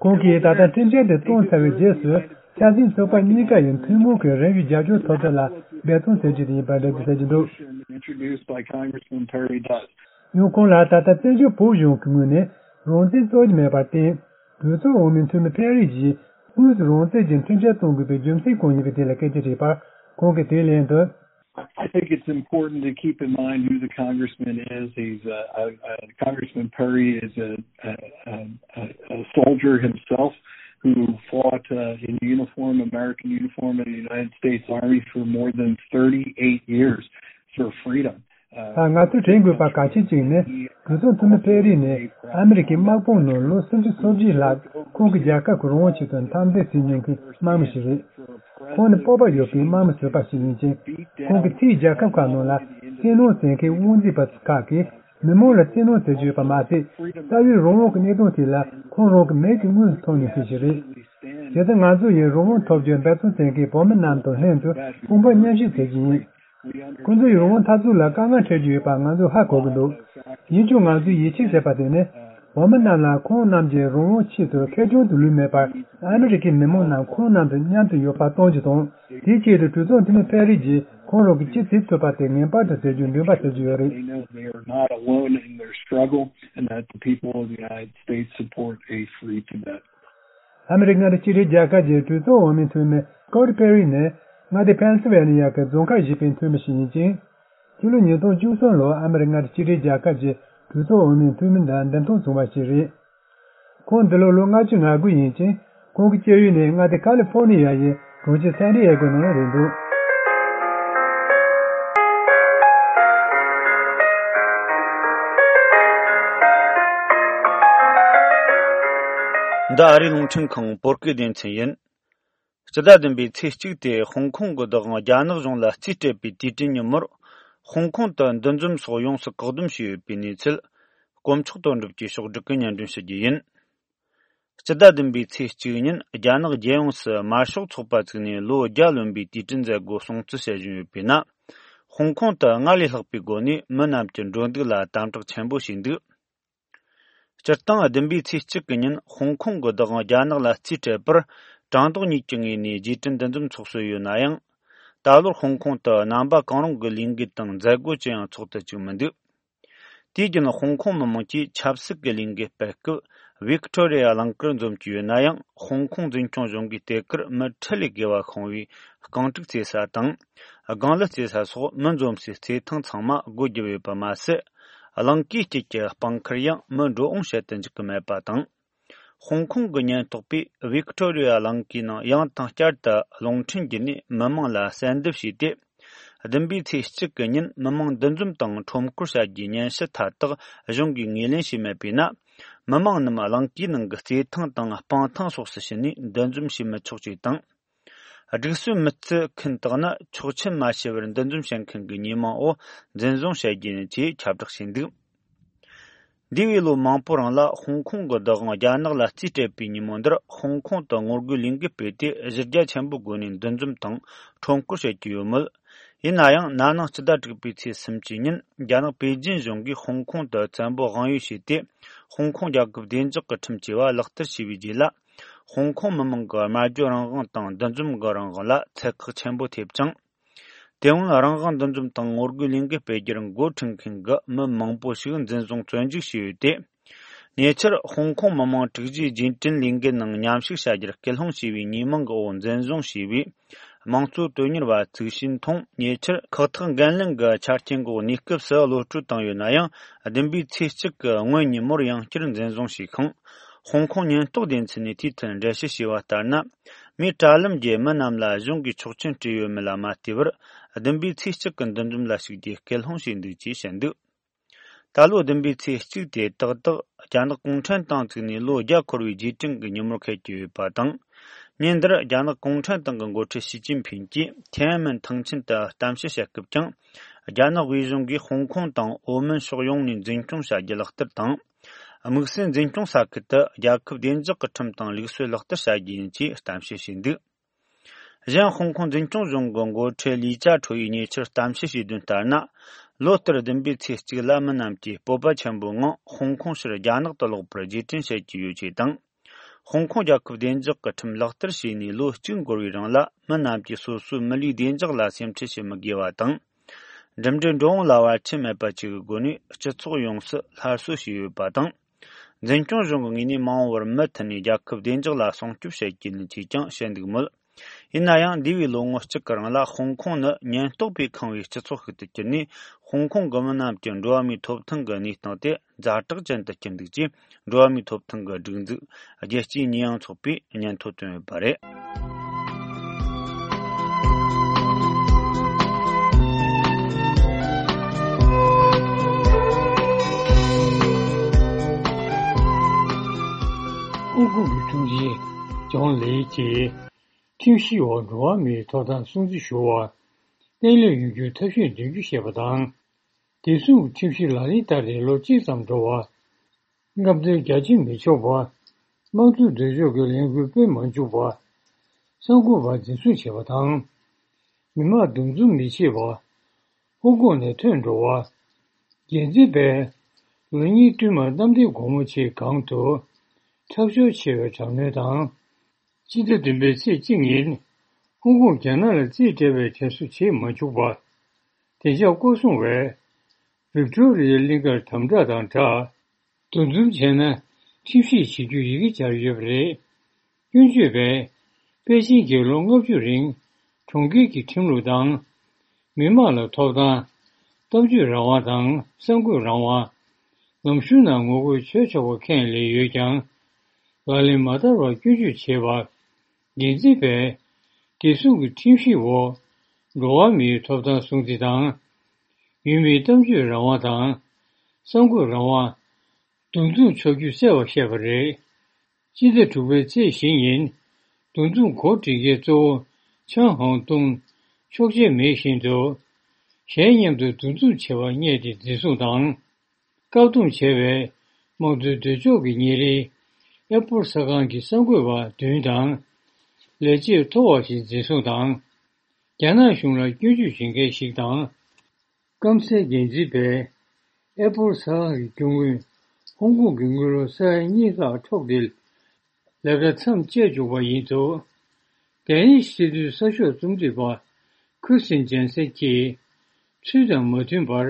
ཁོང་གིས་ད་ལྟ་ཁྲིམས་འཆར་འདི་བཏོན་ཚར་བའི་རྗེས་སུ་ཆབ་སྲིད་ཚོགས་པ་གཉིས་ཀ་ཡི་ཐུན་མོང་གི་རིམ་བཞིན་རྒྱབ་སྐྱོར་ཐོབ་ཐབས་ལ་འབད་བརྩོན་བྱེད་རྒྱུ་དེ་ཡིན་པར་འགྲེལ་བརྗོད་བྱེད་ཀྱི་འདུག Introduced by Congressman Perry Dust. ཡང་ཁོང་ལ་ད་ལྟ་བཙན་བྱོལ་བོད་གཞུང་གི་ངོས་ནས་རང་བཙན་རྩོད་ཀྱི་མེད་པར་བརྟེན། གྲོས་ཚོགས་འོས་མི་འཐུས་མི་ཕེ་རི་གྱིས་དངོས་སུ་རང་བཙན་གྱི་ཁྲིམས་འཆར་གཏོང་དགོས་པའི་རྒྱུ་མཚན་གང་ཡིན་པའི་ཐད་ལ་སྐད་ཆ་དྲིས་པར་ཁོང་གིས་དེའི་ལན་དུ། I think it's important to keep in mind who the congressman is. He's uh, uh, uh, Congressman Perry is a, a, a, a soldier himself who fought uh, in uniform, American uniform, in the United States Army for more than thirty-eight years for freedom. ད་ང་ཚོས་དྲན་དགོས་པ་གལ་ཆེན་གཅིག་ནི་གྲོས་ཚོགས་འཐུས་མི་ཕེ་རི་ནི་ཨ་མི་རི་ཀའི་དམག་དཔུང་ནང་ལོ་སུམ་ཅུ་སོ་བརྒྱད་ལྷག་ཁོང་གི་རྒྱལ་ཁབ་ཀྱི་རང་དབང་ཆེད་དུ་འཐབ་འཛིང་བྱས་མྱོང་མཁན་དམག་མི་ཞིག་རེད། ཁོང་ནི་སྤོབས་པ་ཡོད་པའི་དམག་མི་ཟུར་པ་ཞིག་ཡིན་ཅིང་། ཁོང་གིས་ཕྱིའི་རྒྱལ་ཁབ་ཁག་ནང་ལ་བཙན་གནོན་བྱེད་མཁན་དབང་འཛིན་པ་ཁག་གིས་མི་མང་ལ་བཙན་གནོན་བྱེད་ཀྱི་ཡོད་པ་མ་ཟད། རྩ་བའི་རང་དབང་གི་གནད་དོན་དེ་ལ་ཁོང་རང་གི་མིག་གིས་དངོས་སུ་མཐོང་མྱོང་མཁན་ཞིག་རེད། བྱས་ཙང་ང་ཚོ་ཡིས་རང་དབང་ཐོབ་རྒྱུར་འབད་བརྩོན་བྱེད་མཁན་བོད་མི་རྣམས་དང་ལྷན་དུ་དཔུང་པ་མཉམ་གཤིབ་བྱེད་ཀྱི་ཡིན། ཁོང་ཚོ་ཡི་རང་དབང་འཐབ་རྩོད་ལ་དཀའ་ངལ་འཕྲད་ཀྱི་ཡོད་པ་ང་ཚོས་ཧ་གོ་གི་འདུག་ཡིན་ཀྱང་ང་ཚོས་ཡིད་ཆེས་བྱེད་པ་དེ་ནི། བོད་མི་རྣམས་ལ་ཁོང་རྣམས་ཀྱི་རང་དབང་ཆེད་དུ་ཁེར་རྐྱང་དུ་ལུས་མེད་པར་ཨ་མི་རི་ཀའི་མི་མང་རྣམས་ཁོང་རྣམས་དང་མཉམ་དུ་ཡོད་པ་གཏོང་རྒྱུ་དང་། དེའི་ཆེད་དུ་གྲོས་ཚོགས་འཐུས་མི་ཕེ་རི་གྱིས་ཁོང་རང་གི་ཅི་བྱེད་ཐུབ་པ་དེ་ངེས་པར་དུ་བྱེད་རྒྱུའི་འདུན་པ་བྱེད་ཀྱི་ཡོད་རེད། They know they are not alone in their struggle and that the people of the United States support a free Tibet. ཨ་མི་རི་ཀ་མངའ་སྡེ་གཅིག་སྒྲིལ་རྒྱལ་ཁབ་ཀྱི་གྲོས་ཚོགས་འོས་མི་འཐུས་མི་སྐོར་པེ་རི་ནི་མངའ་སྡེ་ཕེན་སི་ཝེ་ནི་ཡ་གི་རྫོང་ཁག་བཞི་པའི་འཐུས་མི་ཞིག་ཡིན་ཅིང་། ཕྱི་ལོ་ཉིས་སྟོང་བཅུ་གསུམ་ལོར་ཨ་མི་རི་ཀ་མངའ་སྡེ་གཅིག་སྒྲིལ་རྒྱལ་ཁབ་ཀྱི་གྲོས་ཚོགས་འོས་མིའི་འཐུས་མི་འདིར་འདེམས་ཐོན་བྱུང་བ་ཞིག་རེད། ཁོང་འདི་ལོ་ལོ་ལྔ་བཅུ་ང་དགུ་ཡིན་ཅིང་། ཁོང་གི་སྐྱེས་ཡུལ་ནི་མངའ་སྡེ་ཁ་ལི་ཧྥོ་ནི་ཡ་ཡི་གྲོང་ཁྱེར་སན་ཏི་ཨེ་གོ་ནང་ལ་རེད་འདུག་འདི་ཨ་རིའི་རླུང་འཕྲིན་ཁང་བོད་སྐད་སྡེ་ཚན་ཡིན། སྤྱི་ཟླ་བདུན་པའི་ཚེས་གཅིག་སྟེ་ཧོང་ཀོང་གི་བདག་དབང་རྒྱ་ནག་གཞུང་ལ་རྩིས་སྤྲད་པའི་དུས་དྲན་ཉིན་མོར། ཧོང་ཀོང་དུ་འདུ་འཛོམས་སོགས་ཡོངས་སུ་བཀག་སྡོམ་བྱས་ཡོད་པའི་གནས་ཚུལ། དཀོན་མཆོག་དོན་གྲུབ་ཀྱིས་ཕྱོགས་བསྒྲིགས་ཀྱིས་སྙན་སྒྲོན་ཞུ་རྒྱུ་ཡིན། སྤྱི་ཟླ་བདུན་པའི་ཚེས་གཅིག་ཉིན་རྒྱ་ནག་རྒྱལ་ཡོངས་སུ་དམར་ཤོག་ཚོགས་པ་བཙུགས་ནས་ལོ་བརྒྱ་ལོན་པའི་དུས་དྲན་མཛད་སྒོ་སྲུང་བརྩི་བྱེད་བཞིན་ཡོད་པས་ན། ཧོང་ཀོང་དུ་སྔར་ལས་ལྷག་པའི་སྒོ་ནས་མི་རྣམས་ཀྱི་འགྲོ་འདུག་ལ་དམ་དྲག་ཆེན་པོ་བྱས་འདུག་སྤྱིར་བཏང་བདུན་པའི་ཚེས་གཅིག་གི་ཉིན་ཧོང་ཀོང་གི་བདག་དབང་རྒྱ་ནག་ལ་རྩིས་སྤྲད་པར་བྲང་ལྡོག་གཉིས་ཀྱི་ངོས་ནས་རྗེས་དྲན་འདུ་འཛོམས་ཚོགས་སྲོལ་ཡོད་ན་ཡང་། ད་ལོར་ཧོང་ཀོང་དུ་རྣམ་པ་གང་རུང་གི་ལས་འགུལ་དང་མཛད་སྒོ་ཅི་ཡང་ཚོགས་ཐུབ་བཅུག་མི་འདུག་དུས་རྒྱུན་ཧོང་ཀོང་མི་མང་གིས་ཆབ་སྲིད་ཀྱི་ལས་འགུལ་སྤེལ་སྐབས་ཝིག་ཏོ་རི་ཡ་གླིང་གར་འཛོམས་ཀྱི་ཡོད་ན་ཡང་། ཧོང་ཀོང་འཛིན་སྐྱོང་གཞུང་གིས་དེ་གར་མི་ཁྲི་ལས་བརྒལ་བ་ཤོང་བའི་རྐང་དཀྲུག་རྩེ་ས་དང་། སྒང་ལི་རྩེ་ས་སོགས་མི་འཛོམས་སའི་རྩེ་ཐང་ཚང་མ་སྒོ་བརྒྱབ་ཡོད་པ་མ་ཟད། གླིང་གའི་དཀྱིལ་གྱི་སྤང་ཁར་ཡང་མི་འགྲོ་འོང་བྱེད་དུ་འཇུག་གི་མེད་པ་དང་། ཧོང་ཀོང་གི་ཉེན་རྟོག་པས་ཝིག་ཏོ་རི་ཡ་གླིང་གའི་ནང་ཡང་དང་བསྐྱར་དུ་རླུང་འཕྲིན་བརྒྱུད་ནས་མི་མང་ལ་གསལ་འདེབས་བྱས་ཏེ། བདུན་པའི་ཚེས་གཅིག་གི་ཉིན་མི་མང་འདུ་འཛོམས་དང་ཁྲོམ་སྐོར་བྱ་རྒྱུའི་སྙན་ཞུ་མཐའ་དག་གཞུང་གིས་ངོས་ལེན་བྱས་མེད་པས་ན། མི་མང་རྣམས་གླིང་གའི་ནང་གི་རྩེད་ཐང་དང་སྤང་ཐང་སོགས་སུ་ཕྱིན་ནས་འདུ་འཛོམས་བྱེད་མི་ཆོག་ཅེས་དང་། སྒྲིག་སྲོལ་མི་བརྩི་མཁན་དག་ནི་ཆོག་མཆན་མ་ཞུ་བར་འདུ་འཛོམས་བྱེད་མཁན་གྱི་ཉེས་མིང་འོག་འཛིན་བཟུང་བྱ་རྒྱུ་ཡིན་ཅེས་ཁྱབ་བསྒྲགས་བྱས་འདུག་འདས་པའི་ལོ་མང་པོ་རིང་ལ་ཧོང་ཀོང་གི་བདག་དབང་རྒྱ་ནག་ལ་རྩིས་སྤྲད་པའི་ཉིན་མོ་འདིར་ཧོང་ཀོང་དུ་ངོ་རྒོལ་ལས་འགུལ་སྤེལ་ཏེ་གཞི་རྒྱ་ཆེན་པོའི་སྒོ་ནས་འདུ་འཛོམས་དང་ཁྲོམ་སྐོར་བྱེད་ཀྱི་ཡོད་མོད། ཡིན་ན་ཡང་ན་ནིང་སྤྱི་ཟླ་དྲུག་པའི་ཚེས་སུམ་ཅུའི་ཉིན་རྒྱ་ནག་པེ་ཅིན་གཞུང་གིས་ཧོང་ཀོང་དུ་བཙན་པོ་དབང་ཡོད་བྱས་ཏེ། ཧོང་ཀོང་རྒྱལ་ཁབ་བདེ་འཇགས་ཀྱི་ཁྲིམས་ཅེས་པ་ལག་བསྟར་བྱས་པའི་རྗེས་ལ། ཧོང་ཀོང་མི་མང་གི་སྨྲ་བརྗོད་རང་དབང་དང་འདུ་འཛོམས་ཀྱི་རང་དབང་ལ་ཚད་བཀག་ཆེན་པོ་ཐེབས་ཀྱང་། དེ་སྔོན་རང་དབང་འདུ་འཛོམས་དང་ངོ་རྒོལ་ལས་འགུལ་སྤེལ་རྒྱུར་འགོ་ཁྲིད་མཁན་གྱི་མི་མང་པོ་ཞིག་འཛིན་བཟུང་བཙོན་འཇུག་བྱས་ཡོད་དེ། ཉེ་ཆར་ཧོང་ཀོང་མི་མང་དྲུག་ཅུའི་རྗེས་དྲན་ལས་འགུལ་ནང་མཉམ་ཞུགས་བྱ་རྒྱུར་སྐུལ་སློང་བྱས་པའི་ཉེས་མིང་གི་འོག་འཛིན་བཟུང་བྱས་པའི་དམངས་གཙོ་དོན་གཉེར་བ་ཚུགས་ཤིན་ཐུང་ཉེ་ཆར་ཁག་ཐེག་འགན་ལེན་གྱི་ཆ་རྐྱེན་འོག་གནས་སྐབས་སུ་གློད་བཀྲོལ་བཏང་ཡོད་ན་ཡང་། བདུན་པའི་ཚེས་གཅིག་གི་སྔོན་ཉིན་མོར་ཡང་བསྐྱར་འཛིན་བཟུང་བྱས་ཤིང་། ཧོང་ཀོང་ཉེན་རྟོག་སྡེ་ཚན་ནས་དེའི་ཐད་འགྲེལ་བཤད་བྱས་པ་ལྟར་ན། མིའི་དྲ་ལམ་བརྒྱུད་མི་རྣམས་ལ་གཞུང་གིས་ཆོག་མཆན་སྤྲད་ཡོད་མེད་ལ་མ་ལྟོས་པར། བདུན་པའི་ཚེས་གཅིག་གི་འདུ་འཛོམས་ལ་ཞུགས་རྒྱུའི་སྐུལ་སློང་བྱས་འདུག་ཅེས་བཤད་འདུག་ད་ལོ་བདུན་པའི་ཚེས་གཅིག་དེ་ཏག་ཏག་རྒྱ་ནག་གུང་ཁྲན་ཏང་བཙུགས་ནས་ལོ་བརྒྱ་འཁོར་བའི་རྗེས་དྲན་གྱི་ཉིན་མོར་འཁེལ་གྱི་ཡོད་པ་དང་། ཉིན་འདིར་རྒྱ་ནག་གུང་ཁྲན་ཏང་གི་འགོ་ཁྲིད་ཞི་ཅིན་ཕིང་གིས་ཐེན་ཨན་མེན་ཐང་ཆེན་དུ་གཏམ་བཤད་བྱེད་སྐབས་ཀྱང་། རྒྱ་ནག་དབུས་གཞུང་གིས་ཧོང་ཀོང་དང་ཨོ་མོན་ཕྱོགས་ཡོངས་ནས་འཛིན་སྐྱོང་བྱ་རྒྱུ་ལག་བསྟར་དང་། དམིགས་བསལ་འཛིན་སྐྱོང་ས་ཁུལ་དུ་རྒྱལ་ཁབ་བདེ་འཇགས་ཀྱི་ཁྲིམས་དང་ལུགས་སྲོལ་ལག་བསྟར་བྱ་རྒྱུ་ཡིན་ཅེས་གཏམ་བཤད་བྱས་འདུག་གཞན་ཧོང་ཀོང་འཛིན་སྐྱོང་གཞུང་གི་འགོ་ཁྲིད་ལི་ཅཱ་ཁྲོ་ཡིས་ཉེ་ཆར་གཏམ་བཤད་བྱས་དོན་ལྟར་ན། ལོ་ལྟར་བདུན་པའི་ཚེས་གཅིག་ལ་མི་རྣམས་ཀྱིས་སྤོབས་པ་ཆེན་པོའི་ངང་ཧོང་ཀོང་ཕྱིར་རྒྱ་ནག་ཏུ་ལོག་པར་རྗེས་དྲན་བྱེད་ཀྱི་ཡོད་ཅེས་དང་། ཧོང་ཀོང་རྒྱལ་ཁབ་བདེ་འཇགས་ཀྱི་ཁྲིམས་ལག་བསྟར་བྱས་ནས་ལོ་གཅིག་འགོར་བའི་རིང་ལ་མི་རྣམས་ཀྱིས་སོ་སོའི་མི་ལུས་བདེ་འཇགས་ལ་སེམས་ཁྲལ་བྱེད་མི་དགོས་པ་དང་། འགྲིམ་འགྲུལ་འགྲོ་འོང་ལ་བར་ཆད་མེད་པ་བཅས་ཀྱི་སྒོ་ནས་སྤྱི་ཚོགས་ཡོངས་སུ་སླར་གསོ་བྱས་ཡོད་པ་དང་། འཛིན་སྐྱོང་གཞུང་གི་ངོས་ནས་མ་འོངས་པར་མུ་མཐུད་ནས་རྒྱལ་ཁབ་བདེ་འཇགས་ལ་སྲུང་སྐྱོབ་བྱེད་ཀྱི་ཡིན་ཅེས་ཀྱང་བཤད་འདུག་མོད། ཡིན་ན་ཡང་འདས་པའི་ལོ་ངོ་གཅིག་གི་རིང་ལ་ཧོང་ཀོང་ནི་ཉེན་རྟོག་པས་ཁེངས་པའི་སྤྱི་ཚོགས་ཤིག་ཏུ་གྱུར་ནས། ཧོང་ཀོང་གི་མི་རྣམས་ཀྱི་འགྲོ་བ་མིའི་ཐོབ་ཐང་གི་གནས་སྟངས་དེ་ཛ་དྲག་ཅན་དུ་གྱུར་འདུག་ཅེས་འགྲོ་བ་མིའི་ཐོབ་ཐང་གི་སྒྲིག་འཛུགས་རྒྱལ་སྤྱིའི་ཉེས་ཡངས་ཚོགས་པས་སྙན་ཐོ་བཏོན་ཡོད་པ་རེད། ཧོང་ཀོང་གི་དྲུང་ཆེ་ཇོན་ལི་གྱིས་ཁྲིམས་གཞིའི་འོག་འགྲོ་བ་མིའི་ཐོབ་ཐང་སྲུང་བརྩི་ཞུ་བར་གཏན་སླེབས་ཡོང་རྒྱུའི་ཐབས་ཤེས་འདོན་རྒྱུ་ཞེས་པ་དང་། དེ་མཚུངས་ཁྲིམས་གཞི་ལག་ལེན་བསྟར་ཏེ་ལོ་གཅིག་ཙམ་འགྲོ་བར། རྔམ་སྟོན་རྒྱ་ཆེ་མི་ཆོག་པ། དམངས་གཙོའི་འདོད་ཕྱོགས་ཀྱི་ལས་འགུལ་སྤེལ་མ་འཇུག་པ། གསར་འགོད་པ་འཛིན་བཟུང་བྱེད་པ་དང་། མི་མང་འདུ་འཛོམས་མི་བྱེད་པ། ཧོང་ཀོང་ནས་ཐོན་འགྲོ་བ། འགན་འཛིན་པས་ལོ་གཉིས་བསྟུད་མར་གནམ་བདེ་སྒོ་མོ་ཆེའི་སྒང་དུ་འཁྲབ་ཞོར་ཆེ་བའི་དྲག་གནོན་དང་། སྤྱི་ཟླ་བདུན་པའི་ཚེས་གཅིག་ཉིན་ཧོང་ཀོང་རྒྱ་ནག་ལ་རྩིས་སྤྲད་པའི་དྲན་གསོ་བྱེད་མ་བཅུག་པ། བདེ་འཇགས་སྐོར་སྲུང་བས་ཝིག་ཏོ་རི་ཡའི་གླིང་གར་དམ་དྲག་དང་སྦྲགས། འདུ་འཛོམས་བྱས་ན་ཁྲིམས་གཞི་བྱེད་རྒྱུའི་ཡི་གེ་སྦྱར་ཡོད་པ་རེད། སྐྱོན་བརྗོད་པས་པེ་ཅིན་གྱིས་ལོ་ལྔ་བཅུ་རིང་གྲོང་ཁྱེར་གྱི་ཁྲིམས་ལུགས་དང་། མི་དམངས་ལ་ཐོབ་ཐང་། གཏམ་བརྗོད་རང་དབང་དང་གསར་འགོད་རང་དབང་། ལམ་གཞུང་ནང་ངོ་རྒོལ་བྱེད་ཆོག་པ་ཁས་ལེན་ཡོད་ཀྱང་། ལག་ལེན་མ་བསྟར་བར་སྐྱོན་བརྗོད་བྱས་པར། འགན་འཛིན་པས་དེ་མཚུངས་ཀྱི་ཁྲིམས་གཞིའི་འོག་འགྲོ་བ་མིའི་ཐོབ་ཐང་སྲུང་བརྩི་དང་། ཡུལ་མིའི་གཏམ་བརྗོད་རང་དབང་དང་། གསར་འགོད་རང་དབང་། འདུ་འཛོམས་ཆོག་རྒྱུ་བསལ་བར་བཤད་པ་རེད། སྤྱི་ཟླ་དྲུག་པའི་ཚེས་བཞི་ཉིན། འདུ་འཛོམས་གོ་སྒྲིག་མཁན་གཙོ་བོ་ཆང་ཧང་ཏུང་ཆོག་མཆན་མེད་བཞིན་དུ། གཞན་མཉམ་དུ་འདུ་འཛོམས་བྱེད་པར་བསྙད་དེ་འཛིན་བཟུང་དང་། བཀག་སྡོམ་བྱས་པས། དམངས་གཙོའི་འདོད་ཕྱོགས་ཀྱི་ཉིན་རེའི་ཨེ་པོལ་གསར་ཁང་གི་གསར་འགོད་པ་བདུན་དང་། ལས་བྱེད་མཐོ་བ་ཞིག་འཛིན་བཟུང་དང་། རྒྱ་ནག་གཞུང་ལ་སྐྱོན་བརྗོད་བྱེད་མཁན་ཞིག་དང་། སྐམ་སའི་འགན་འཛིན་པས་ཨེ་པོལ་གསར་ཁང་གི་རྒྱུ་དངུལ་ཧོང་ཀོང་གི་དངུལ་ལོར་ས་ཡ་གཉིས་ལྷག་འཕྲོག་སྟེ་ལས་ཀ་མཚམས་བཅད་བཅུག་པ་ཡིན་འདུག་དེ་ནི་སྲིད་དོན་གསར་ཤོག་རྩོམ་སྒྲིག་པ་ཁུ་སིན་ཇན་སན་གྱིས་ཚུལ་དང་མ་མཐུན་པར་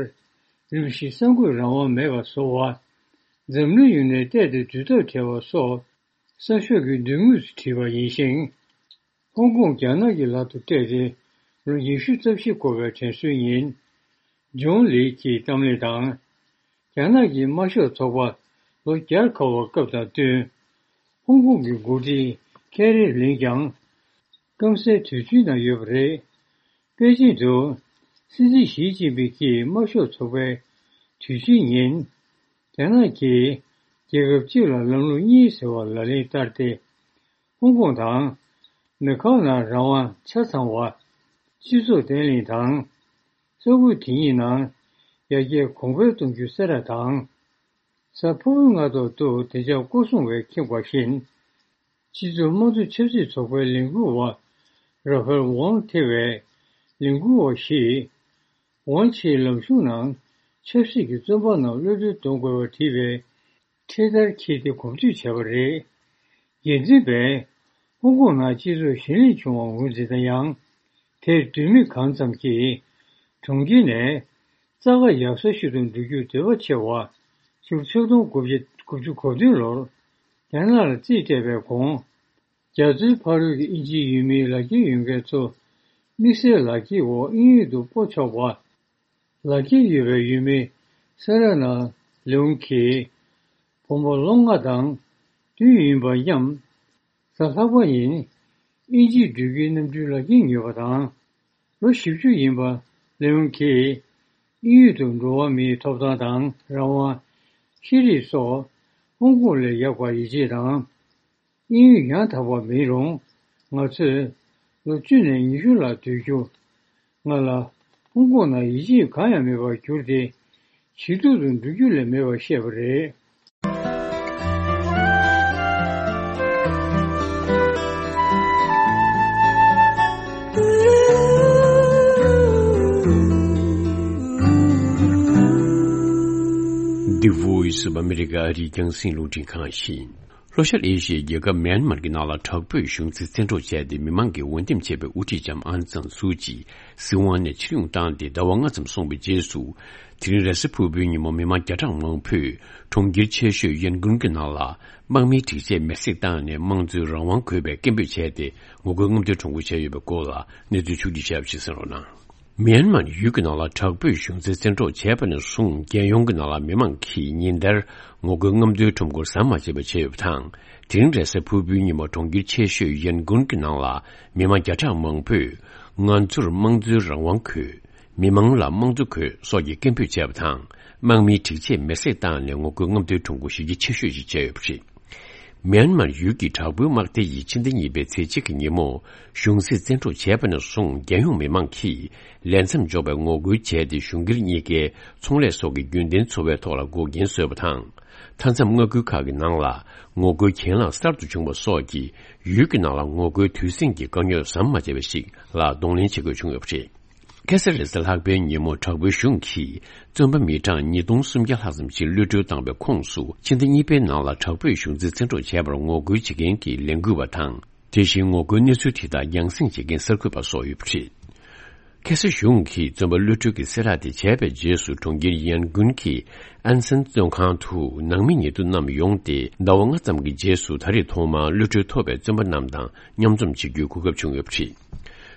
རིམ་བཞིན་གསར་འགོད་རང་དབང་མེད་པ་བཟོ་བ། འཛམ་གླིང་ཡོངས་ནས་གཏན་དུ་སྡུད་ཐབས་བྲལ་བ་སོགས་གསར་ཤོག་གི་མདུན་ངོས་སུ་བྲིས་པ་ཡིན་ཞིང་། ཧོང་ཀོང་རྒྱ་ནག་གི་ལག་ཏུ་སྤྲད་དེ་ལོ་ཉི་ཤུ་རྩ་བཞི་འཁོར་བའི་དྲན་གསོའི་ཉིན། ཇོན་ལི་གིས་གཏམ་གླེང་དང་། རྒྱ་ནག་གི་དམར་ཤོག་ཚོགས་པ་ལོ་བརྒྱར་འཁོར་བའི་སྐབས་དང་བསྟུན། ཧོང་ཀོང་གི་འགོ་ཁྲིད་ཁེ་རི་ལིན་ཀྱང་སྐམ་སའི་དུས་ཚོད་ནང་ཡོད་པ་རེད། པེ་ཅིན་དུ་ སྲིད་འཛིན་ཞི་ཅིན་ཕིང་གིས་དམར་ཤོག་ཚོགས་པའི་དུས་ཆེན་ཉིན། རྒྱ་ནག་གིས་རྒྱལ་ཁབ་གཅིག་ལ་ལམ་ལུགས་གཉིས་ཟེར་བ་ལག་ལེན་བསྟར་ཏེ། ཧོང་ཀོང་དང་མེ་ཁའོ་ནང་རང་དབང་ཆ་ཚང་བ། སྤྱི་ཚོགས་བརྟན་ལྷིང་དང་། ས་ཁུལ་དེ་གཉིས་ནང་ཡར་རྒྱས་གོང་འཕེལ་གཏོང་རྒྱུ་གསལ་བསྒྲགས་དང་། གཟའ་ཕུར་བུའི་སྔ་ཐོག་ཏུ་བདེ་འཇགས་སྐོར་སྲུང་བས་མཁྱེན་པ་བཞིན། སྤྱི་ཚོགས་དམངས་གཙོ་ཆབ་སྲིད་ཚོགས་པའི་ལས་འགུལ་བ་ར་ཧྥེལ་ཝང་ཐེ་བའི་ལས་འགུལ་བ་བཞིས། ཝང་ཆེའི་ལམ་གཞུང་ནང་ཆབ་སྲིད་ཀྱི་བཙོན་པ་རྣམས་གློད་གྲོལ་གཏོང་དགོས་པ་བྲིས་པའི་འཕྲེད་དར་འཁྱེར་ཏེ་གོམ་བགྲོད་བྱས་པ་རེད། འགན་འཛིན་པས་ཧོང་ཀོང་ནང་སྤྱི་ཚོགས་ཞི་ལྷིང་བྱུང་བར་ངོས་འཛིན་ན་ཡང་། དེར་འདོད་མོས་གང་ཙམ་གྱིས་གྲོང་ཁྱེར་ནས་རྩ་ཁ་ཡག་ས་ཞིག་ཏུ་འགྲོ་རྒྱུར་འདོད་པ་ཆེ་བ། ཕྱི་ལོ་ཆིག་སྟོང་དགུ་བརྒྱ་དགུ་བཅུ་གོ་བདུན་ལོར་རྒྱ་ནག་ལ་རྩིས་སྤྲད་པའི་གོང་། རྒྱ་མཚོའི་ཕ་རོལ་གྱི་དབྱིན་ཇིའི་ཡུལ་མིའི་ལག་འཁྱེར་ཡོད་མཁན་ཚོ་དམིགས་བསལ་ལག་འཁྱེར་འོག་དབྱིན་ཡུལ་དུ་སྤོ་ཆོག་པ། ལག་འཁྱེར་ཡོད་པའི་ཡུལ་མི་སེ་ར་ན་ལེའུང་གིས་བུ་མོ་ལོ་ལྔ་དང་བདུན་ཡིན་པ་མཉམ། གཟའ་ལྷག་པ་ཉིན་དབྱིན་ཇིར་འགྲོ་རྒྱུའི་གནམ་གྲུའི་ལག་འཁྱེར་ཉོས་པ་དང་། ལོ་བཞི་བཅུ་ཡིན་པ་ལེའུང་གིས་དབྱིན་ཡུལ་དུ་འགྲོ་བ་མིའི་ཐོབ་ཐང་དང་རང་དབང་། ཤེས་རིག་སོགས་ཧོང་ཀོང་ལས་ཡག་པར་ཡིད་ཆེས་དང་། དབྱིན་ཡུལ་ཡང་དག་པ་མིན་རུང་། ང་ཚོས་ལོ་བཅུ་ནས་ཉི་ཤུ་ལ་སྡོད་རྒྱུ། ང་ལ་ཧོང་ཀོང་ནང་ཡིད་ཆེས་གང་ཡང་མེད་པར་གྱུར་ཏེ། ཇེ་སྡུག་ཏུ་འགྲོ་རྒྱུ་ལས་མེད་པར་བཤད་པ་རེད། The Voice of America ཨ་རིའི་རྒྱང་སྲིང་རླུང་འཕྲིན་ཁང་ཡིན། ལྷོ་ཤར་ཨེ་ཤི་ཡའི་རྒྱལ་ཁབ་མེན་མར་གྱི་ནང་ལ་དྲག་པོས་གཞུང་འཛིན་བཙན་འཕྲོག་བྱས་ཏེ། མི་མང་གི་འོས་འདེམས་བྱས་པའི་དབུ་ཁྲིད་ལྕམ་ཨང་སན་སུའུ་ཅི་སྲིད་དབང་ནས་ཕྱིར་ཡོང་བཏང་སྟེ་ཟླ་བ་ལྔ་ཙམ་སོང་བའི་རྗེས་སུ། དེ་རིང་རེས་གཟའ་ཕུར་བུའི་ཉིན་མོ་མི་མང་བརྒྱ་ཕྲག་མང་པོས་གྲོང་ཁྱེར་ཆེ་ཤོས་ཡན་གུན་གྱི་ནང་ལ་དམག་མིའི་སྒྲིག་ཆས་མེར་སྲེག་བཏང་ནས་དམངས་གཙོའི་རང་དབང་དགོས་པའི་སྐད་འབོད་བྱས་ཏེ། ངོ་རྒོལ་རྔམ་སྟོན་གྲ་སྒྲིག་བྱས་ཡོད་པའི་སྐོར་ལ་གནས་ཚུལ་ཕྱོགས་བསྒྲིགས་བྱས་པ་ཞིག་གསན་རོགས་གནང་། མེན་མར་ཡུལ་གྱི་ནང་ལ་དྲག་པོས་གཞུང་འཛིན་བཙན་འཕྲོག་བྱས་པ་ནས་བཟུང་། རྒྱལ་ཡོངས་ཀྱི་ནང་ལ་མི་མང་གིས་ཉིན་ལྟར་ངོ་རྒོལ་རྔམ་སྟོན་ཁྲོམ་སྐོར་ཟམ་མ་ཆད་པར་བྱས་ཡོད་པ་དང་། དེ་རིང་རེས་གཟའ་ཕུར་བུའི་ཉིན་མོ་གྲོང་ཁྱེར་ཆེ་ཤོས་ཡན་གུན་གྱི་ནང་ལ་མི་མང་བརྒྱ་ཕྲག་མང་པོས། ང་ཚོར་དམངས་གཙོའི་རང་དབང་དགོས། མི་མང་ལ་དམངས་གཙོ་དགོས་སོགས་ཀྱི་སྐད་འབོད་བྱས་པ་དང་། དམག་མིའི་སྒྲིག་ཆས་མེར་སྲེག་བཏང་ནས་ངོ་རྒོལ་རྔམ་སྟོན་ཁྲོམ་སྐོར་གཞི་རྒྱ་ཆེ་ཤོས་ཤིག་བྱས་ཡོད་པ་རེད། མེན་མར་ཡུལ་གྱི་དྲག་པོའི་དམག་སྡེ་ཡིས་ཕྱི་ཟླ་གཉིས་པའི་ཚེས་གཅིག་གི་ཉིན་མོ་གཞུང་སྲིད་བཙན་འཕྲོག་བྱས་པ་ནས་བཟུང་། རྒྱལ་ཡོངས་མི་མང་གིས་ལས་མཚམས་འཇོག་པའི་ངོ་རྒོལ་བྱས་ཏེ། གཞུང་སྒེར་གཉིས་ཀའི་ཚོང་ལས་སོགས་ཀྱི་རྒྱུན་ལྡན་འཚོ་བའི་ཐོག་ལ་འགོག་རྐྱེན་བཟོས་པ་དང་། མཐའ་མཚམས་མངའ་ཁུལ་ཁག་གི་ནང་ལ་ངོ་རྒོལ་གྱེན་ལངས་གསར་དུ་བྱུང་བ་སོགས་ཀྱིས། ཡུལ་གྱི་ནང་ལ་ངོ་རྒོལ་དུས་ཟིང་གི་དཀའ་རྙོག་ཟམ་མ་ཆད་པ་ཞིག་ལ་གདོང་ལེན་བྱེད་དགོས་བྱུང་ཡོད་པ་རེད། ཁ་སང་རེས་གཟའ་ལྷག་པའི་ཉིན་མོ་དྲག་པོའི་གཞུང་གིས་བཙོན་པ་མི་གྲངས་ཉིས་སྟོང་སུམ་བརྒྱ་ལྷག་ཙམ་ཞིག་གློད་གྲོལ་བཏང་བའི་ཁོངས་སུ། ཕྱི་ཟླ་གཉིས་པའི་ནང་ལ་དྲག་པོས་གཞུང་འཛིན་བཙན་འཕྲོག་བྱས་པར་ངོ་རྒོལ་བྱེད་མཁན་གྱི་ལས་འགུལ་བ་དང་། དེ་བཞིན་ངོ་རྒོལ་གནས་ཚུལ་དེ་དག་རྒྱང་སྲིང་བྱེད་མཁན་གསར་འགོད་པ་སོགས་ཡོད་པ་རེད། ཁ་སང་གཞུང་གིས་བཙོན་པ་གློད་གྲོལ་གྱི་གསལ་བསྒྲགས་དེ་བྱས་པའི་རྗེས་སུ། གྲོང་ཁྱེར་ཡན་གུན་གྱི་ཨན་སན་བཙོན་ཁང་དུ་ནང་མི་ཉེ་དུ་རྣམས་ཡོང་སྟེ། ཟླ་བ་ལྔ་ཙམ་གྱི་རྗེས་སུ། ད་རེས་ཐོག་མར་གློད་གྲོལ་ཐོབ་པའི་བཙོན་པ་རྣམས་དང་མཉམ་འཛོམས་བྱེད་རྒྱུའི་གོ་སྐབས་བྱུང་ཡོད་པ་རེད།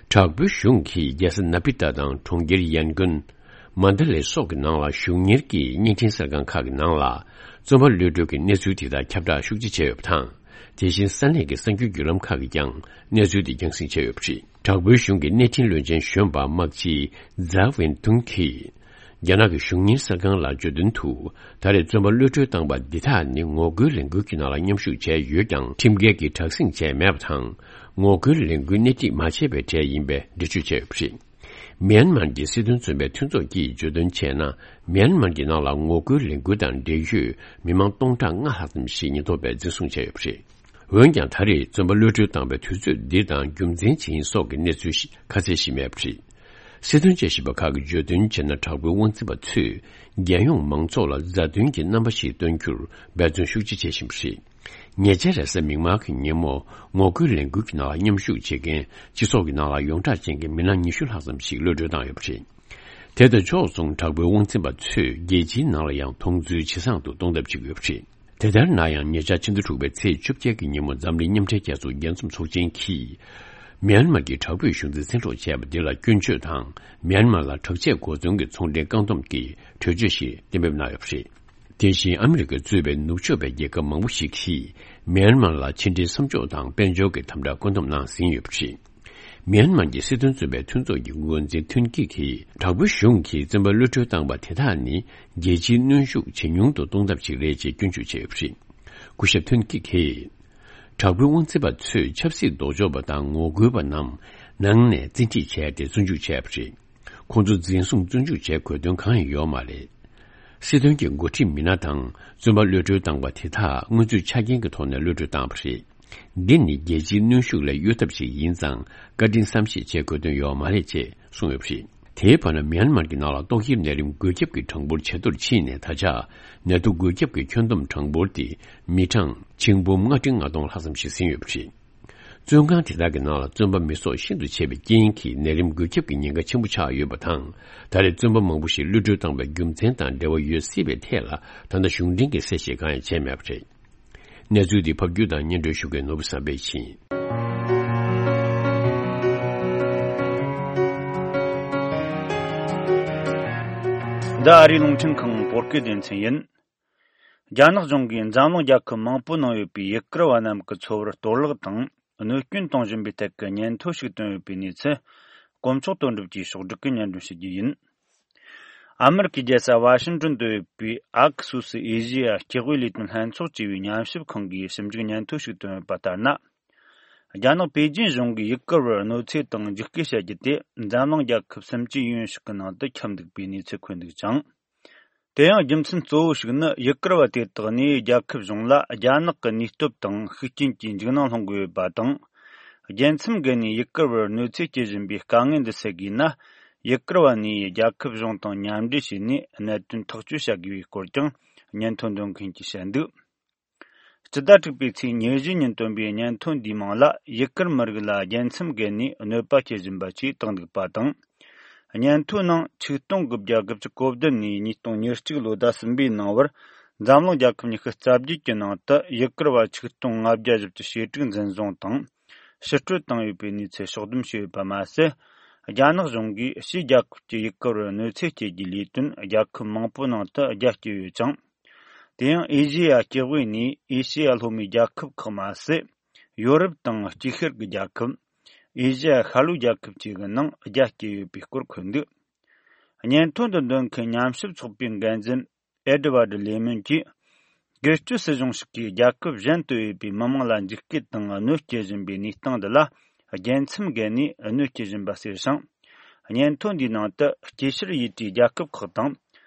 དྲག་པོའི་གཞུང་གིས་རྒྱལ་ས་ན་པི་ཏཱ་དང་གྲོང་ཁྱེར་ཡན་གུན། མན་ད་ལེ་སོགས་ཀྱི་ནང་ལ་གཞུང་གཉེར་གྱི་བརྙན་འཕྲིན་གསར་ཁང་ཁག་གི་ནང་ལ། བཙོན་པ་གློད་གྲོལ་གྱི་གནས་ཚུལ་དེ་དག་ཁྱབ་བསྒྲགས་ཤུགས་ཆེ་བྱས་ཡོད་པ་དང་། དེ་བཞིན་ས་གནས་ཀྱི་གསར་འགྱུར་བརྒྱུད་ལམ་ཁག་གིས་ཀྱང་གནས་ཚུལ་དེ་རྒྱང་སྲིང་བྱས་ཡོད་པ་རེད། དྲག་པོའི་གཞུང་གི་གནས་འཕྲིན་བློན་ཆེན་གཞོན་པ་དམག་སྤྱི་ཛཱ་ཝིན་ཏུང་གིས། རྒྱ་ནག་གི་གཞུང་གཉེར་གསར་ཁང་ལ་བརྗོད་དོན་དུ། ད་རེས་བཙོན་པ་གློད་གྲོལ་བཏང་པ་འདི་དག་ནི་ངོ་རྒོལ་ལས་འགུལ་གྱི་ནང་ལ་མཉམ་ཞུགས་བྱས་ཡོད་ཀྱང་། ཁྲིམས་འགལ་གྱི་དྲག་ཟིང་བྱས་མེད་པ་དང་། ངོ་རྒོལ་ལས་འགུལ་སྣེ་ཁྲིད་མ་བྱས་པའི་གྲས་ཡིན་པའི་འགྲེལ་བརྗོད་བྱས་ཡོད་པ་རེད། མེན་མར་གྱི་སྲིད་དོན་བཙོན་པའི་མཐུན་ཚོགས་ཀྱིས་བརྗོད་དོན་བྱས་ན། མེན་མར་གྱི་ནང་ལ་ངོ་རྒོལ་ལས་འགུལ་དང་འབྲེལ་ཡོད་མི་མང་སྟོང་ཕྲག་ལྔ་ལྷག་ཙམ་ཞིག་ཉེན་རྟོག་པས་འཛིན་བཟུང་བྱས་ཡོད་པ་རེད། འོན་ཀྱང་། ད་རེས་བཙོན་པ་གློད་གྲོལ་བཏང་བའི་དུས་ཚོད་འདི་དང་རྒྱུ་མཚན་ཇི་ཡིན་སོགས་ཀྱི་གནས་ཚུལ་ཞིག་ཁ་གསལ་ཞིག་མེད་པ་རེད། སྲིད་དོན་དཔྱད་ཞིབ་པ་ཁག་གིས་བརྗོད་དོན་བྱས་ན། དྲག་པོའི་དབང་འཛིན་པ་ཚོས་རྒྱལ་ཡོངས་མང་ཚོགས་ལ་མཛའ་མཐུན་གྱི་རྣམ་པ་ཞིག་སྟོན་རྒྱུར་འབད་བརྩོན་ཤུགས་ཆེ་བྱེད་བཞིན་པ་རེད། ཉེ་ཆར་རེས་གཟའ་མིག་དམར་གྱི་ཉིན་མོ། ངོ་རྒོལ་ལས་འགུལ་གྱི་ནང་ལ་མཉམ་ཞུགས་བྱེད་མཁན་སྤྱི་ཚོགས་ཀྱི་ནང་ལ་ཡོངས་གྲགས་ཅན་གྱི་མི་སྣ་ཉི་ཤུ་ལྷག་ཙམ་ཞིག་གློད་གྲོལ་བཏང་ཡོད་པ་རེད། དེ་དང་ཕྱོགས་མཚུངས། དྲག་པོའི་དབང་འཛིན་པ་ཚོས་རྒྱལ་སྤྱིའི་ནང་ལ་ཡང་མཐོང་ཚུལ་ཇེ་བཟང་དུ་གཏོང་ཐབས་བྱེད་ཀྱི་ཡོད་པ་རེད། དེ་ལྟར་ན་ཡང་། ཉེ་ཆར་ཕྱི་ཟླ་དྲུག་པའི་ཚེས་བཅོ་བརྒྱད་ཀྱི་ཉིན་མོ། འཛམ་གླིང་མཉམ་འབྲེལ་རྒྱལ་ཚོགས་རྒྱལ་འཛོམས་ཚོགས་ཆེན་གྱིས། མེན་མར་གྱི་དྲག་པོས་གཞུང་འཛིན་བཙན་འཕྲོག་བྱས་པ་འདི་ལ་སྐྱོན་བརྗོད་དང་། མེན་མར་ལ་དྲག་ཆས་གོ་མཚོན་གྱི་ཚོང་འབྲེལ་བཀག་སྡོམ་གྱི་གྲོས་ཆོད་ཞིག་གཏན་འབེབས་གནང་ཡོད་པ་རེད། དེ་བཞིན་ཨ་མི་རི་ཀས་གཙོས་པའི་ནུབ་ཕྱོགས་པའི་རྒྱལ་ཁབ་མང་པོ་ཞིག་གིས། མེན་མར་ལ་ཕྱི་འབྲེལ་མཚམས་འཇོག་དང་དཔལ་འབྱོར་གྱི་དམ་དྲག་བཀོད་འདོམས་གནང་ཟིན་ཡོད་པ་རེད། མིའན་མཱར་གྱི་སྲིད་དོན་བཙོན་པའི་མཐུན་ཚོགས་ཀྱི་འགོ་འཛིན་ཐུན་ཀི་གིས་དྲག་པོའི་གཞུང་གིས་བཙོན་པ་གློད་གྲོལ་བཏང་པ་དེ་དག་ནི་རྒྱལ་སྤྱིའི་གནོན་ཤུགས་ཇེ་ཉུང་དུ་གཏོང་ཐབས་ཤིག་རེད་ཅེས་སྐྱོན་བརྗོད་བྱས་པ་རེད། སྐུ་ཞབས་ཐུན་ཀི་གིས། དྲག་པོའི་དབང་འཛིན་པ་ཚོས་ཆབ་སྲིད་ལྡོག་ཕྱོགས་པ་དང་ངོ་རྒོལ་བ་རྣམས་ནང་ནས་བཙན་ཁྲིད་བྱས་ཏེ་བཙོན་འཇུག་བྱས་པ་རེད། ཁོང་ཚོ་འཛིན་བཟུང་བཙོན་འཇུག་བྱེད་དགོས་དོན་གང་ཡང་ཡོད་མ་རེད། སྲིད་དོན་གྱི་འགོ་ཁྲིད་མི་སྣ་དང་བཙོན་པ་གློད་གྲོལ་བཏང་པ་དེ་དག་དངོས་ཚུལ་ཆ་རྐྱེན་གྱི་ཐོག་ནས་གློད་གྲོལ་བཏང་བ་རེད། འདི་ནི་རྒྱལ་སྤྱིའི་གནོན་ཤུགས་ལས་གཡོལ་ཐབས་ཤིག་ཡིན་ཙང་བཀའ་དྲིན་བསམ་ཤེས་བྱེད་དགོས་དོན་ཡོད་མ་རེད་ཅེས་གསུངས་ཡོད་པ་རེད། དེའི་བར་ན་མིའན་མར་གྱི་ནང་ལ་ཏོག་དབྱིབས་ནད་རིམས་འགོས་ཁྱབ་ཀྱི་གྲངས་འབོར་ཇེ་མཐོར་ཕྱིན་ནས་ད་ཆ་ནད་དུག་འགོས་ཁྱབ་ཀྱི་ཁྱོན་བསྡོམས་གྲངས་འབོར་དེ་མི་གྲངས་ཆིག་འབུམ་ལྔ་ཁྲི་ལྔ་སྟོང་ལྷག་ཙམ་ཞིག་ཟིན་ཡོད་པ་རེད། བཙོན་ཁང་དེ་དག་གི་ནང་ལ་བཙོན་པ་མི་སྲོག་ཤིན་ཏུ་ཆེ་བའི་རྐྱེན་གྱིས་ནད་རིམས་འགོས་ཁྱབ་ཀྱི་ཉེན་ཁ་ཆེན་པོ་ཆགས་ཡོད་པ་དང་། ད་རེས་བཙོན་པ་མང་པོ་ཞིག་གློད་གྲོལ་བཏང་བའི་རྒྱུ་མཚན་དང་འབྲེལ་བ་ཡོད་སྲིད་པའི་ཐད་ལ་ད་ལྟ་གཞུང་འབྲེལ་གྱི་གསལ་བཤད་གང་ཡང་བྱས་མེད་པ་རེད། གནས་ཚུལ་འདི་ཕབ་སྒྱུར་དང་སྙན་སྒྲོན་ཞུ་མཁན་ནོར་བུ་བསམ་འཕེལ་ཡིན། འདི་ཨ་རིའི་རླུང་འཕྲིན་ཁང་བོད་སྐད་སྡེ་ཚན་ཡིན། རྒྱ་ནག་གཞུང་གིས་འཛམ་གླིང་རྒྱལ་ཁབ་མང་པོའི་ནང་ཡོད་པའི་ཡུ་གུར་བ་རྣམས་ཀྱི་འཚོ་བར་གཏོར་བརླག་དང་གནོད་སྐྱོན་གཏོང་བཞིན་པའི་ཐད་ཀྱི་སྙན་ཐོ་ཞིག་བཏོན་ཡོད་པའི་གནས་ཚུལ། དཀོན་མཆོག་དོན་གྲུབ་ཀྱིས་ཕྱོགས་བསྒྲིགས་ཀྱིས་སྙན་སྒྲོན་ཞུ་རྒྱུ་ཡིན། ཨ་མེ་རི་ཁའི་རྒྱལ་ས་ཝ་ཤིང་ཏོན་དུ་ཡོད་པའི་ཨ་ཁུ་སུ་སི་ཨེ་ཤེ་ཡ་སྐྱེ་དངོས་ལས་དོན་ལྷན་ཚོགས་ཅེས་པའི་ཉམས་ཞིབ་ཁང་གིས་ཞིབ་འཇུག་སྙན་ཐོ་ཞིག་བཏོན་ཡོད་པ་ལྟར་ན། རྒྱ་ནག་པེ་ཅིན་གཞུང་གིས་ཡུ་གུར་བར་གནོད་འཚེ་དང་འཇིགས་སྐུལ་བྱ་རྒྱུ་དེ་འཛམ་གླིང་རྒྱལ་ཁབ་སུམ་ཅུའི་ཡུན་ཞིག་གི་ནང་དུ་ཁྱབ་འདུག་པའི་གནས་ཚུལ་འཁོད་འདུག་ཅིང་། དེ་ཡང་རྒྱུ་མཚན་གཙོ་བོ་ཞིག་ནི་ཡུ་གུར་བ་དེ་དག་ནས་རྒྱལ་ཁབ་གཞུང་ལ་རྒྱ་ནག་གི་ནུས་སྟོབས་དང་ཤུགས་རྐྱེན་གྱིས་འཇིགས་སྣང་སློང་གི་ཡོད་པ་དང་། རྒྱལ་མཚམས་བརྒལ་ནས་ཡུ་གུར་བར་གནོད་འཚེ་སྐྱེལ་བཞིན་པའི་དཀའ་ངལ་འདི་སེལ་དགོས་ན། ཡུ་གུར་བ་ནས་རྒྱལ་ཁབ་གཞུང་དང་མཉམ་འབྲེལ་བྱས་ནས་གནད་དོན་ཐག་གཅོད་བྱ་དགོས་པའི་སྐོར་ཀྱང་སྙན་ཐོ་འདོན་མཁན་གྱིས་བཤད་འདུག། སྤྱི་ཟླ་དྲུག་པའི་ཚེས་ཉེར་བཞི་ཉིན་བཏོན་པའི་སྙན་ཐོ་འདིའི་མིང་ལ་ཡུ་གུར་མི་རིགས་ལ་རྒྱལ་མཚམས་བརྒལ་ནས་གནོད་པ་སྐྱེལ་བཞིན་པ་ཞེས་བཏང་འདུག་པ་དང་། སྙན་ཐོའི་ནང་ཆིག་སྟོང་དགུ་བརྒྱ་དགུ་བཅུ་གོ་བདུན་ནས་ཉིས་སྟོང་ཉེར་གཅིག་ལོ་ཟླ་གསུམ་པའི་ནང་བར་འཛམ་གླིང་རྒྱལ་ཁབ་ཉི་ཤུ་རྩ་བརྒྱད་ཀྱི་ནང་དུ་ཡུ་གུར་བ་ཆིག་སྟོང་ལྔ་བརྒྱ་བཞི་བཅུ་ཞེ་དྲུག་འཛིན་བཟུང་དང་ཕྱིར་སྤྲོད་བཏང་ཡོད་པའི་གནས་ཚུལ་ཕྱོགས་བསྡོམས་བྱས་ཡོད་པ་མ་ཟད། རྒྱ་ནག་གཞུང་གིས་ཕྱིའི་རྒྱལ་ཁབ་ཀྱི་ཡུ་གུར་བར་གནོད་འཚེ་སྐྱེལ་རྒྱུའི་ལས་དོན་རྒྱལ་ཁབ་མང་པོའི་ནང་དུ་རྒྱ་བསྐྱེད་ཡོད་ཅིང་། དེ་ཡང་ཨེ་ཤེ་ཡ་སྐྱེ་དབུས་ནས་ཨེ་ཤེ་ཡ་ལྷོ་མའི་རྒྱལ་ཁབ་ཁག་མ་ཟད། ཡོ་རོབ་དང་དཀྱིལ་ཤར་གྱི་རྒྱལ་ཁབ། ཨེ་ཤེ་ཡ་ཤར་ལྷོའི་རྒྱལ་ཁབ་བཅས་ཀྱི་ནང་རྒྱ་བསྐྱེད་ཡོད་པའི་སྐོར་འཁོད་འདུག། སྙན་ཐོ་འདི་འདོན་མཁན་ཉམས་ཞིབ་ཚོགས་པའི་འགན་འཛིན་ཨེ་ཌི་ཝར་ཌི་ལེ་མོན་གྱིས། སྒེར་གཅོད་སྲིད་གཞུང་ཞིག་གིས་རྒྱལ་ཁབ་གཞན་དུ་ཡོད་པའི་མི་དམངས་ལ་འཇིགས་སྐུལ་དང་གནོད་སྐྱེལ་བཞིན་པའི་གནས་སྟངས་འདི་ལ། རྒྱལ་མཚམས་བརྒལ་ནས་གནོད་སྐྱེལ་བཞིན་པ་ཟེར་ཞིང་། སྙན་ཐོ་འདིའི་ནང་དུ་དཀྱིལ་ཤར་ཡུལ་གྲུའི་རྒྱལ་ཁབ་ཁག་དང་།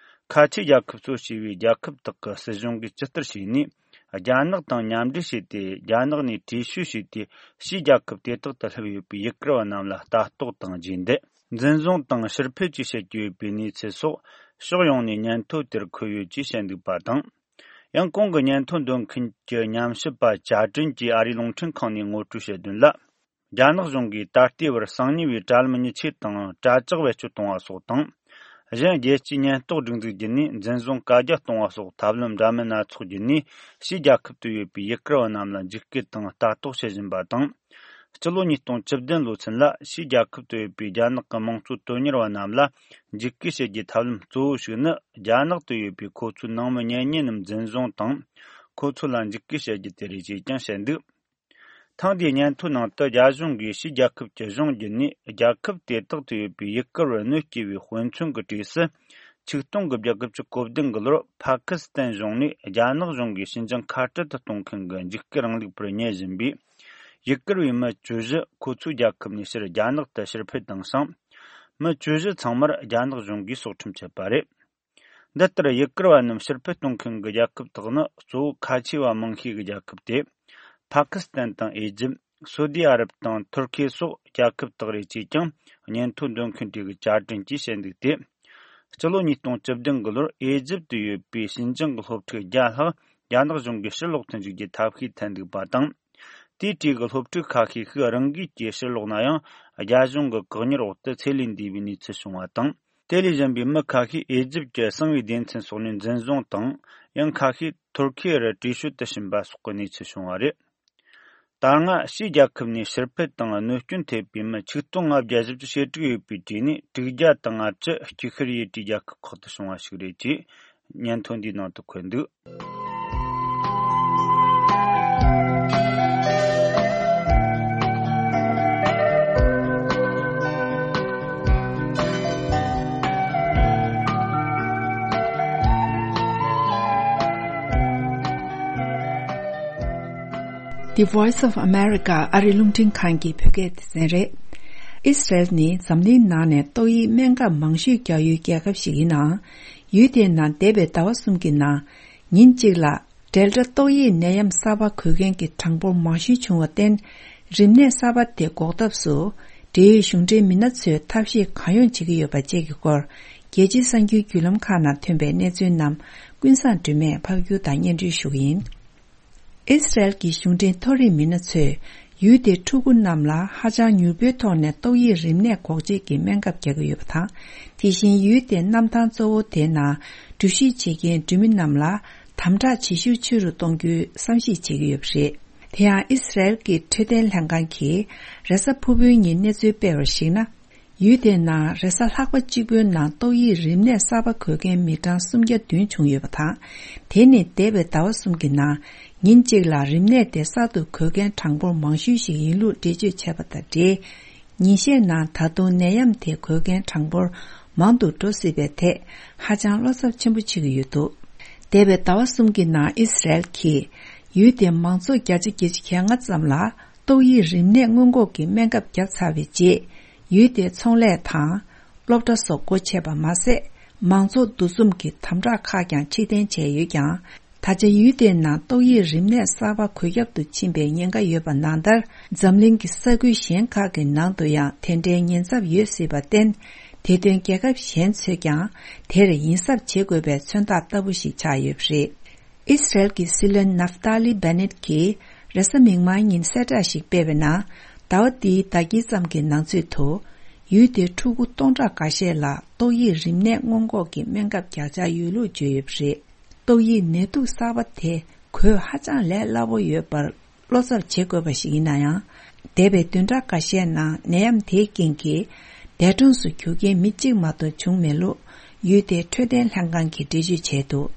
ཁ་ཆེའི་རྒྱལ་ཁབ་གཙོ་བྱས་པའི་རྒྱལ་ཁབ་དག་གི་སྲིད་གཞུང་གིས་ཇི་ལྟར་བྱས་ནས། རྒྱ་ནག་དང་མཉམ་འབྲེལ་བྱས་ཏེ། རྒྱ་ནག་ནས་བྲོས་བྱོལ་བྱས་ཏེ། ཕྱིའི་རྒྱལ་ཁབ་དེ་དག་ཏུ་སླེབས་ཡོད་པའི་ཡུ་གུར་བ་རྣམས་ལ་ལྟ་རྟོག་དང་རྗེས་འདེད། འཛིན་བཟུང་དང་ཕྱིར་འཕུད་བཅས་བྱེད་ཀྱི་ཡོད་པའི་གནས་ཚུལ་སོགས་ཕྱོགས་ཡོངས་ནས་སྙན་ཐོ་དེར་འཁོད་ཡོད་ཅེས་བཤད་འདུག་པ་དང་། ཡང་གོང་གི་སྙན་ཐོ་འདོན་མཁན་གྱི་ཉམས་ཞིབ་པ་ཅཱ་ཀྲིན་གྱིས་ཨ་རིའི་རླུང་འཕྲིན་ཁང་ནས་ངོ་སྤྲོད་བྱས་དོན་ལ། རྒྱ་ནག་གཞུང་གིས་ད་ལྟའི་བར་གསང་ཉུལ་བའི་དྲ་ལམ་མཉེན་ཆས་དང་དྲ་ལྕག་བེད་སྤྱོད་གཏོང་བ་སོགས་དང་། གཞན་རྒྱལ་སྤྱིའི་ཉེན་རྟོག་སྒྲིག་འཛུགས་བརྒྱུད་ནས་འཛིན་བཟུང་བཀའ་རྒྱ་གཏོང་བ་སོགས་ཐབས་ལམ་འདྲ་མིན་སྣ་ཚོགས་བརྒྱུད་ནས་ཕྱིའི་རྒྱལ་ཁབ་ཏུ་ཡོད་པའི་ཡུ་གུར་བ་རྣམས་ལ་འཇིགས་སྐུལ་དང་ལྟ་རྟོག་བྱེད་བཞིན་པ་དང་། སྤྱི་ལོ་ཉིས་སྟོང་བཅུ་བདུན་ལོ་ཚུན་ལ་ཕྱིའི་རྒྱལ་ཁབ་ཏུ་ཡོད་པའི་རྒྱ་ནག་གི་དམངས་གཙོ་དོན་གཉེར་བ་རྣམས་ལ་འཇིགས་སྐུལ་བྱེད་རྒྱུའི་ཐབས་ལམ་གཙོ་བོ་ཞིག་ནི། རྒྱ་ནག་ཏུ་ཡོད་པའི་ཁོ་ཚོའི་ནང་མི་གཉེན་ཉེ་རྣམས་འཛིན་བཟུང་དང་། ཁོ་ཚོ་ལ་འཇིགས་སྐུལ་བྱེད་རྒྱུ་དེ་རེད་ཅེས་ཀྱང་བཤད་འདུག། ཐེངས་འདིའི་སྙན་ཐོའི་ནང་དུ་རྒྱ་གཞུང་གིས་ཕྱིའི་རྒྱལ་ཁབ་ཀྱི་གཞུང་བརྒྱུད་ནས་རྒྱལ་ཁབ་དེ་དག་ཏུ་ཡོད་པའི་ཡུ་གུར་བར་གནོད་སྐྱེལ་བའི་དཔེ་མཚོན་གྱི་གྲས་སུ། ཆིག་སྟོང་དགུ་བརྒྱ་དགུ་བཅུ་གོ་བདུན་གྱི་ལོར་ཕ་ཁི་སི་ཐན་གཞུང་ནས་རྒྱ་ནག་གཞུང་གིས་ཕྱི་འགྱངས་ཁ་བྲལ་དུ་གཏོང་མཁན་གྱི་འཇིགས་སྐུལ་རིང་ལུགས་པར་ཉན་བཞིན་པའི་ཡུ་གུར་བའི་མི་བཅུ་བཞི་ཁོ་ཚོའི་རྒྱལ་ཁབ་ནས་ཕྱིར་རྒྱ་ནག་ཏུ་ཕྱིར་འཕུད་བཏང་ཞིང་། མི་བཅུ་བཞི་ཚང་མར་རྒྱ་ནག་གཞུང་གིས་སྲོག་ཁྲིམས་བཅད་པ་རེད། འདི་ལྟར་ཡུ་གུར་བ་རྣམས་ཕྱིར་འཕུད་གཏོང་མཁན་གྱི་རྒྱལ་ཁབ་དག་ནི་གཙོ་བོ་ཁ་ཆེ་བ་མང་ཤོས་ཀྱི་རྒྱལ་ཁབ་སྟེ། ཕ་ཁི་སི་ཐན་དང་ཨེ་ཇིབ། སོ་དི་ཨ་རབ་དང་ཐུར་ཁེ་སོགས་རྒྱལ་ཁབ་དག་རེད་ཅེས་ཀྱང་སྙན་ཐོ་འདོན་མཁན་དེ་གི་བཅའ་ཁྲིམས་ཀྱིས་བཤད་འདུག་སྟེ། སྤྱི་ལོ་ཉིས་སྟོང་བཅུ་བདུན་གྱི་ལོར་ཨེ་ཇིབ་ཏུ་ཡོད་པའི་ཕྱི་འགྱངས་ཀྱི་སློབ་ཕྲུག་བརྒྱ་ལྷག་རྒྱ་ནག་གཞུང་གིས་ཕྱིར་ལོག་ཏུ་འཇུག་རྒྱུའི་ཐབས་ཤེས་འཐེན་འདུག་པ་དང་། དེའི་གྲས་ཀྱི་སློབ་ཕྲུག་ཁ་ཤས་ཤིག་རང་འགུལ་གྱིས་ཕྱིར་ལོག་ན་ཡང་། རྒྱ་གཞུང་གི་བཀག་ཉར་འོག་ཏུ་ཚེ་ལས་འདས་པའི་གནས་ཚུལ་བྱུང་བ་དང་། དེ་ལས་གཞན་པའི་མི་ཁ་ཤས་ཨེ་ཇིབ་ཀྱི་གསང་བའི་སྡེ་ཚན་སོགས་ནས་འཛིན་བཟུང་དང་། ཡང་ཁ་ཤས་ཐུར་ཁེ་རུ་བྲོས་བྱོལ་དུ་ཕྱིན་པ་སོགས་ཀྱི་གནས་ཚུལ་བྱུང་བ་རེད། ད་སྔ་ཕྱིའི་རྒྱལ་ཁབ་ནས་ཕྱིར་འཕུད་དང་གནོད་སྐྱོན་ཐེབས་པའི་མི་ཆིག་སྟོང་ལྔ་བརྒྱ་བཞི་བཅུ་ཞེ་དྲུག་ཡོད་པའི་གྲས་ནས་དྲུག་བརྒྱ་དང་ལྔ་བཅུ་དཀྱིལ་ཤར་ཡུལ་གྱི་རྒྱལ་ཁབ་ཁག་ཏུ་བྱུང་བ་ཞིག་རེད་ཅེས་སྙན་ཐོ་འདིའི་ནང་དུ་འཁོད་འདུག། The Voice of America ཨ་རི་རླུང་འཕྲིན་ཁང་གི་བོད་སྐད་སྡེ་ཚན་རེད། ཨི་སི་རེལ་ནི་འཛམ་གླིང་ནང་ནས་ཏོག་དབྱིབས་སྨན་ཁབ་མང་ཤོས་རྒྱག་ཡུལ་རྒྱལ་ཁབ་ཞིག་ཡིན་ནའང་། ཡུལ་དེའི་ནང་འདས་པའི་ཟླ་བ་གསུམ་གྱི་ནང་། ཉིན་གཅིག་ལ་ཌེལ་ཊ་ཏོག་དབྱིབས་ནད་ཡམས་གསར་པ་འགོས་མཁན་གྱི་གྲངས་འབོར་མང་ཤོས་བྱུང་བར་བརྟེན། རིམས་ནད་གསར་པ་དེ་འགོག་ཐབས་སུ། འབྲེལ་ཡོད་གཞུང་འབྲེལ་མི་སྣ་ཚོས་ཐབས་ཤེས་གང་ཡོང་བྱེད་ཀྱི་ཡོད་པ་བཅས་ཀྱི་སྐོར། རྒྱལ་སྤྱིའི་གསར་འགྱུར་བརྒྱུད་ལམ་ཁག་ནང་ཐོན་པའི་གནས་ཚུལ་རྣམས་ཀུན་བཟང་སྒྲོལ་མས་ཕབ་སྒྱུར་དང་སྙན་སྒྲོན་ཞུ་གི་ཡིན། ཨི་སི་རེལ་གྱི་གཞུང་འབྲེལ་མཐོ་རིམ་མི་སྣ་ཚོས་ཡུལ་དེའི་ཕྲུ་གུ་རྣམས་ལ་ཧ་ཅང་མྱུར་པོའི་ཐོག་ནས་ཏོག་དབྱིབས་རིམས་ནད་འགོག་བཅོས་ཀྱི་སྨན་ཁབ་རྒྱག་གི་ཡོད་པ་དང་། དེ་བཞིན་ཡུལ་དེའི་གནམ་ཐང་གཙོ་བོ་དེའི་ནང་འགྲུལ་བཞུད་བྱེད་མཁན་འགྲུལ་མི་རྣམས་ལ་དམ་དྲག་བྱེད་ཤུགས་ཆེ་རུ་གཏོང་རྒྱུའི་བསམ་གཞིག་བྱེད་ཀྱི་ཡོད་པ་རེད། དེ་ཡང་ཨི་སི་རེལ་གྱི་འཕྲོད་བསྟེན་ལྷན་ཁང་གིས་རེས་གཟའ་ཕུར་བུའི་ཉིན་གནས་ཚུལ་སྤེལ་བར་གཞིགས་ན། ཡུལ་དེའི་ནང་རེས་གཟའ་ལྷག་པ་གཅིག་པུའི་ནང་ཏོག་དབྱིབས་རིམས་ནད་གསར་པ་འགོས་མཁན་མི་གྲངས་སུམ་བརྒྱ་བདུན་བྱུང་ཡོད་པ་དང་། དེ་ནི་འདས་པའི་ཟླ་བ་གསུམ་གྱི་ནང་ཉིན་གཅིག་ལ་རིམས་ནད་དེ་གསར་དུ་འགོས་མཁན་གྲངས་འབོར་མང་ཤོས་ཤིག་ཡིན་ལུགས་འགྲེལ་བརྗོད་བྱས་པ་དང་འབྲེལ། ཉིན་ཤས་ནང་ད་དུང་ནད་ཡམས་དེ་འགོས་མཁན་གྲངས་འབོར་མང་དུ་འགྲོ་སྲིད་པའི་ཐད་ཧ་ཅང་བློ་འཚབ་ཆེན་པོ་བྱེད་ཀྱི་ཡོད་འདུག་འདས་པའི་ཟླ་བ་གསུམ་གྱི་ནང་ཨི་སི་རེལ་གྱིས་ཡུལ་དེའི་མང་ཚོགས་བརྒྱ་ཆ་བརྒྱད་ཅུ་གྱ་ལྔ་ཙམ་ལ་ཏོག་དབྱིབས་རིམས་ནད་སྔོན་འགོག་གི་སྨན་ཁབ་བརྒྱབ་ཚར་བའི་རྗེས། ཡུལ་དེའི་ཚོང་ལས་དང་། སློབ་གྲྭ་སོགས་སྒོ་ཕྱེ་བ་མ་ཟད། མང་ཚོགས་འདུ་འཛོམས་ཀྱི་དམ་དྲག་ཁག་ཀྱང་ཕྱིར་འཐེན་བྱས་ཡོད་ཀྱང་། ད་ཆ་ཡུལ་དེའི་ནང་ཏོག་དབྱིབས་རིམས་ནད་གསར་པ་འགོས་ཁྱབ་ཏུ་ཕྱིན་པའི་ཉེན་ཁ་ཡོད་པ་ནང་ལྟར། འཛམ་གླིང་གི་ས་ཁུལ་གཞན་ཁག་གི་ནང་དུ་ཡང་དེ་འདྲའི་ཉེན་ཚབས་ཡོད་སྲིད་པར་བརྟེན། དེ་དོན་རྒྱལ་ཁབ་གཞན་ཚོས་ཀྱང་དེར་ཡིད་གཟབ་བྱེད་དགོས་པའི་མཚོན་རྟགས་ལྟ་བུ་ཞིག་ཆགས་ཡོད་པ་རེད། ཨི་སི་རེལ་གྱི་སྲིད་བློན་ནབ་ཏཱ་ལི་བྷེ་ནེད་ཀྱིས་རེས་གཟའ་མིག་དམར་ཉིན་གསལ་བསྒྲགས་ཤིག་སྤེལ་བའི་ནང་། ཟླ་བ་འདིའི་ཟླ་དཀྱིལ་ཙམ་གྱི་ནང་ཚུད་དུ། ཡུལ་དེའི་ཕྲུ་གུ་སྟོང་ཕྲག་འགའ་ཤས་ལ་ཏོག་དབྱིབས་རིམས་ནད་སྔོན་འགོག་གི་སྨན་ཁབ་རྒྱག་འཆར་ཡོད་ལུགས་བརྗོད་ཡོད་པ་རེད། ཏོག་དབྱིབས་ནད་དུག་གསར་པ་དེ་འགོས་ཧ་ཅང་ལས་སླ་པོ་ཡོད་པར་བློ་འཚབ་བྱེད་དགོས་པ་ཞིག་ཡིན་ན་ཡང་། འདས་པའི་བདུན་ཕྲག་འགའ་ཤས་ནང་ནད་ཡམས་དེའི་རྐྱེན་གྱིས་འདས་གྲོངས་སུ་གྱུར་མཁན་མི་གཅིག་མ་གཏོགས་བྱུང་མེད་ལུགས་ཡུལ་དེའི་འཕྲོད་བསྟེན་ལྷན་ཁང་གིས་འགྲེལ་བརྗོད་བྱས་འདུག་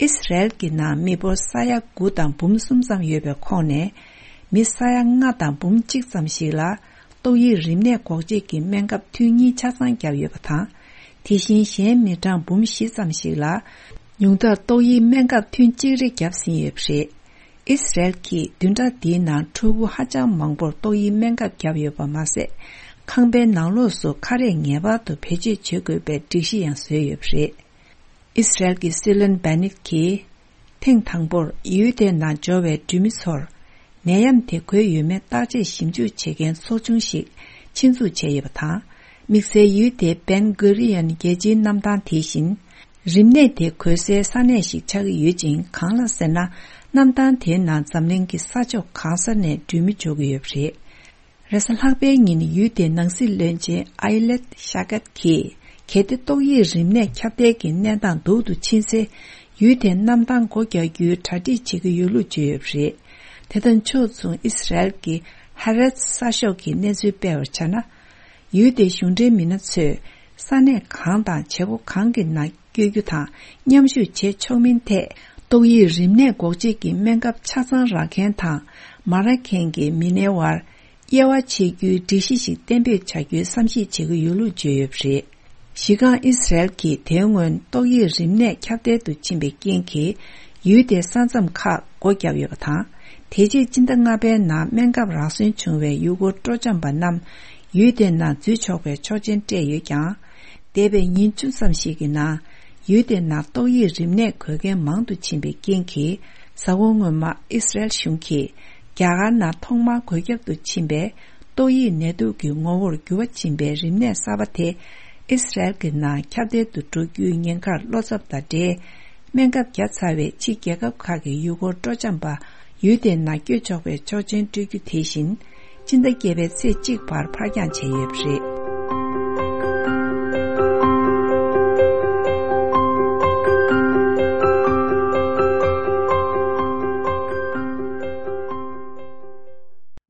ཨི་སི་རེལ་གྱི་ནང་མི་འབོར་ས་ཡ་དགུ་དང་འབུམ་གསུམ་ཙམ་ཡོད་པའི་ཁོངས་ནས། མི་ས་ཡ་ལྔ་དང་འབུམ་གཅིག་ཙམ་ཞིག་ལ་ཏོག་དབྱིབས་རིམས་ནད་འགོག་བཅོས་ཀྱི་སྨན་ཁབ་ཐུན་གཉིས་ཆ་ཚང་བརྒྱབ་ཡོད་པ་དང་། དེ་བཞིན་གཞན་མི་གྲངས་འབུམ་བཞི་ཙམ་ཞིག་ལ་ཉུང་མཐར་ཏོག་དབྱིབས་སྨན་ཁབ་ཐུན་གཅིག་རེ་བརྒྱབ་ཟིན་ཡོད་པ་རེད། ཨི་སི་རེལ་གྱིས་བདུན་ཕྲག་འདིའི་ནང་ཕྲུ་གུ་ཧ་ཅང་མང་པོར་ཏོག་དབྱིབས་སྨན་ཁབ་བརྒྱབ་ཡོད་པ་མ་ཟད། ཁང་པའི་ནང་ལོགས་སུ་ཁ་རས་ངེས་པར་དུ་བེད་སྤྱོད་བྱེད་དགོས་པའི་སྒྲིག་གཞི་ཡང་བཟོས་ཡོད་པ་རེད། ཨི་སི་རེལ་གྱི་སྲིད་བློན་བྷེ་ནེད་ཀྱིས། ཐེངས་དང་པོར་ཡུལ་དེའི་ནང་འབྱོར་བའི་འགྲུལ་མི་ཚོར། ནད་ཡམས་དེ་འགོས་ཡོད་མེད་བརྟག་དཔྱད་ཞིབ་འཇུག་བྱེད་མཁན་ཚོགས་ཆུང་ཞིག་ཆེད་འཛུགས་བྱས་ཡོད་པ་དང་། དམིགས་བསལ་ཡུལ་དེའི་བན་གུ་རི་ཡན་རྒྱལ་སྤྱིའི་གནམ་ཐང་དེ་བཞིན། རིམས་ནད་དེ་འགོས་སའི་ས་གནས་ཤིག་ཆགས་ཀྱི་ཡོད་ཅིང་། གང་ལ་ཟེར་ན། གནམ་ཐང་དེའི་ནང་འཛམ་གླིང་གི་ས་ཕྱོགས་གང་ས་ནས་འགྲུལ་མི་འབྱོར་གྱི་ཡོད་པ་རེད། རེས་གཟའ་ལྷག་པའི་ཉིན་ཡུལ་དེའི་ནང་སྲིད་བློན་ཆེན་ཨའི་ལེད་ཤ་ཀད་ཀྱིས། གལ་ཏེ་ཏོག་དབྱིབས་རིམས་ནད་ཁྱབ་གདལ་གྱི་གནས་སྟངས་སྡུག་ཏུ་ཕྱིན་ཚེ། ཡུལ་དེའི་གནམ་ཐང་སྒོ་རྒྱག་རྒྱུའི་གྲ་སྒྲིག་བྱེད་ཀྱི་ཡོད་ལུགས་བརྗོད་ཡོད་པ་རེད། དེ་དང་ཕྱོགས་མཚུངས་ཨི་སི་རེལ་གྱི་ཧ་རེད་ས་ཤོག་གིས་གནས་ཚུལ་སྤེལ་བར་བྱས་ན། ཡུལ་དེའི་གཞུང་འབྲེལ་མི་སྣ་ཚོས་ས་གནས་གང་དང་བྱེད་སྒོ་གང་གི་ནང་བསྐྱོད་རྒྱུ་དང་མཉམ་ཞུགས་བྱེད་ཆོག་མིན་ཐད། ཏོག་དབྱིབས་རིམས་ནད་འགོག་བཅོས་ཀྱི་སྨན་ཁབ་ཆ་ཚང་རག་མཁན་དང་མ་རག་མཁན་གྱི་མི་སྣའི་དབར་དབྱེ་བ་ཕྱེ་རྒྱུའི་སྒྲིག་གཞི་ཞིག་གཏན་འབེབས་བྱ་རྒྱུའི་བསམ་གཞིག་བྱེད་ཀྱི་ཡོད་ལུགས་བརྗོད་ཡོད་པ་རེད། གཞི་རྐང་ཨི་སི་རེལ་གྱིས་དེ་སྔོན་ཏོག་དབྱིབས་རིམས་ནད་ཁྱབ་གདལ་དུ་ཕྱིན་པའི་རྐྱེན་གྱིས་ཡུལ་དེའི་ས་མཚམས་ཁག་སྒོ་བརྒྱབ་ཡོད་པ་དང་། དེ་རྗེས་སྤྱི་ཟླ་ལྔ་པའི་ནང་སྨན་ཁབ་རག་སོན་བྱུང་བའི་ཡུལ་སྐོར་སྤྲོ་འཆམ་པ་རྣམས་ཡུལ་དེའི་ནང་འཛུལ་ཆོག་པའི་ཆོག་མཆན་སྤྲད་ཡོད་ཀྱང་། འདས་པའི་ཉིན་བཅུ་ཙམ་ཞིག་གི་ནང་ཡུལ་དེའི་ནང་ཏོག་དབྱིབས་རིམས་ནད་འགོས་མཁན་མང་དུ་ཕྱིན་པའི་རྐྱེན་གྱིས། གཟའ་འཁོར་སྔོན་མ་ཨི་སི་རེལ་གཞུང་གིས་རྒྱ་གར་ནང་ཐོག་མར་འགོས་ཁྱབ་ཏུ་ཕྱིན་པའི་ཏོག་དབྱིབས་ནད་དུག་གི་ངོ་བོར་འགྱུར་བ་ཕྱིན་པའི་རིམས་ནད་གསར་པ་དེ་ཨི་སི་རེལ་གྱི་ནང་ཁྱབ་གདལ་དུ་འགྲོ་རྒྱུའི་ཉེན་ཁར་བློ་འཚབ་དང་འབྲེལ། སྨན་ཁབ་བརྒྱབ་ཚར་བའི་ཕྱི་རྒྱལ་ཁབ་ཁག་གི་ཡུལ་སྐོར་སྤྲོ་འཆམ་པ་ཡུལ་དེའི་ནང་བསྐྱོད་ཆོག་པའི་ཆོག་མཆན་སྤྲོད་རྒྱུ་དེ་བཞིན། སྤྱི་ཟླ་བརྒྱད་པའི་ཚེས་གཅིག་བར་ཕར་འགྱངས་བྱས་ཡོད་པ་རེད།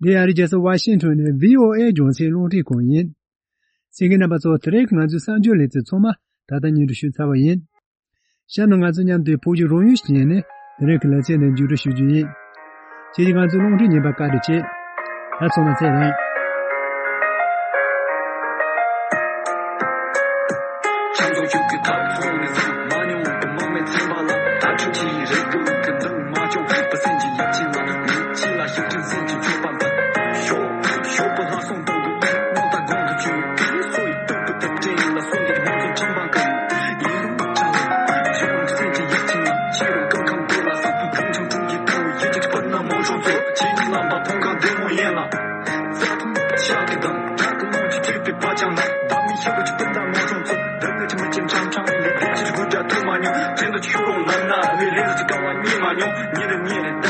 འདི་ཨ་རིའི་རྒྱལ་ས་ཝ་ཤིང་ཊོན་ནས་བྷི་ཨོ་ཨེ་རྒྱང་སྲིང་རླུང་འཕྲིན་ཁང་ཡིན། གསན་མཁན་རྣམ་པ་ཚོ། དེ་རིང་གི་ང་ཚོའི་གསར་འགྱུར་ལེ་ཚན་ཚང་མ་ད་ལྟ་སྙན་སྒྲོན་ཞུས་ཚར་བ་ཡིན། གཤམ་ན་ང་ཚོ་མཉམ་དུ་བོད་ཀྱི་རང་ཡུལ་ཞིག་ནས་དེ་རིང་གི་ལེ་ཚན་ནས་མཇུག་སྒྲིལ་ཞུ་རྒྱུ་ཡིན། ཁྱེད་ཀྱིས་ང་ཚོའི་རླུང་འཕྲིན་རྙིང་པ་བཀའ་འདྲི་བྱེད། ད་ཚང་མ་ཚེ་རིང་། མ་མྱོང་ཉིན་རེ་ཉིན་རེ།